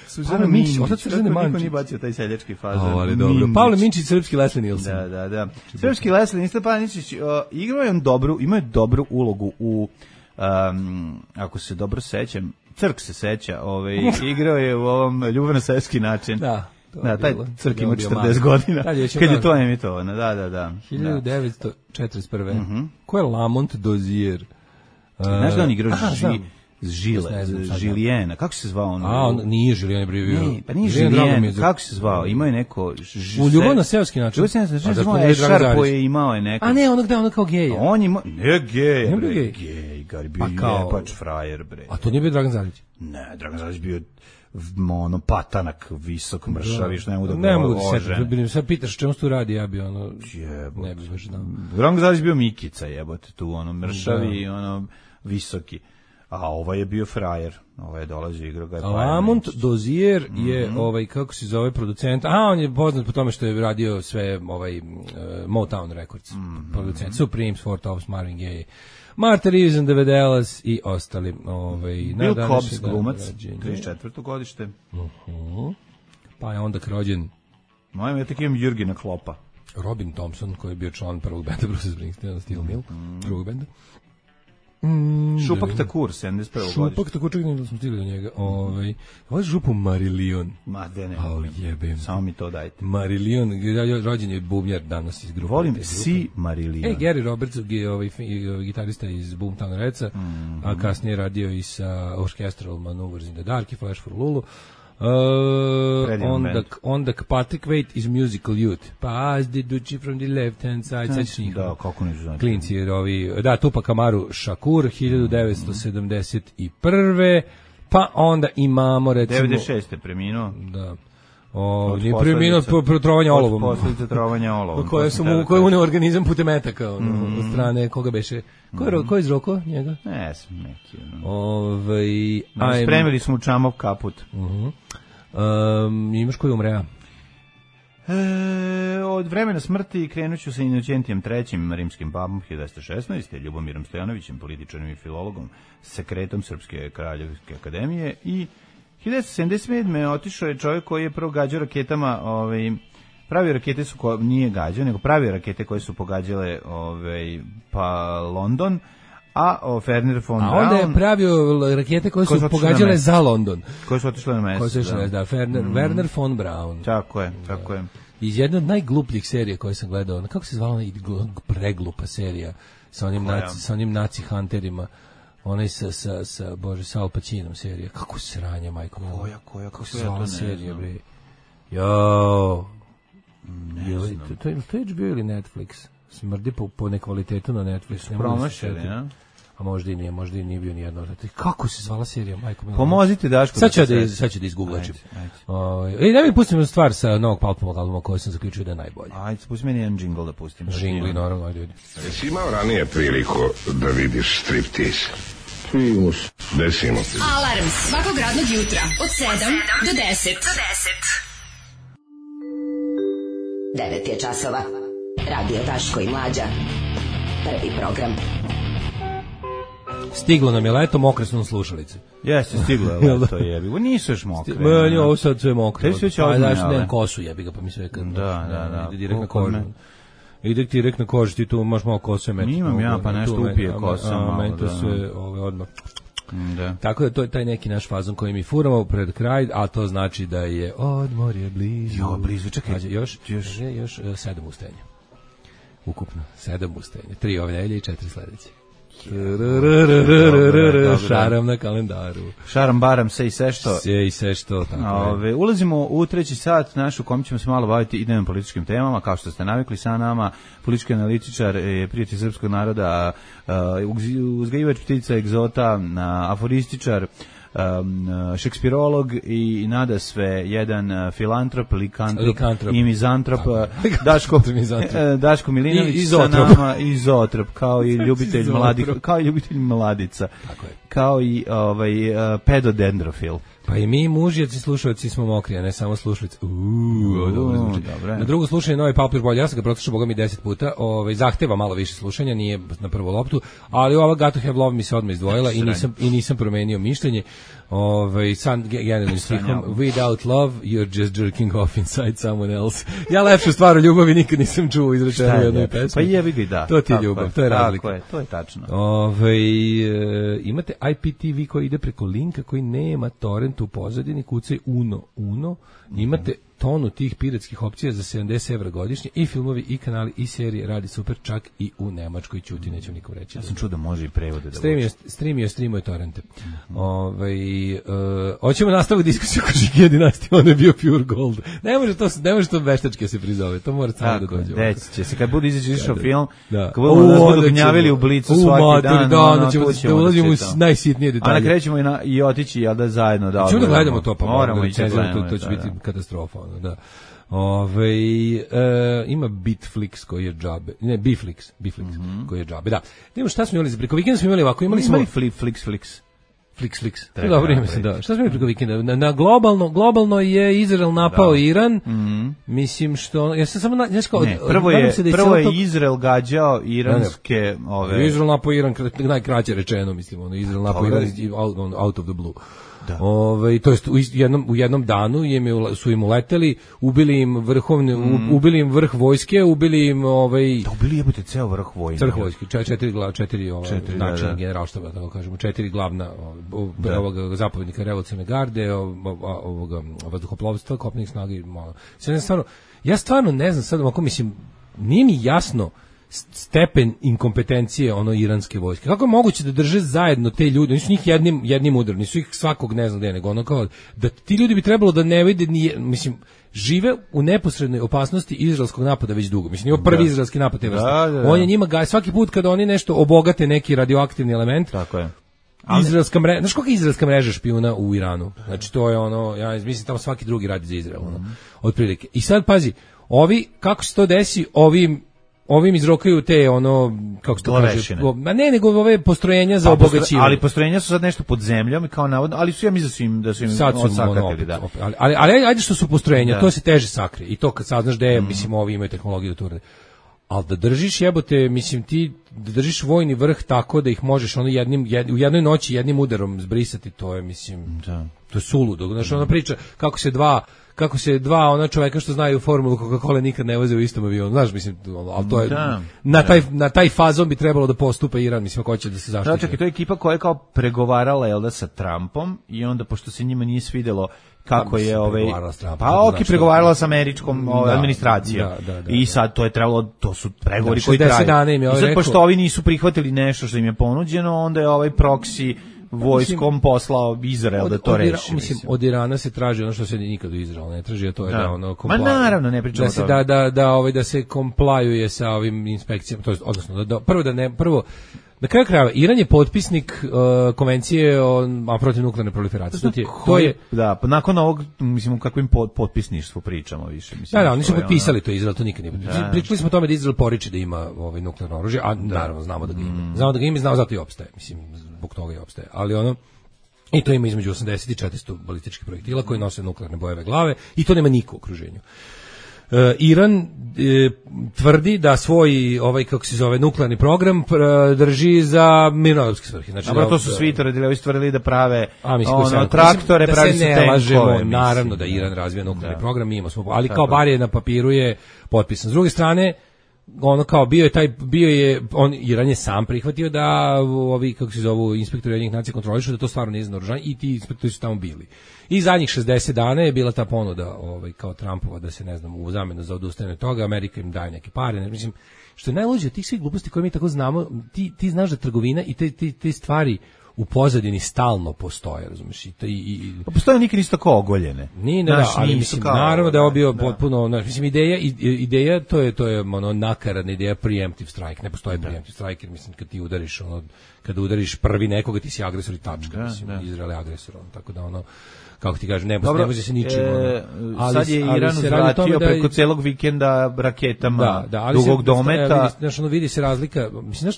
Suzana Minčić, otac Suzane Mančić. Niko nije bacio taj seljački fazon. Dobro. Pavle Minčić, srpski Leslie Nielsen. Da. Srpski Leslie Nielsen, Pavle Minčić, igrao je imao je dobru ulogu u, ako se dobro sećam, Crk se seća, igrao je u ovom Ljubavno seoski način. Da. Taj Crk ima 40 godina, kad je to emitovano, da. 1941. Ko je Lamont Dozier? Znaš da on igrao Žilijena, kako se zvao on? On nije Žilijen, bio. Pa nije Žilijen, kako se zvao? Imao je neko... U Ljubav na seoski način. Ešarpo je imao je neko... A ne, ono kao geja. On ima... Ne geja, bre. Gej, gari bio jebač frajer, bre. A to nije bio Dragan Zalić? Ne, Dragan Zalić bio patanak, visok, mršav, viš, ne mogu da se setiti. Sad pitaš čemu se tu radi, ja bi ne bi baš znao. Dragan Zalić bio Mikica, jebote, tu, mršavi, visoki. A ovaj je bio frajer. Ovaj je dolazio igrao ga. Lamont Dozier je kako se zove producent. On je poznat po tome što je radio sve Motown Records. Producent Supremes, Four Tops, Marvin Gaye, Martha Reeves and the Vandellas i ostali. Bill Cobbs, glumac, 34. godište. Pa je onda rođen. Ja tek imam Jurgena Kloppa. Robin Thompson, koji je bio član prvog benda Bruce Springsteena, Steel Mill, drugog benda. Šupak Takur, 71. godište. Šupak Takur, čekaj da smo stigli do njega. Ovo je župu Marillion. Ma, de ne. Jebem. Samo mi to dajte. Marillion, rođen je bubnjar danas iz grupe. Volim si Marillion. Gary Roberts, gitarista iz Boomtown Redsa, a kasnije radio i sa Orchestral Maneuvers in the Dark i Flash for Lulu. Onda Patrick Waite iz Musical Youth. Pass the Duchy from the left hand side. Da, kako ne znam. Klinci, Tupac Amaru Shakur, 1971. Pa onda imamo recimo... 96. preminuo. Da. Nije preminuo po trovanja olovom. Posljedice trovanja olovom. Koje je uneo organizam putem metaka, od strane koga beše. Ko je izroko njega? Ne, sam neki. Spremili smo u Čamov kaput. Imaš koji umrea? Od vremena smrti krenut ću sa Inocentijem III, rimskim papom 1916, Ljubomirom Stojanovićem, političarom i filologom, sekretom Srpske kraljevske akademije, i 1977. otišao je čovjek koji je prvo gađao raketama, pravi rakete su, nije gađao, nego pravi rakete koje su pogađale pa London, a Wernher von Braun... A onda je pravio rakete koje su pogađale za London. Koje su otišle na mesto. Wernher von Braun. Tako je. Iz jedne od najglupljih serija koje sam gledao, kako se zvala preglupa serija sa onim naci hunterima, onaj sa Al Pacinom serija. Kako sranja, majko. Koja? Kako se zvala serija, bre? To je HBO ili Netflix? Smrdi po nekvalitetu na Netflixu. Promašili, ja? A možda i nije bio nijedno. Kako se zvala serija, majko? Pomozite Daško. Sad ću da izgooglačim. Da mi pustimo stvar sa novog Palpovog albuma koji sam zaključio da je najbolji. Ajde, pusti meni jedan džingl da pustim. Džingli, naravno, ajde ljudi. Jesi imao ranije priliku da vidiš striptease? Primus. Desimo se. Alarm svakog radnog jutra od 7 do 10. 9 je časova. Radio Daško i Mlađa. Prvi program. Stiglo nam je leto, mokre su nam slušalice. Jeste, stiglo je leto, jebi. Nisu još mokre. Meni ovo sad sve mokre. Tebi sve će odmah. Nemam kosu, jebi ga, pa mi sve... Da. Ide direkt na kožu. Ide direkt na kožu, ti tu imaš malo kose metri. Nimam ja, pa nešto upije kosa. Meni to sve odmah. Da. Tako da to je taj neki naš fazon koji mi furamo pred kraj, a to znači da je odmor je blizu. Blizu, čekaj. Još 7 ustajanja. Ukupno 7 ustajanja. 3 ove nedelje i 4 sledeće. Šaram na kalendaru. Šaram baram se i sve što. Ulazimo u treći sat našu, kom ćemo se malo baviti idejnim političkim temama, kao što ste navikli sa nama. Politički analitičar, prijatelj srpskog naroda, uzgajivač ptica egzota, aforističar, šekspirolog i nada sve jedan filantrop, likantrop i mizantrop, Daško Milinović sa nama, izotrop, kao i ljubitelj mladih, kao i ljubitelj mladica, kao i pedodendrofil. Pa i mi mužjaci slušalci smo mokri, a ne samo slušalice. Dobro zvuči. Na drugo slušanje novi Palpir bolje, ja sam ga protušao boga mi 10 puta, zahteva malo više slušanja, nije na prvu loptu, ali ova Got to Have Love mi se odmah izdvojila i nisam promenio mišljenje. San generalnim stihom, without love you're just jerking off inside someone else. Ja lepšu stvar o ljubavi nikad nisam čuo izrečeno u jednoj pesmi. Pa jebi ga i da. To ti je ljubav, to je razlika. To je tačno. Imate IPTV koji ide preko linka koji nema torrent u pozadini, kucaj Uno, imate tonu tih piratskih opcija za 70 evra godišnje i filmovi i kanali i serije radi super, čak i u Nemačkoj, ćuti, neću nikom reći. Ja sam čuo da može i prevode da streamuje torrente. Hoćemo nastaviti diskusiju oko Žikija dinastije, on je bio pure gold. Ne može to veštački se prizove, to mora samo da dođe. Deći će se, kad bude izašao film, kad budu gnjavili u Blicu svaki dan, da ulazimo u najsitnije detalje. A na krećemo i otići, jel da zajedno da... Ćemo da gledamo to, pa moramo ići gledamo, to će biti katastrofa. Da. Ima Bitflix koji je džabe. Ne, Biflix koji je džabe. Da. Idemo šta smo imali za preko vikenda, smo imali ovako, imali smo Flix. Dobro ime se da. Šta smo imali preko vikenda? Na globalno je Izrael napao Iran. Mislim što ja sam samo prvo je Izrael gađao iranske Izrael napao Iran, najkraće rečeno, mislim, Izrael napao Iran out of the blue. To jest u jednom danu su im uleteli, ubili im vrh vojske, ubili im ubili jebote ceo vrh vojske. Vrh vojske, četiri načina generalštaba, tako kažemo, 4 glavna ovog zapovjednika revolucionarne garde, ovoga vazduhoplovstva, kopnenih snaga i ja stvarno ne znam sad, ako mislim, nije mi jasno stepen inkompetencije iranske vojske. Kako je moguće da drže zajedno te ljude? Nisu njih jednim udarom, nisu ih svakog ne znam gde, nego kao da ti ljudi bi trebalo da ne vide, mislim, žive u neposrednoj opasnosti izraelskog napada već dugo. Mislim, nije prvi izraelski napad te vrste. On je njima svaki put kada oni nešto obogate neki radioaktivni element. Tako je. Izraelska mreža, znaš koliko je izraelska mreža špijuna u Iranu? Znači to je ja mislim tamo svaki drugi radi za Izrael, otprilike. I sad pazi, kako se to desi, ovim izrokaju te ono kako se to kaže, Glavešine. ma ne, nego ove postrojenja za obogaćivanje. Ali postrojenja su sad nešto pod zemljom i kao navodno, ali su ja mislim da su im Sad su odsakatili, da. Ali ajde što su postrojenja, Da. to se teže sakrije. I to kad saznaš da je, mislim, ovi imaju tehnologiju da to urade. Ali da držiš, jebote, mislim, ti da držiš vojni vrh tako da ih možeš ono u jednoj noći jednim udarom zbrisati, to je, mislim, to je suludo. Znaš, ona priča kako se dva ona čoveka što znaju formulu Coca-Cola nikad ne voze u istom avionu. Znaš, mislim, ali to je na taj fazon bi trebalo da postupa Iran, mislim, ako hoće da se zaštiti. Čekaj, to je ekipa koja je kao pregovarala, jel da, sa Trumpom i onda, pošto se njima nije svidelo kako je pregovarala sa američkom administracijom. I sad to je trebalo, to su pregovori koji traju. I sad, pošto ovi nisu prihvatili nešto što im je ponuđeno, onda je ovaj proksi vojskom poslao Izrael da to reši. Mislim, od Irana se traži ono što se nikad u Izraelu ne traži, a to je da ono Ma naravno, ne pričamo da se komplajuje sa ovim inspekcijama, to jest, odnosno prvo na kraju krajeva Iran je potpisnik konvencije o protiv nuklearne proliferacije. To je da, nakon ovog, mislim, o kakvim potpisništvu pričamo više, mislim. Da, oni su potpisali to, Izrael to nikad nije potpisao. Pričali smo o tome da Izrael poriče da ima nuklearno oružje, a naravno znamo da ga ima. Znamo da ga ima i znamo zato i opstaje, mislim, zbog toga i opstaje. Ali i to ima između 80 i 400 balističkih projektila koji nose nuklearne bojeve glave i to nema niko u okruženju. Iran tvrdi da svoj kako se zove nuklearni program drži za mirnodopske svrhe. Znači, to su svi tvrdili da prave traktore, pravi se tenkove. Naravno da Iran razvija nuklearni program, mi imamo, ali kao bar je na papiru je potpisan. S druge strane, ono kao Iran je sam prihvatio da ovi, kako se zovu, inspektori Ujedinjenih nacija kontrolišu da to stvarno nije za naoružanje i ti inspektori su tamo bili. I zadnjih 60 dana je bila ta ponuda kao Trumpova da se, ne znam, u zamenu za odustajanje od toga, Amerika im daje neke pare, mislim, što je najluđe od tih svih gluposti koje mi tako znamo, ti znaš da trgovina i te stvari u pozadini stalno postoje, razumiješ? Postoje nikad nisu tako ogoljene. Ali mislim, naravno da je ovo bio potpuno, mislim, ideja, to je nakaradna ideja preemptive strike, ne postoji preemptive strike, jer mislim, kad udariš prvi nekoga, ti si agresor i tačka, mislim, Izrael je agresor, tako da kako ti kažem, ne može se ničim. Sad je Iran uzvratio preko celog vikenda raketama dugog dometa. Znaš, vidi se razlika, mislim,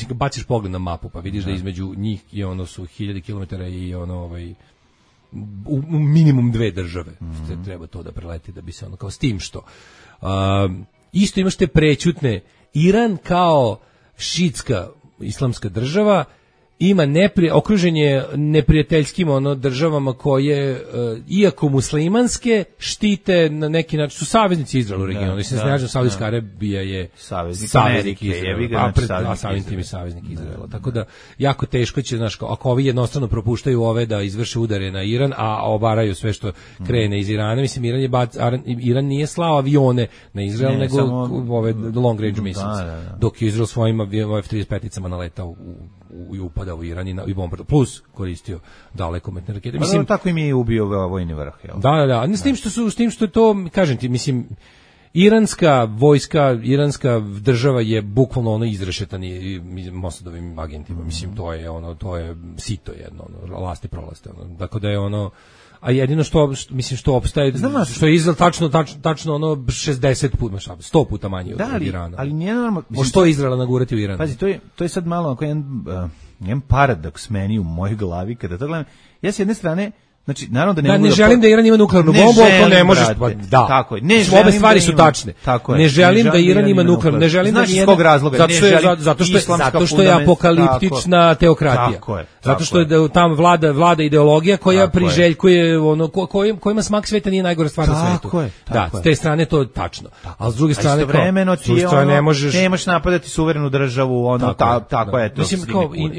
kad baciš pogled na mapu, pa vidiš da između njih je su 1000 kilometara i u minimum 2 države. Treba to da preleti da bi se kao s tim što. Isto imaš te prećutne, Iran kao šitska islamska država ima okružen je neprijateljskim državama koje, iako muslimanske, štite na neki način, su saveznici Izraela u regionu. Saudijska Arabija je saveznik Izraela, a samim tim je saveznik Izraela. Tako da, jako teško će, ako ovi jednostavno propuštaju ove da izvrše udare na Iran, a obaraju sve što krene iz Irana, mislim, Iran nije slao avione na Izrael, nego ove long range missiles, dok je Izrael svojim F-35-icama naletao i upada u Iran i bombardovao, plus koristio dalekometne rakete. Mislim, tako im je ubio vojni vrh, jel? Da. S tim što je to, kažem ti, mislim, iranska vojska, iranska država je bukvalno izrešetani Mossadovim agentima. Mislim, to je sito jedno, lasti prolaste. Dakle, da je a jedino što opstaje, što je Izrael tačno 60 puta, 100 puta manje od Irana. Ali nije normalno. Što je Izraela nagurati u Iran? Pazi, to je sad malo jedan paradoks meni u mojoj glavi kada to gledam. Ja s jedne strane, znači, naravno da ne mogu ne želim da Iran ima nuklearnu bombu, ako ne možeš, da. Tako je. Obe stvari su tačne. Ne želim da Iran ima nuklearnu, ne želim da iz kog razloga? Zato što je apokaliptična teokratija. Zato što je tamo vlada ideologija koja priželjkuje kojima smak sveta nije najgora stvar na svetu. Da, s te strane to je tačno. A s druge strane istovremeno ti nemaš napadati suverenu državu, tako je to. Mislim,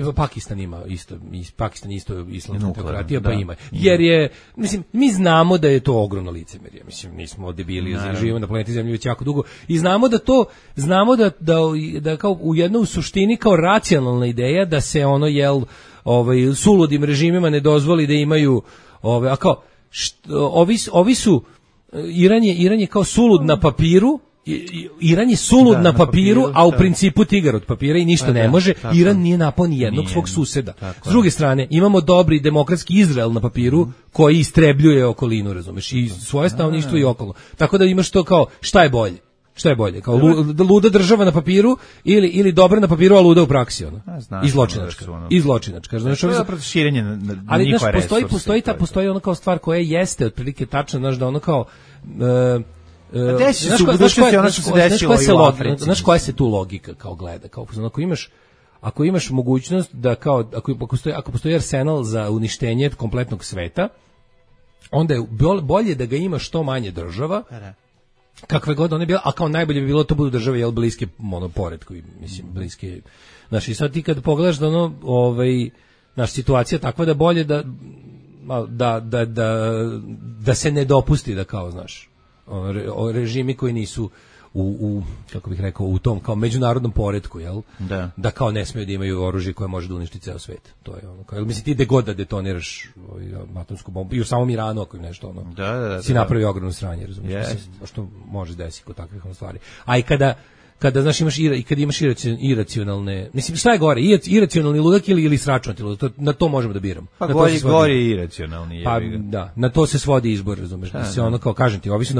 kao Pakistan ima isto, Pakistan isto islamska teokratija, pa ima. Jer je, mislim, mi znamo da je to ogromno licemerje, mislim, nismo debili, živimo na planeti Zemlji već jako dugo i znamo da kao u jednoj suštini kao racionalna ideja da se suludim režimima ne dozvoli da imaju a kao ovi su Iran je kao sulud na papiru. Iran je sulud na papiru, a u principu tigar od papira i ništa ne može. Iran nije napao ni jednog svog suseda. S druge strane, imamo dobri demokratski Izrael na papiru koji istrebljuje okolinu, razumeš, i svoje stanovništvo i okolo. Tako da imaš to kao, šta je bolje? Šta je bolje? Kao luda država na papiru ili dobra na papiru, a luda u praksi, ono. I zločinačka. I zločinačka. Znači, to je zapravo širenje na ali njihova resursa. Postoji ono kao stvar koja jeste otprilike tačna, znaš, da ono kao desi se u budućnosti ono što se desilo i u Africi. Znaš koja se tu logika kao gleda? Kao, ako imaš mogućnost da kao, ako postoji arsenal za uništenje kompletnog sveta, onda je bolje da ga ima što manje država, kakve god one bile, a kao najbolje bi bilo to budu države jel bliske monoporetku, mislim bliske. Znači sad ti kad pogledaš da ono naša situacija takva da bolje da se ne dopusti da kao znaš režimi koji nisu u kako bih rekao u tom kao međunarodnom poretku, jel? Da kao ne smeju da imaju oružje koje može da uništi ceo svet. To je ono kao, mislim ti gde god da detoniraš atomsku bombu i u samom Iranu ako im nešto ono. Si napravi ogromno sranje, razumiješ? Što može desiti kod takvih stvari. A i kada znaš imaš iracionalne, mislim šta je gore, iracionalni ludak ili sračunati ludak, na to možemo da biramo. Pa gori je iracionalni. Pa da, na to se svodi izbor, razumeš? Se ono kao kažem ti, ovi su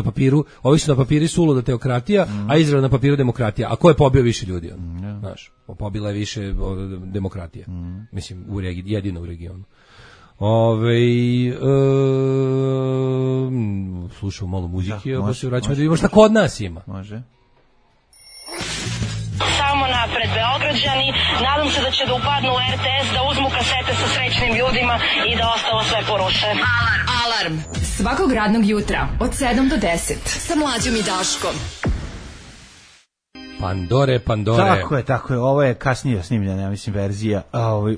na papiru suluda teokratija, a Izrael na papiru demokratija. A ko je pobio više ljudi? Znaš, pobila je više demokratija. Mislim jedino u regionu. Slušamo malo muzike, pa se vraćamo da vidimo šta kod nas ima. Može. Samo napred Beograđani, nadam se da će da upadnu u RTS, da uzmu kasete sa srećnim ljudima i da ostalo sve poruše. Alarm svakog radnog jutra od 7 do 10 sa Mlađom i Daškom. Pandore. Tako je. Ovo je kasnije snimljena, ja mislim, verzija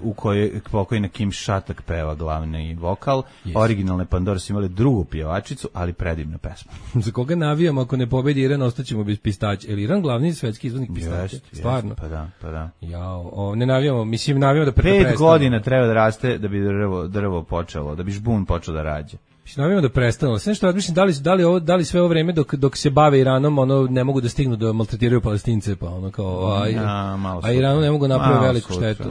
u kojoj pokojna Kim Šatak peva glavni vokal. Originalne Pandore su imali drugu pjevačicu, ali predivna pesma. Za koga navijamo ako ne pobedi Iran, ostaćemo bez pistaća. Je li Iran glavni svetski izvoznik pistaća? Stvarno? Pa da. Jao, ne navijamo, mislim navijamo da prestane. 5 godina treba da raste da bi drvo počelo, da bi žbun počeo da rađe. Navijamo da prestane. Sve što razmišljam, da li sve ovo vreme dok se bave Iranom, ono ne mogu da stignu da maltretiraju Palestince, pa ono kao a Iranu ne mogu napraviti veliku štetu.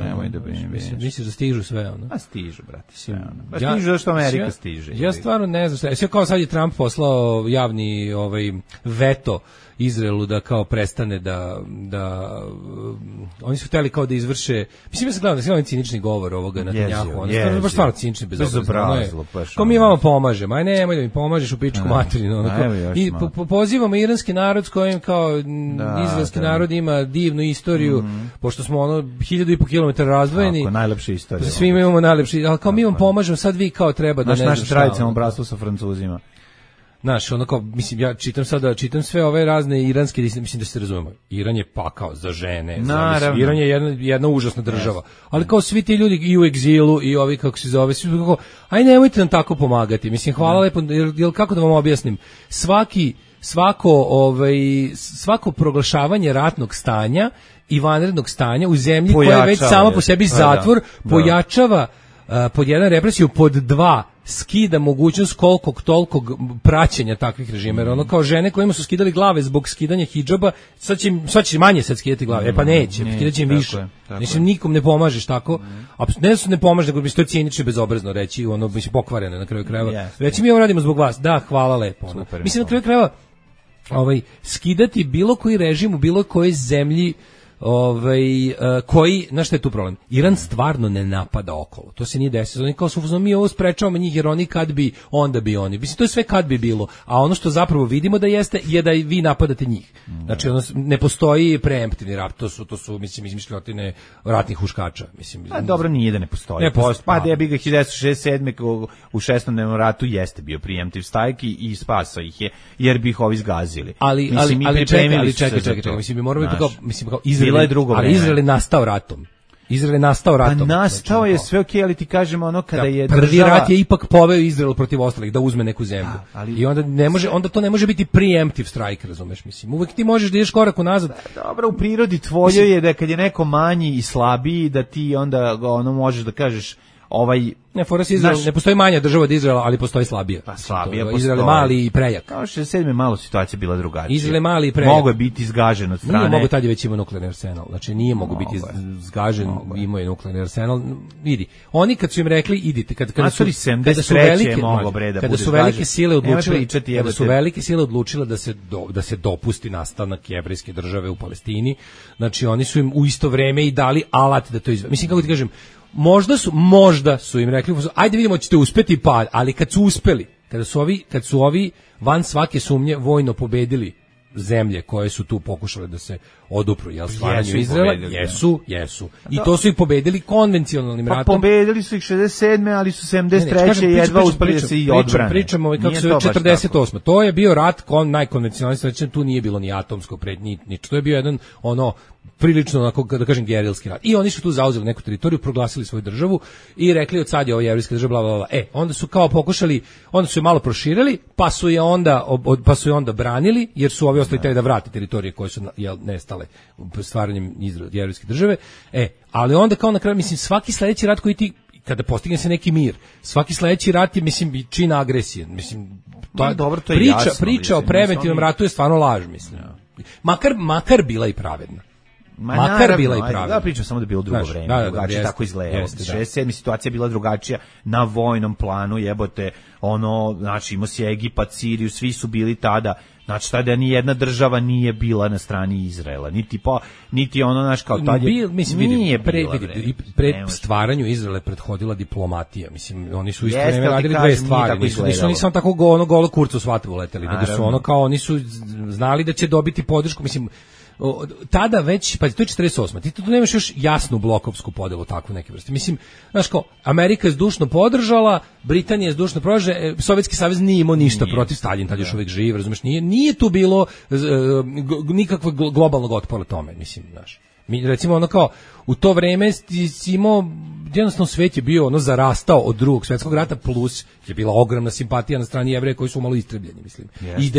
Misliš da stižu sve ono? A stižu, brate, sve ono. Baš stižu da što Amerika stiže. Ja stvarno ne znam sve kao sad je Trump poslao javni veto Izraelu da kao prestane da oni su hteli kao da izvrše, mislim ja sam gledao da cinični govor ovoga Netanjahu, on je baš stvarno cinični bezobrazno. Ko mi vama pomažemo, aj nemoj da mi pomažeš u pičku materinu, i pozivamo iranski narod s kojim kao izraelski narod ima divnu istoriju, pošto smo 1500 km razdvojeni. Tako, najlepša istorija. Svi imamo najlepši, ali kao mi vam pomažemo, sad vi kao treba da ne znam. Naše tradicionalno bratstvo sa Francuzima. Znaš, ono kao, mislim, ja čitam sve ove razne iranske, mislim da se razumemo. Iran je pakao za žene, Iran je jedna užasna država. Ali kao svi ti ljudi i u egzilu i ovi kako se zove, svi kako, aj nemojte nam tako pomagati. Mislim, hvala lepo, jer kako da vam objasnim, svako proglašavanje ratnog stanja i vanrednog stanja u zemlji koja je već sama po sebi zatvor, pojačava pod jedan represiju, pod dva skida mogućnost kolikog tolikog praćenja takvih režima, jer ono kao žene kojima su skidali glave zbog skidanja hidžaba, sad će manje sad skidati glave, pa neće, skidat će im više. Mislim, nikom ne pomažeš tako, ne pomažeš, nego bi to cinično bezobrazno reći, ono bi se pokvareno na kraju krajeva. Reći mi ovo radimo zbog vas, da, hvala lepo. Mislim, na kraju krajeva, skidati bilo koji režim u bilo kojoj zemlji koji, znaš šta je tu problem? Iran stvarno ne napada okolo. To se nije desilo. Oni kao su, mi ovo sprečavamo njih jer oni kad bi, onda bi oni. Mislim, to je sve kad bi bilo. A ono što zapravo vidimo da jeste, je da vi napadate njih. Znači, ne postoji preemptivni rat. To su mislim, izmišljotine ratnih huškača. Mislim, dobro, nije da ne postoji. Pa da je bi ga 1967. u 6. ratu jeste bio preemptiv strike i spasao ih je, jer bi ih ovi zgazili. Ali čekaj. Mislim, mi moramo kao Bila je drugo vreme. Ali Izrael je nastao ratom. Pa nastao je sve okej, ali ti kažemo ono kada je prvi država... rat je ipak poveo Izrael protiv ostalih da uzme neku zemlju. I onda to ne može biti preemptive strike, razumeš, mislim. Uvek ti možeš da ideš korak unazad. Dobro, u prirodi tvojoj je da kad je neko manji i slabiji da ti onda ono možeš da kažeš Ne, fora se Izrael, ne postoji manja država od Izraela, ali postoji slabija. Pa slabija postoji. Izrael je mali i prejak. Kao 67. malo situacija bila drugačija. Izrael je mali i prejak. Mogu je biti izgažen od strane. Nije mogu, tad je već imao nuklearni arsenal. Znači nije mogu biti zgažen, imao je nuklearni arsenal. Vidi, oni kad su im rekli idite, kada su velike sile odlučile da se dopusti nastanak jevrejske države u Palestini, znači oni su im u isto vreme i dali alat da to izvede. Mislim, kako ti kažem, možda su im rekli, ajde vidimo ćete uspeti, pa, ali kad su uspeli, kad su ovi van svake sumnje vojno pobedili zemlje koje su tu pokušale da se odupru stvaranju Izraela, jesu. I to su ih pobedili konvencionalnim ratom. Pa pobedili su ih 67. ali su 73. jedva uspeli da se i odbrane. Pričamo kako se 48. To je bio rat najkonvencionalniji, znači tu nije bilo ni atomsko pretnje, to je bio jedan prilično, onako, da kažem, gerilski rat. I oni su tu zauzeli neku teritoriju, proglasili svoju državu i rekli od sad je ovo jevrijska država, bla, bla, bla. Onda su kao pokušali, onda su je malo proširili, pa su je onda branili, jer su ovi ostali da vrate teritorije koje su nestale stvaranjem jevrijske države. Ali onda kao na kraju, mislim, svaki sledeći rat koji ti, kada postigne se neki mir, svaki sledeći rat je, mislim, čin agresije. Mislim, to je jasno. Priča o preventivnom ratu je stvarno laž, mislim. Makar bila i pravedna. Da, pričam samo da je bilo drugo vreme, drugačije tako izgledalo. 67. situacija je bila drugačija na vojnom planu, jebote, znači imao si Egipat, Siriju, svi su bili tada, znači tada ni jedna država nije bila na strani Izraela, niti ono, znaš, kao tad je, nije bila. Pred stvaranju Izraela prethodila diplomatija, mislim, oni su isto vreme radili dve stvari, nisu samo tako golo kurcu svatvu leteli, nego su oni su znali da će dobiti podršku, mislim, tada već, pa to je 48. Ti tu nemaš još jasnu blokovsku podelu takvu neke vrste. Mislim, znaš kao, Amerika je zdušno podržala, Britanija je zdušno podržala, Sovjetski savez nije imao ništa protiv, Stalin tad još uvijek živ, razumeš, nije tu bilo nikakvog globalnog otpora tome, mislim, znaš. Mi, recimo, ono kao, u to vreme si imao, jednostavno svet je bio zarastao od Drugog svjetskog rata, plus je bila ogromna simpatija na strani Jevreja koji su malo istrebljeni, mislim. I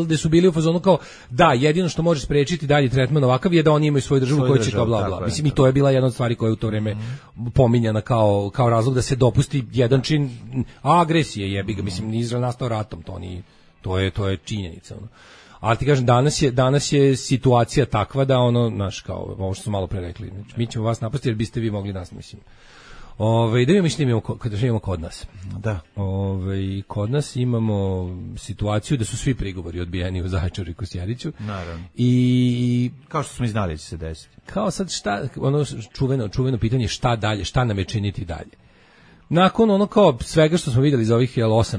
gde su bili u fazonu kao, da, jedino što može sprečiti dalje tretman ovakav je da oni imaju svoju državu koja će kao bla bla. Mislim, i to je bila jedna od stvari koja je u to vreme pominjana kao razlog da se dopusti jedan čin agresije, jebi ga, mislim, Izrael nastao ratom, to je činjenica, ono. Ali ti kažem, danas je situacija takva da znaš, kao, ovo što smo malo pre rekli, mi ćemo vas napasti jer biste vi mogli nas, mislim. Da vidimo što imamo kod nas. Da. Kod nas imamo situaciju da su svi prigovori odbijeni u Zaječaru i Kosjeriću. Naravno. I kao što smo i znali da će se desiti. Kao sad šta, čuveno pitanje šta dalje, šta nam je činiti dalje. Nakon kao svega što smo vidjeli za ovih 8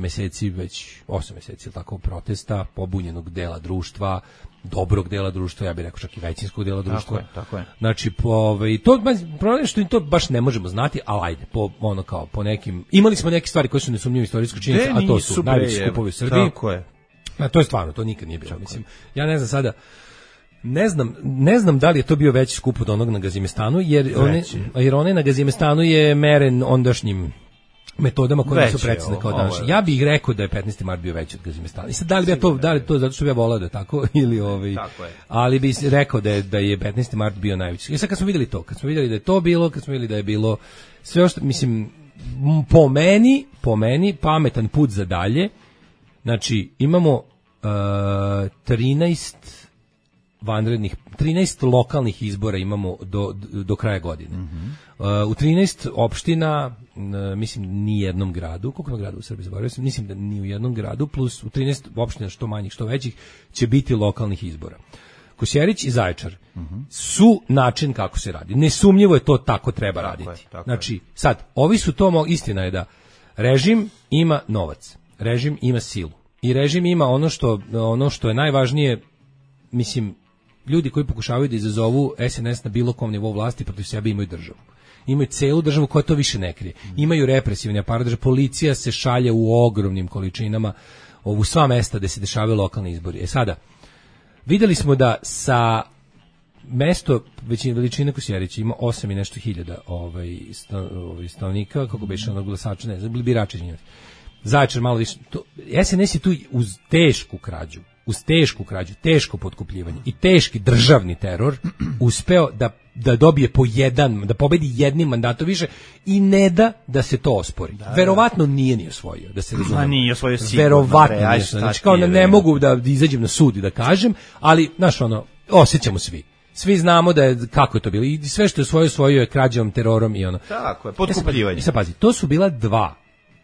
meseci tako protesta, pobunjenog dela društva, dobrog dela društva, ja bih rekao čak i većinskog dela društva. Tako je. Znači, problem što to baš ne možemo znati, ali ajde, po nekim, imali smo neke stvari koje su nesumnjive istorijske činjenice, a to su najveći skupovi u Srbiji. Tako je. To je stvarno, to nikad nije bilo, mislim. Ja ne znam sada, ne znam da li je to bio veći skup od onog na Gazimestanu, jer onaj na Gazimestanu je meren ondašnjim metodama koje su precizne kao danas. Ja bih rekao da je 15. mart bio veći od Gazimestana. I sad da li je to zato što bi ja volao da je tako ili ali bi rekao da je 15. mart bio najveći. I sad kad smo vidjeli da je to bilo, kad smo vidjeli da je bilo sve što, mislim, po meni pametan put za dalje. Znači, imamo 13 lokalnih izbora imamo do kraja godine. U 13 opština, mislim, ni jednom gradu, koliko ima grada u Srbiji, zaboravio sam, mislim da ni u jednom gradu, plus u 13 opština, što manjih, što većih, će biti lokalnih izbora. Kosjerić i Zaječar su način kako se radi. Nesumnjivo je to tako treba raditi. Znači, sad, ovi su to, istina je da režim ima novac, režim ima silu i režim ima ono što je najvažnije, mislim, ljudi koji pokušavaju da izazovu SNS na bilo kom nivou vlasti protiv sebe imaju državu. Imaju celu državu koja to više ne krije. Imaju represivni aparat države. Policija se šalje u ogromnim količinama u sva mesta gde se dešavaju lokalni izbori. Sada, videli smo da sa mesto veličine Kosjerića ima 8 i nešto hiljada stanovnika, kako beše glasača, ne znam, birača. Zaječar malo više. SNS je tu uz tešku krađu uz tešku krađu, teško potkupljivanje i teški državni teror uspeo da dobije po jedan, da pobedi jednim mandatom više i ne da se to ospori. Verovatno nije ni osvojio, da se razume. Nije osvojio sigurno. Verovatno nije osvojio. Znači, kao ne mogu da izađem na sud i da kažem, ali, znaš, osjećamo svi. Svi znamo da je, kako je to bilo. I sve što je osvojio je krađom, terorom i ono. Tako je, potkupljivanje. I sad pazi, to su bila 2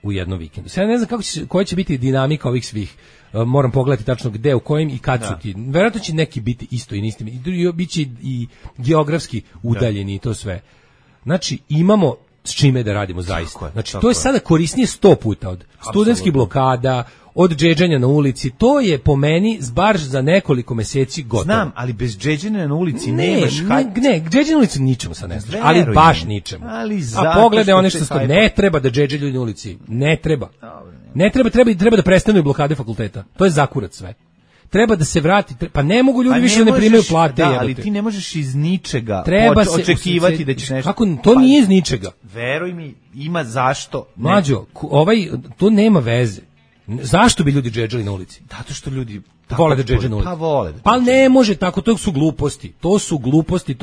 u jednom vikendu. Sad ne znam koja će biti dinamika ovih svih. Moram pogledati tačno gde, u kojim i kad su ti. Verovatno će neki biti isto i istim. Biće i geografski udaljeni i to sve. Znači, imamo s čime da radimo zaista. Znači, to je sada korisnije 100 puta od studentskih blokada, od džedžanja na ulici. To je po meni bar za nekoliko meseci gotovo. Znam, ali bez džedžanja na ulici nemaš... Ne, džedžanja na ulici ničemu sad ne znaš, ali baš ničemu. A pogledaj one što stoji, ne treba da džedžaju ljudi na ulici, ne treba. Ne treba da prestanu blokade fakulteta. To je zakurac sve. Treba da se vrati, pa ne mogu ljudi više ne primaju plate. Da, ali ti ne možeš iz ničega očekivati da ćeš nešto... Kako, to nije iz ničega. Veruj mi, ima zašto. Mlađo, to nema veze. Zašto bi ljudi džedžali na ulici? Zato što ljudi vole da džedže na ulici. Pa vole. Pa ne može tako, to su gluposti.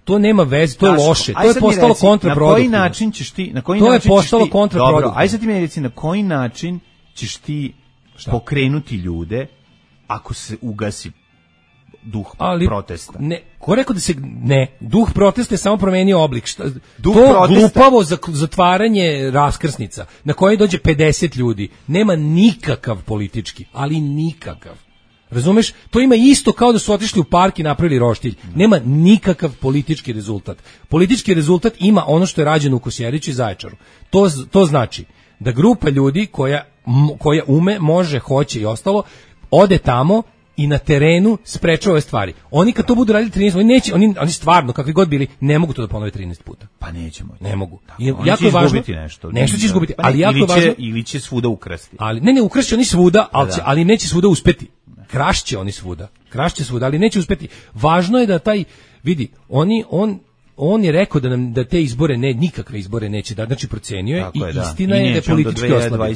To nema veze, to je loše. To je postalo kontraproduktivno. Na koji način ćeš ti, to je postalo kontraproduktivno. Dobro, aj sad ti mi reci na koji način ćeš ti pokrenuti ljude ako se ugasi duh protesta. Ko rekao da se duh protesta je samo promenio oblik. Glupavo zatvaranje raskrsnica na koje dođe 50 ljudi nema nikakav politički, ali nikakav. Razumeš? To ima isto kao da su otišli u park i napravili roštilj. Nema nikakav politički rezultat. Politički rezultat ima ono što je rađeno u Kosjeriću i Zaječaru. To znači da grupa ljudi koja ume, može, hoće i ostalo, ode tamo i na terenu sprečava ove stvari. Oni kad to budu radili 13, oni stvarno, kakvi god bili, ne mogu to da ponove 13 puta. Pa nećemo. Ne mogu. Oni će izgubiti nešto. Nešto će izgubiti, ali jako je važno. Ili će svuda ukrasti. Ali, ne, ukrašće oni svuda, ali neće svuda uspeti. Krašće oni svuda, ali neće uspeti. Važno je da vidi, on je rekao da te izbore nikakve izbore neće dati, znači procenio je i istina je da je politički oslabio.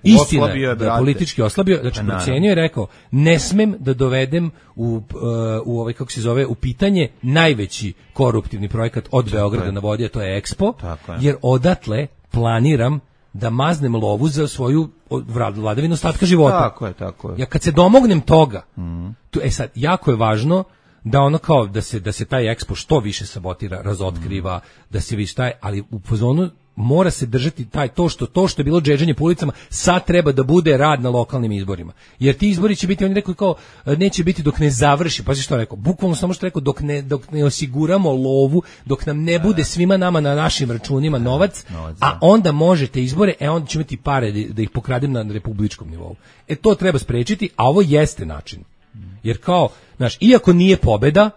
Istina je da je politički oslabio, znači procenio je, rekao, ne smem da dovedem u pitanje najveći koruptivni projekat od Beograda na vodi, a to je Expo, jer odatle planiram da maznem lovu za svoju vladavinu ostatka života. Tako je. Ja kad se domognem toga, sad, jako je važno da ono kao da se taj Expo što više sabotira, razotkriva, da se vidi šta, ali u fazonu mora se držati to što je bilo džedžanje po ulicama, sad treba da bude rad na lokalnim izborima. Jer ti izbori će biti, on je rekao kao, neće biti dok ne završi, pazi što je rekao, bukvalno samo što je rekao, dok ne osiguramo lovu, dok nam ne bude svima nama na našim računima novac, a onda možete izbore, onda ćemo imati pare da ih pokradem na republičkom nivou. To treba sprečiti, a ovo jeste način. Jer kao, znaš, iako nije pobeda,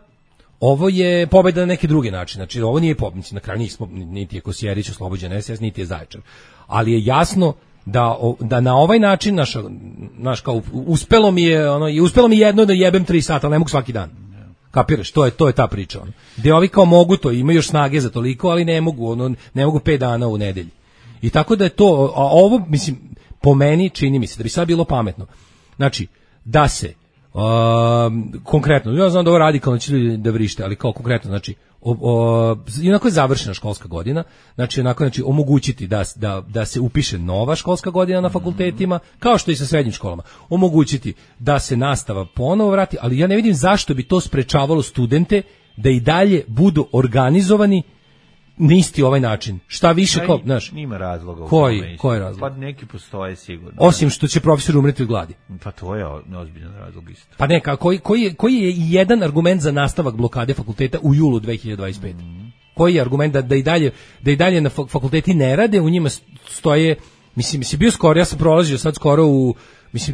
ovo je pobeda na neki drugi način. Znači, ovo nije pobeda, na kraju nismo, niti je Kosjerić oslobođen SS, niti je Zaječar. Ali je jasno da na ovaj način, naš kao, uspelo mi jedno da jebem 3 sata, ali ne mogu svaki dan. Kapiraš, to je ta priča. Gde ovi kao mogu to, imaju još snage za toliko, ali ne mogu 5 dana u nedelji. I tako da je to, a ovo, mislim, po meni čini mi se da bi sad bilo pametno. Znači, da se konkretno, ja znam da ovo radikalno će ljudi da vrište, ali kao konkretno, znači onako je završena školska godina, znači omogućiti da se upiše nova školska godina na fakultetima, kao što i sa srednjim školama, omogućiti da se nastava ponovo vrati, ali ja ne vidim zašto bi to sprečavalo studente da i dalje budu organizovani na isti ovaj način. Šta više kao, znaš, nima razloga. Koji je razlog? Pa neki postoje sigurno. Osim što će profesor umreti od gladi. Pa to je ozbiljan razlog isto. Pa neka, koji je jedan argument za nastavak blokade fakulteta u julu 2025? Koji je argument da i dalje na fakulteti ne rade, u njima stoje, mislim bio skoro, ja sam prolazio sad skoro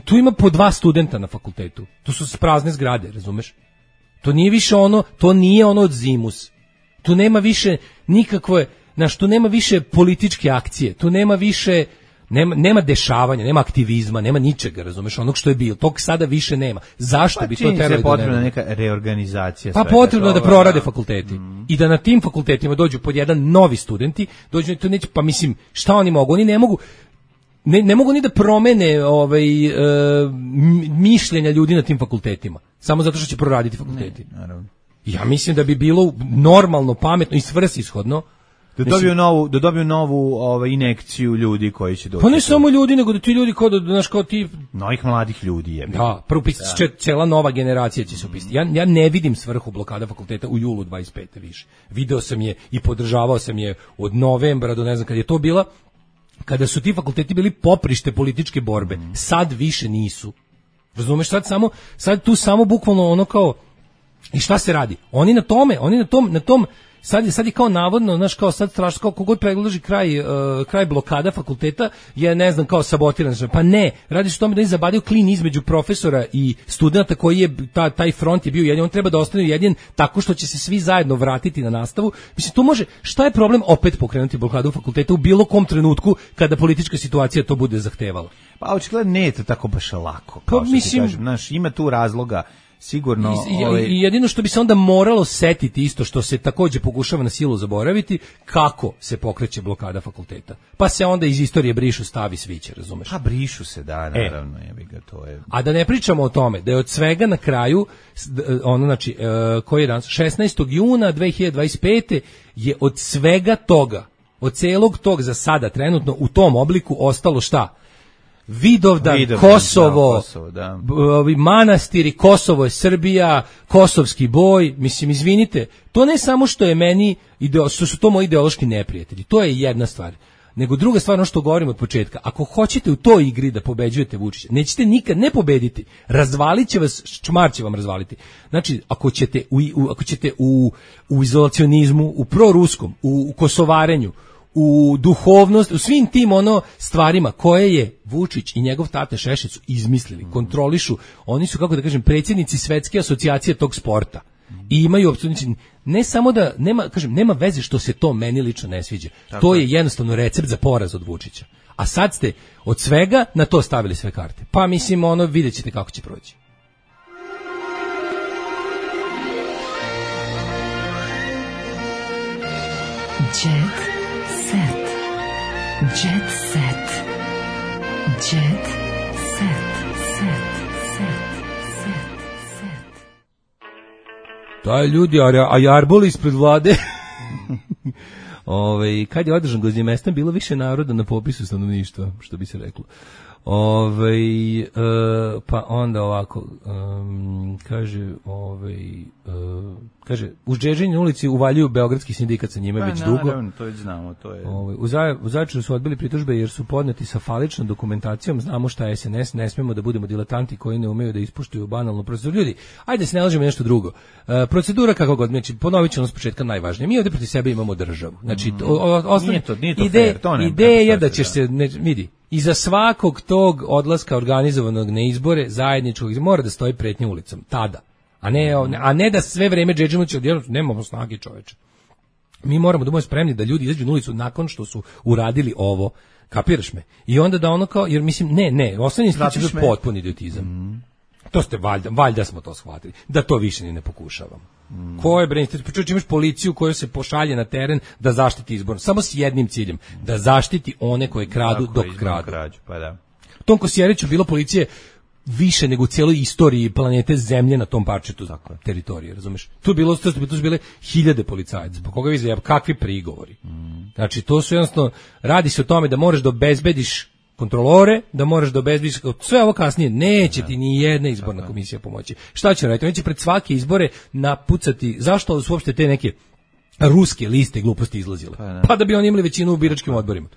tu ima po 2 studenta na fakultetu. Tu su prazne zgrade, razumeš? To nije više to nije ono od Zimus. Tu nema više nikakve, tu nema više političke akcije, tu nema više, nema dešavanja, nema aktivizma, nema ničega, razumeš, onog što je bilo, tog sada više nema. Zašto bi to trebalo da nema? Potrebna neka reorganizacija. Pa potrebno da prorade fakulteti i da na tim fakultetima dođu pod jedan novi studenti, dođu to neće, pa mislim, šta oni mogu? Oni ne mogu, ne mogu ni da promene mišljenja ljudi na tim fakultetima, samo zato što će proraditi fakulteti. Ja mislim da bi bilo normalno, pametno i svrsishodno da dobiju novu injekciju ljudi koji će doći. Pa ne samo ljudi, nego da ti ljudi kao ti novih mladih ljudi je. Da, prvo cela nova generacija će se upisati. Ja ne vidim svrhu blokada fakulteta u julu 25. više. Video sam je i podržavao sam je od novembra do ne znam kad je to bila, kada su ti fakulteti bili poprište političke borbe. Sad više nisu. Razumeš, sad tu samo bukvalno ono kao, i šta se radi? Oni na tom sad je kao navodno, znaš, kao sad strašno, kao kogod predloži kraj blokada fakulteta je, ne znam, kao sabotiran. Pa ne, radi se o tome da je zabadio klin između profesora i studenta koji je, taj front je bio jedin, on treba da ostane jedin tako što će se svi zajedno vratiti na nastavu. Mislim, to može, šta je problem opet pokrenuti blokadu fakulteta u bilo kom trenutku kada politička situacija to bude zahtevala? Pa očigledno ne je to tako baš lako, kao što ti kažem, znaš, ima tu razloga. Sigurno. I jedino što bi se onda moralo setiti isto što se takođe pokušava na silu zaboraviti, kako se pokreće blokada fakulteta. Pa se onda iz istorije brišu stavi sviće, razumeš? Pa brišu se, da, naravno, to je. A da ne pričamo o tome da je od svega na kraju znači koji je danas 16. juna 2025. je od svega toga, od celog tog za sada trenutno u tom obliku ostalo šta? Vidovdan, Kosovo, da. Manastiri, Kosovo je Srbija, kosovski boj, mislim, izvinite, to ne samo što je meni, što su to moji ideološki neprijatelji, to je jedna stvar, nego druga stvar, ono što govorim od početka, ako hoćete u toj igri da pobeđujete Vučića, nećete nikad ne pobediti, razvalit će vas, čmar će vam razvaliti. Znači, ako ćete u izolacionizmu, u proruskom, u kosovarenju, u duhovnost, u svim tim stvarima koje je Vučić i njegov tate Šešelj su izmislili, kontrolišu, oni su, kako da kažem, predsjednici svetske asocijacije tog sporta i imaju apsolutno, ne samo da, nema veze što se to meni lično ne sviđa, to je jednostavno recept za poraz od Vučića, a sad ste od svega na to stavili sve karte, pa mislim, vidjet ćete kako će proći. Jet set. Taj ljudi, a jarboli ispred vlade. Kad je održan Gozimestan, bilo više naroda na popisu stanovništva, što bi se reklo. Pa onda ovako, kaže, u Žežinjoj ulici uvaljuju beogradski sindikat sa njime već dugo. Naravno, to već znamo, to je. U Zaječaru su odbili pritužbe jer su podneti sa faličnom dokumentacijom, znamo šta je SNS, ne smemo da budemo diletanti koji ne umeju da ispuštuju banalnu proceduru. Ljudi, ajde se ne lažemo nešto drugo. Procedura kako god, znači ponovit ću ono s početka najvažnije. Mi ovdje protiv sebe imamo državu. Znači, ideja je da ćeš se, vidi, iza svakog tog odlaska organizovanog na izbore, zajedničkog, mora da stoji pretnja ulicom, tada. A ne da sve vreme džedžimo će odjednom, nemamo snage, čoveče. Mi moramo da budemo spremni da ljudi izađu na ulicu nakon što su uradili ovo, kapiraš me? I onda da ono kao, jer mislim, osnovni institut je potpuni idiotizam. To ste valjda smo to shvatili, da to više ni ne pokušavamo. Ko je bre institut? Imaš policiju koja se pošalje na teren da zaštiti izbor, samo s jednim ciljem, da zaštiti one koje kradu dok kradu. Pa da. U tom Kosjeriću bilo policije više nego u cijeloj istoriji planete Zemlje na tom parčetu teritorije, razumeš? Tu su bile hiljade policajaca. Pa koga vi zajeb, kakvi prigovori? Znači, to su jednostavno, radi se o tome da moraš da obezbediš kontrolore, da moraš da obezbediš, sve ovo kasnije, neće ti ni jedna izborna komisija pomoći. Šta će raditi? Oni će pred svake izbore napucati, zašto su uopšte te neke ruske liste gluposti izlazile? Pa da bi oni imali većinu u biračkim odborima.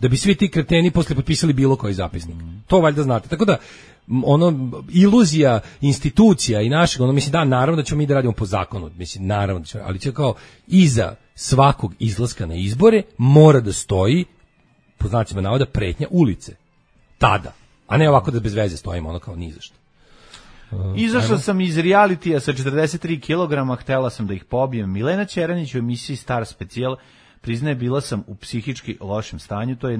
Da bi svi ti kreteni posle potpisali bilo koji zapisnik. To valjda znate. Tako da, iluzija institucija i našeg, mislim, naravno da ćemo mi da radimo po zakonu, mislim, naravno da ćemo, ali će kao iza svakog izlaska na izbore mora da stoji, po znacima navoda, pretnja ulice. Tada. A ne ovako da bez veze stojimo, kao ni zašto. Izašla sam iz realitija sa 43 kg, htela sam da ih pobijem. Milena Ćeranić u emisiji Star Specijal priznaje, bila sam u psihički lošem stanju, to je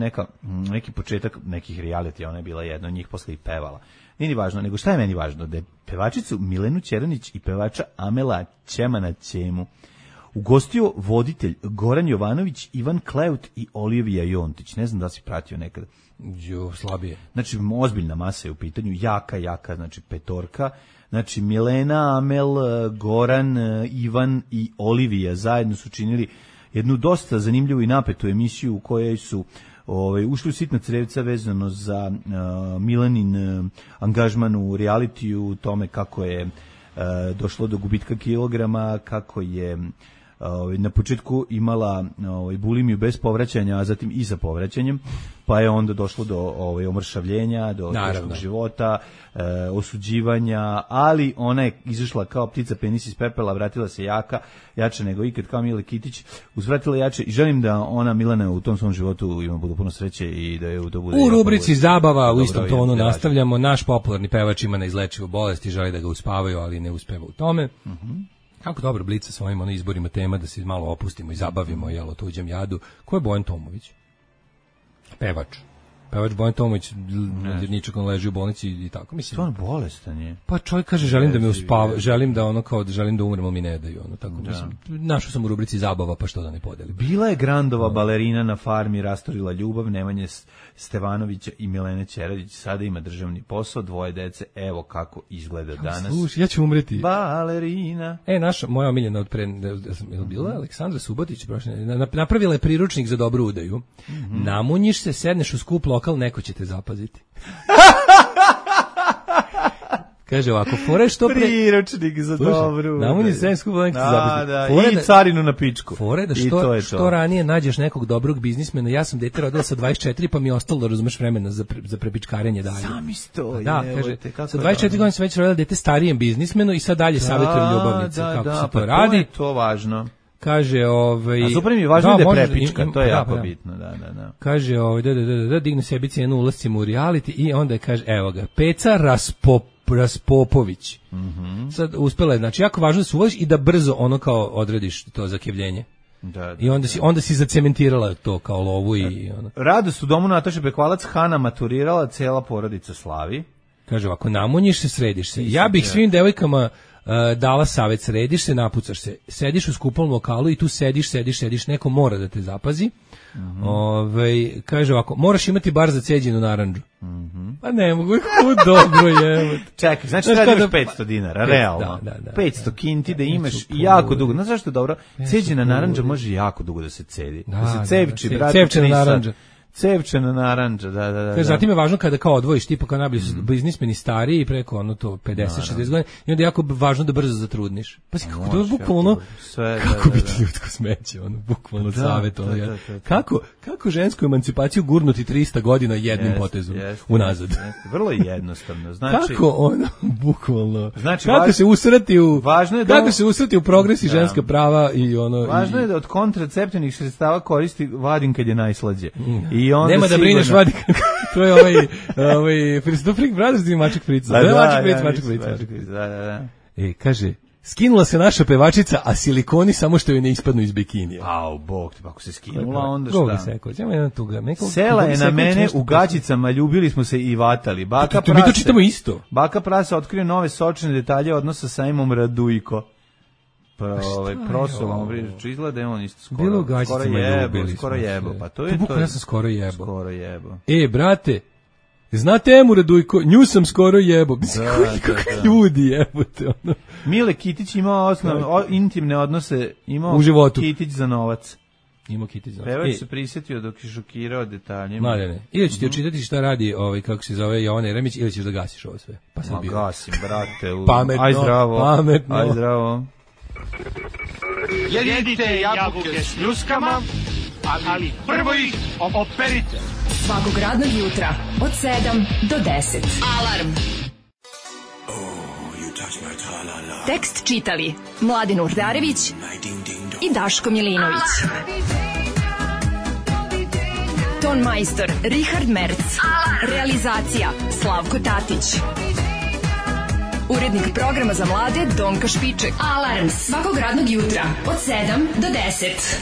neki početak nekih realitija, ona je bila jedna od njih, posle i pevala. Nije ni važno, nego šta je meni važno, da je pevačicu Milenu Ćeranić i pevača Amela Ćemana Ćemu ugostio voditelj Goran Jovanović, Ivan Kleut i Olivija Jontić. Ne znam da si pratio nekada. Slabije. Znači, ozbiljna masa je u pitanju, jaka, znači petorka. Znači, Milena, Amel, Goran, Ivan i Olivija zajedno su činili jednu dosta zanimljivu i napetu emisiju u kojoj su ušli u sitna crevca vezano za Milanin angažman u realitiju, tome kako je došlo do gubitka kilograma, kako je na početku imala bulimiju bez povraćanja, a zatim i sa povraćanjem, pa je onda došlo do omršavljenja, do teškog života, osuđivanja, ali ona je izašla kao ptica penis iz pepela, vratila se jača nego ikad, kao Mile Kitić, uzvratila jače i želim da ona, Milana, u tom svom životu ima budu puno sreće i da je to bude... U rubrici zabava u istom tonu nastavljamo. Naš popularni pevač ima neizlečivu bolest i želi da ga uspavaju, ali ne uspeva u tome. Kako dobro blica sa ovim izborima tema da se malo opustimo i zabavimo o tuđem jadu. Ko je Bojan Tomović? Pevač Bojan Tomović, ničak on leži u bolnici i tako. Mislim, to on bolestan je. Pa čovjek kaže želim da me uspava, želim da umremo, mi ne daju. Tako, mislim, našao sam u rubrici zabava, pa što da ne podelim. Bila je Grandova balerina na farmi, rastorila ljubav, Nemanje Stevanovića i Milene Ćeradić, sada ima državni posao, 2 dece, evo kako izgleda danas. Slušaj, ja ću umreti. Balerina. Moja omiljena od pre, bila Aleksandra Subotić, napravila je priručnik za dobru udaju. Namunjiš se, sedneš u skup lokal, neko će te zapaziti. Kaže ovako, fore što pre... Priručnik za dobru. Namunji se skup lokal, neko će te zapaziti. I carinu na pičku. Fore da što ranije nađeš nekog dobrog biznismena. Ja sam dete rodila sa 24, pa mi je ostalo, razumeš, vremena za prepičkarenje dalje. Sami sto. Da, kaže, sa 24 godina sam već rodila dete starijem biznismenu i sad dalje savjetujem ljubavnice kako se to radi. To je to važno. Kaže, a super mi je važno da je prepička, to je jako bitno, da. Kaže, digne sebi cijenu ulascima u reality i onda kaže, evo ga, Peca Raspopović. Sad uspela je, znači, jako važno da se uvoliš i da brzo kao odrediš to zakevljenje. I onda si zacementirala to kao lovu i ono. Radost u domu Nataše Bekvalac, Hana maturirala, cela porodica slavi. Kaže ovako, namunjiš se, središ se. Ja bih svim devojkama dala savjet, središ se, napucaš se, sediš u skupalnom lokalu i tu sediš, neko mora da te zapazi. Kaže ovako, moraš imati bar za ceđenu narandžu. Pa ne mogu, dobro je. Čekaj, znači da imaš 500 dinara, realno. Da. 500 kinti da imaš jako dugo. Znaš zašto je dobro? Ceđena narandža može jako dugo da se cedi. Da se cevči, brate. Cevčena narandža. Cevčena narandža, da. Zatim je važno kada kao odvojiš, tipa kao najbolji biznismeni stariji preko 50-60 godina i onda je jako važno da brzo zatrudniš. Pa si kako to je bukvalno, kako biti ljudsko smeće, bukvalno savjet. Kako žensku emancipaciju gurnuti 300 godina jednim potezom unazad. Vrlo jednostavno. Kako bukvalno, kako se usrati u progres i ženska prava i Važno je da od kontraceptivnih sredstava koristi vadim kad je najslađe. Nema da brineš, vadi. To je Freak Brothers i Maček Frica. Maček Frica. Da. Kaže, skinula se naša pevačica, a silikoni samo što joj ne ispadnu iz bikinija. Bog te, ako se skinula, onda šta? Sela Sela je na mene u gaćicama, ljubili smo se i vatali. Mi to čitamo isto. Baka Prasa otkrio nove sočne detalje odnosa sa Emom Radujko. Prosolom, izgleda je on isto skoro jebo. Pa to je to. Ja sam skoro jebo. Brate, znate Emu Radujko, nju sam skoro jebo. Kako ljudi jebote. Mile Kitić imao intimne odnose, imao u životu. Kitić za novac. Pevač se prisjetio dok je šokirao detaljima. Mladene, ili ću ti očitati šta radi kako se zove Jovana Jeremić, ili ćeš da gasiš ovo sve. Pa sad gasim, brate. Pametno. Aj zdravo. Jedite jabuke s pljuskama, ali prvo ih operite. Svakog radnog jutra od 7 do 10. Alarm. Tekst čitali Mladin Urdarević i Daško Milinović. Ton majstor Richard Merc. Realizacija Slavko Tatić. Urednik programa za mlade Donka Špiček. Alarms svakog radnog jutra od 7 do 10.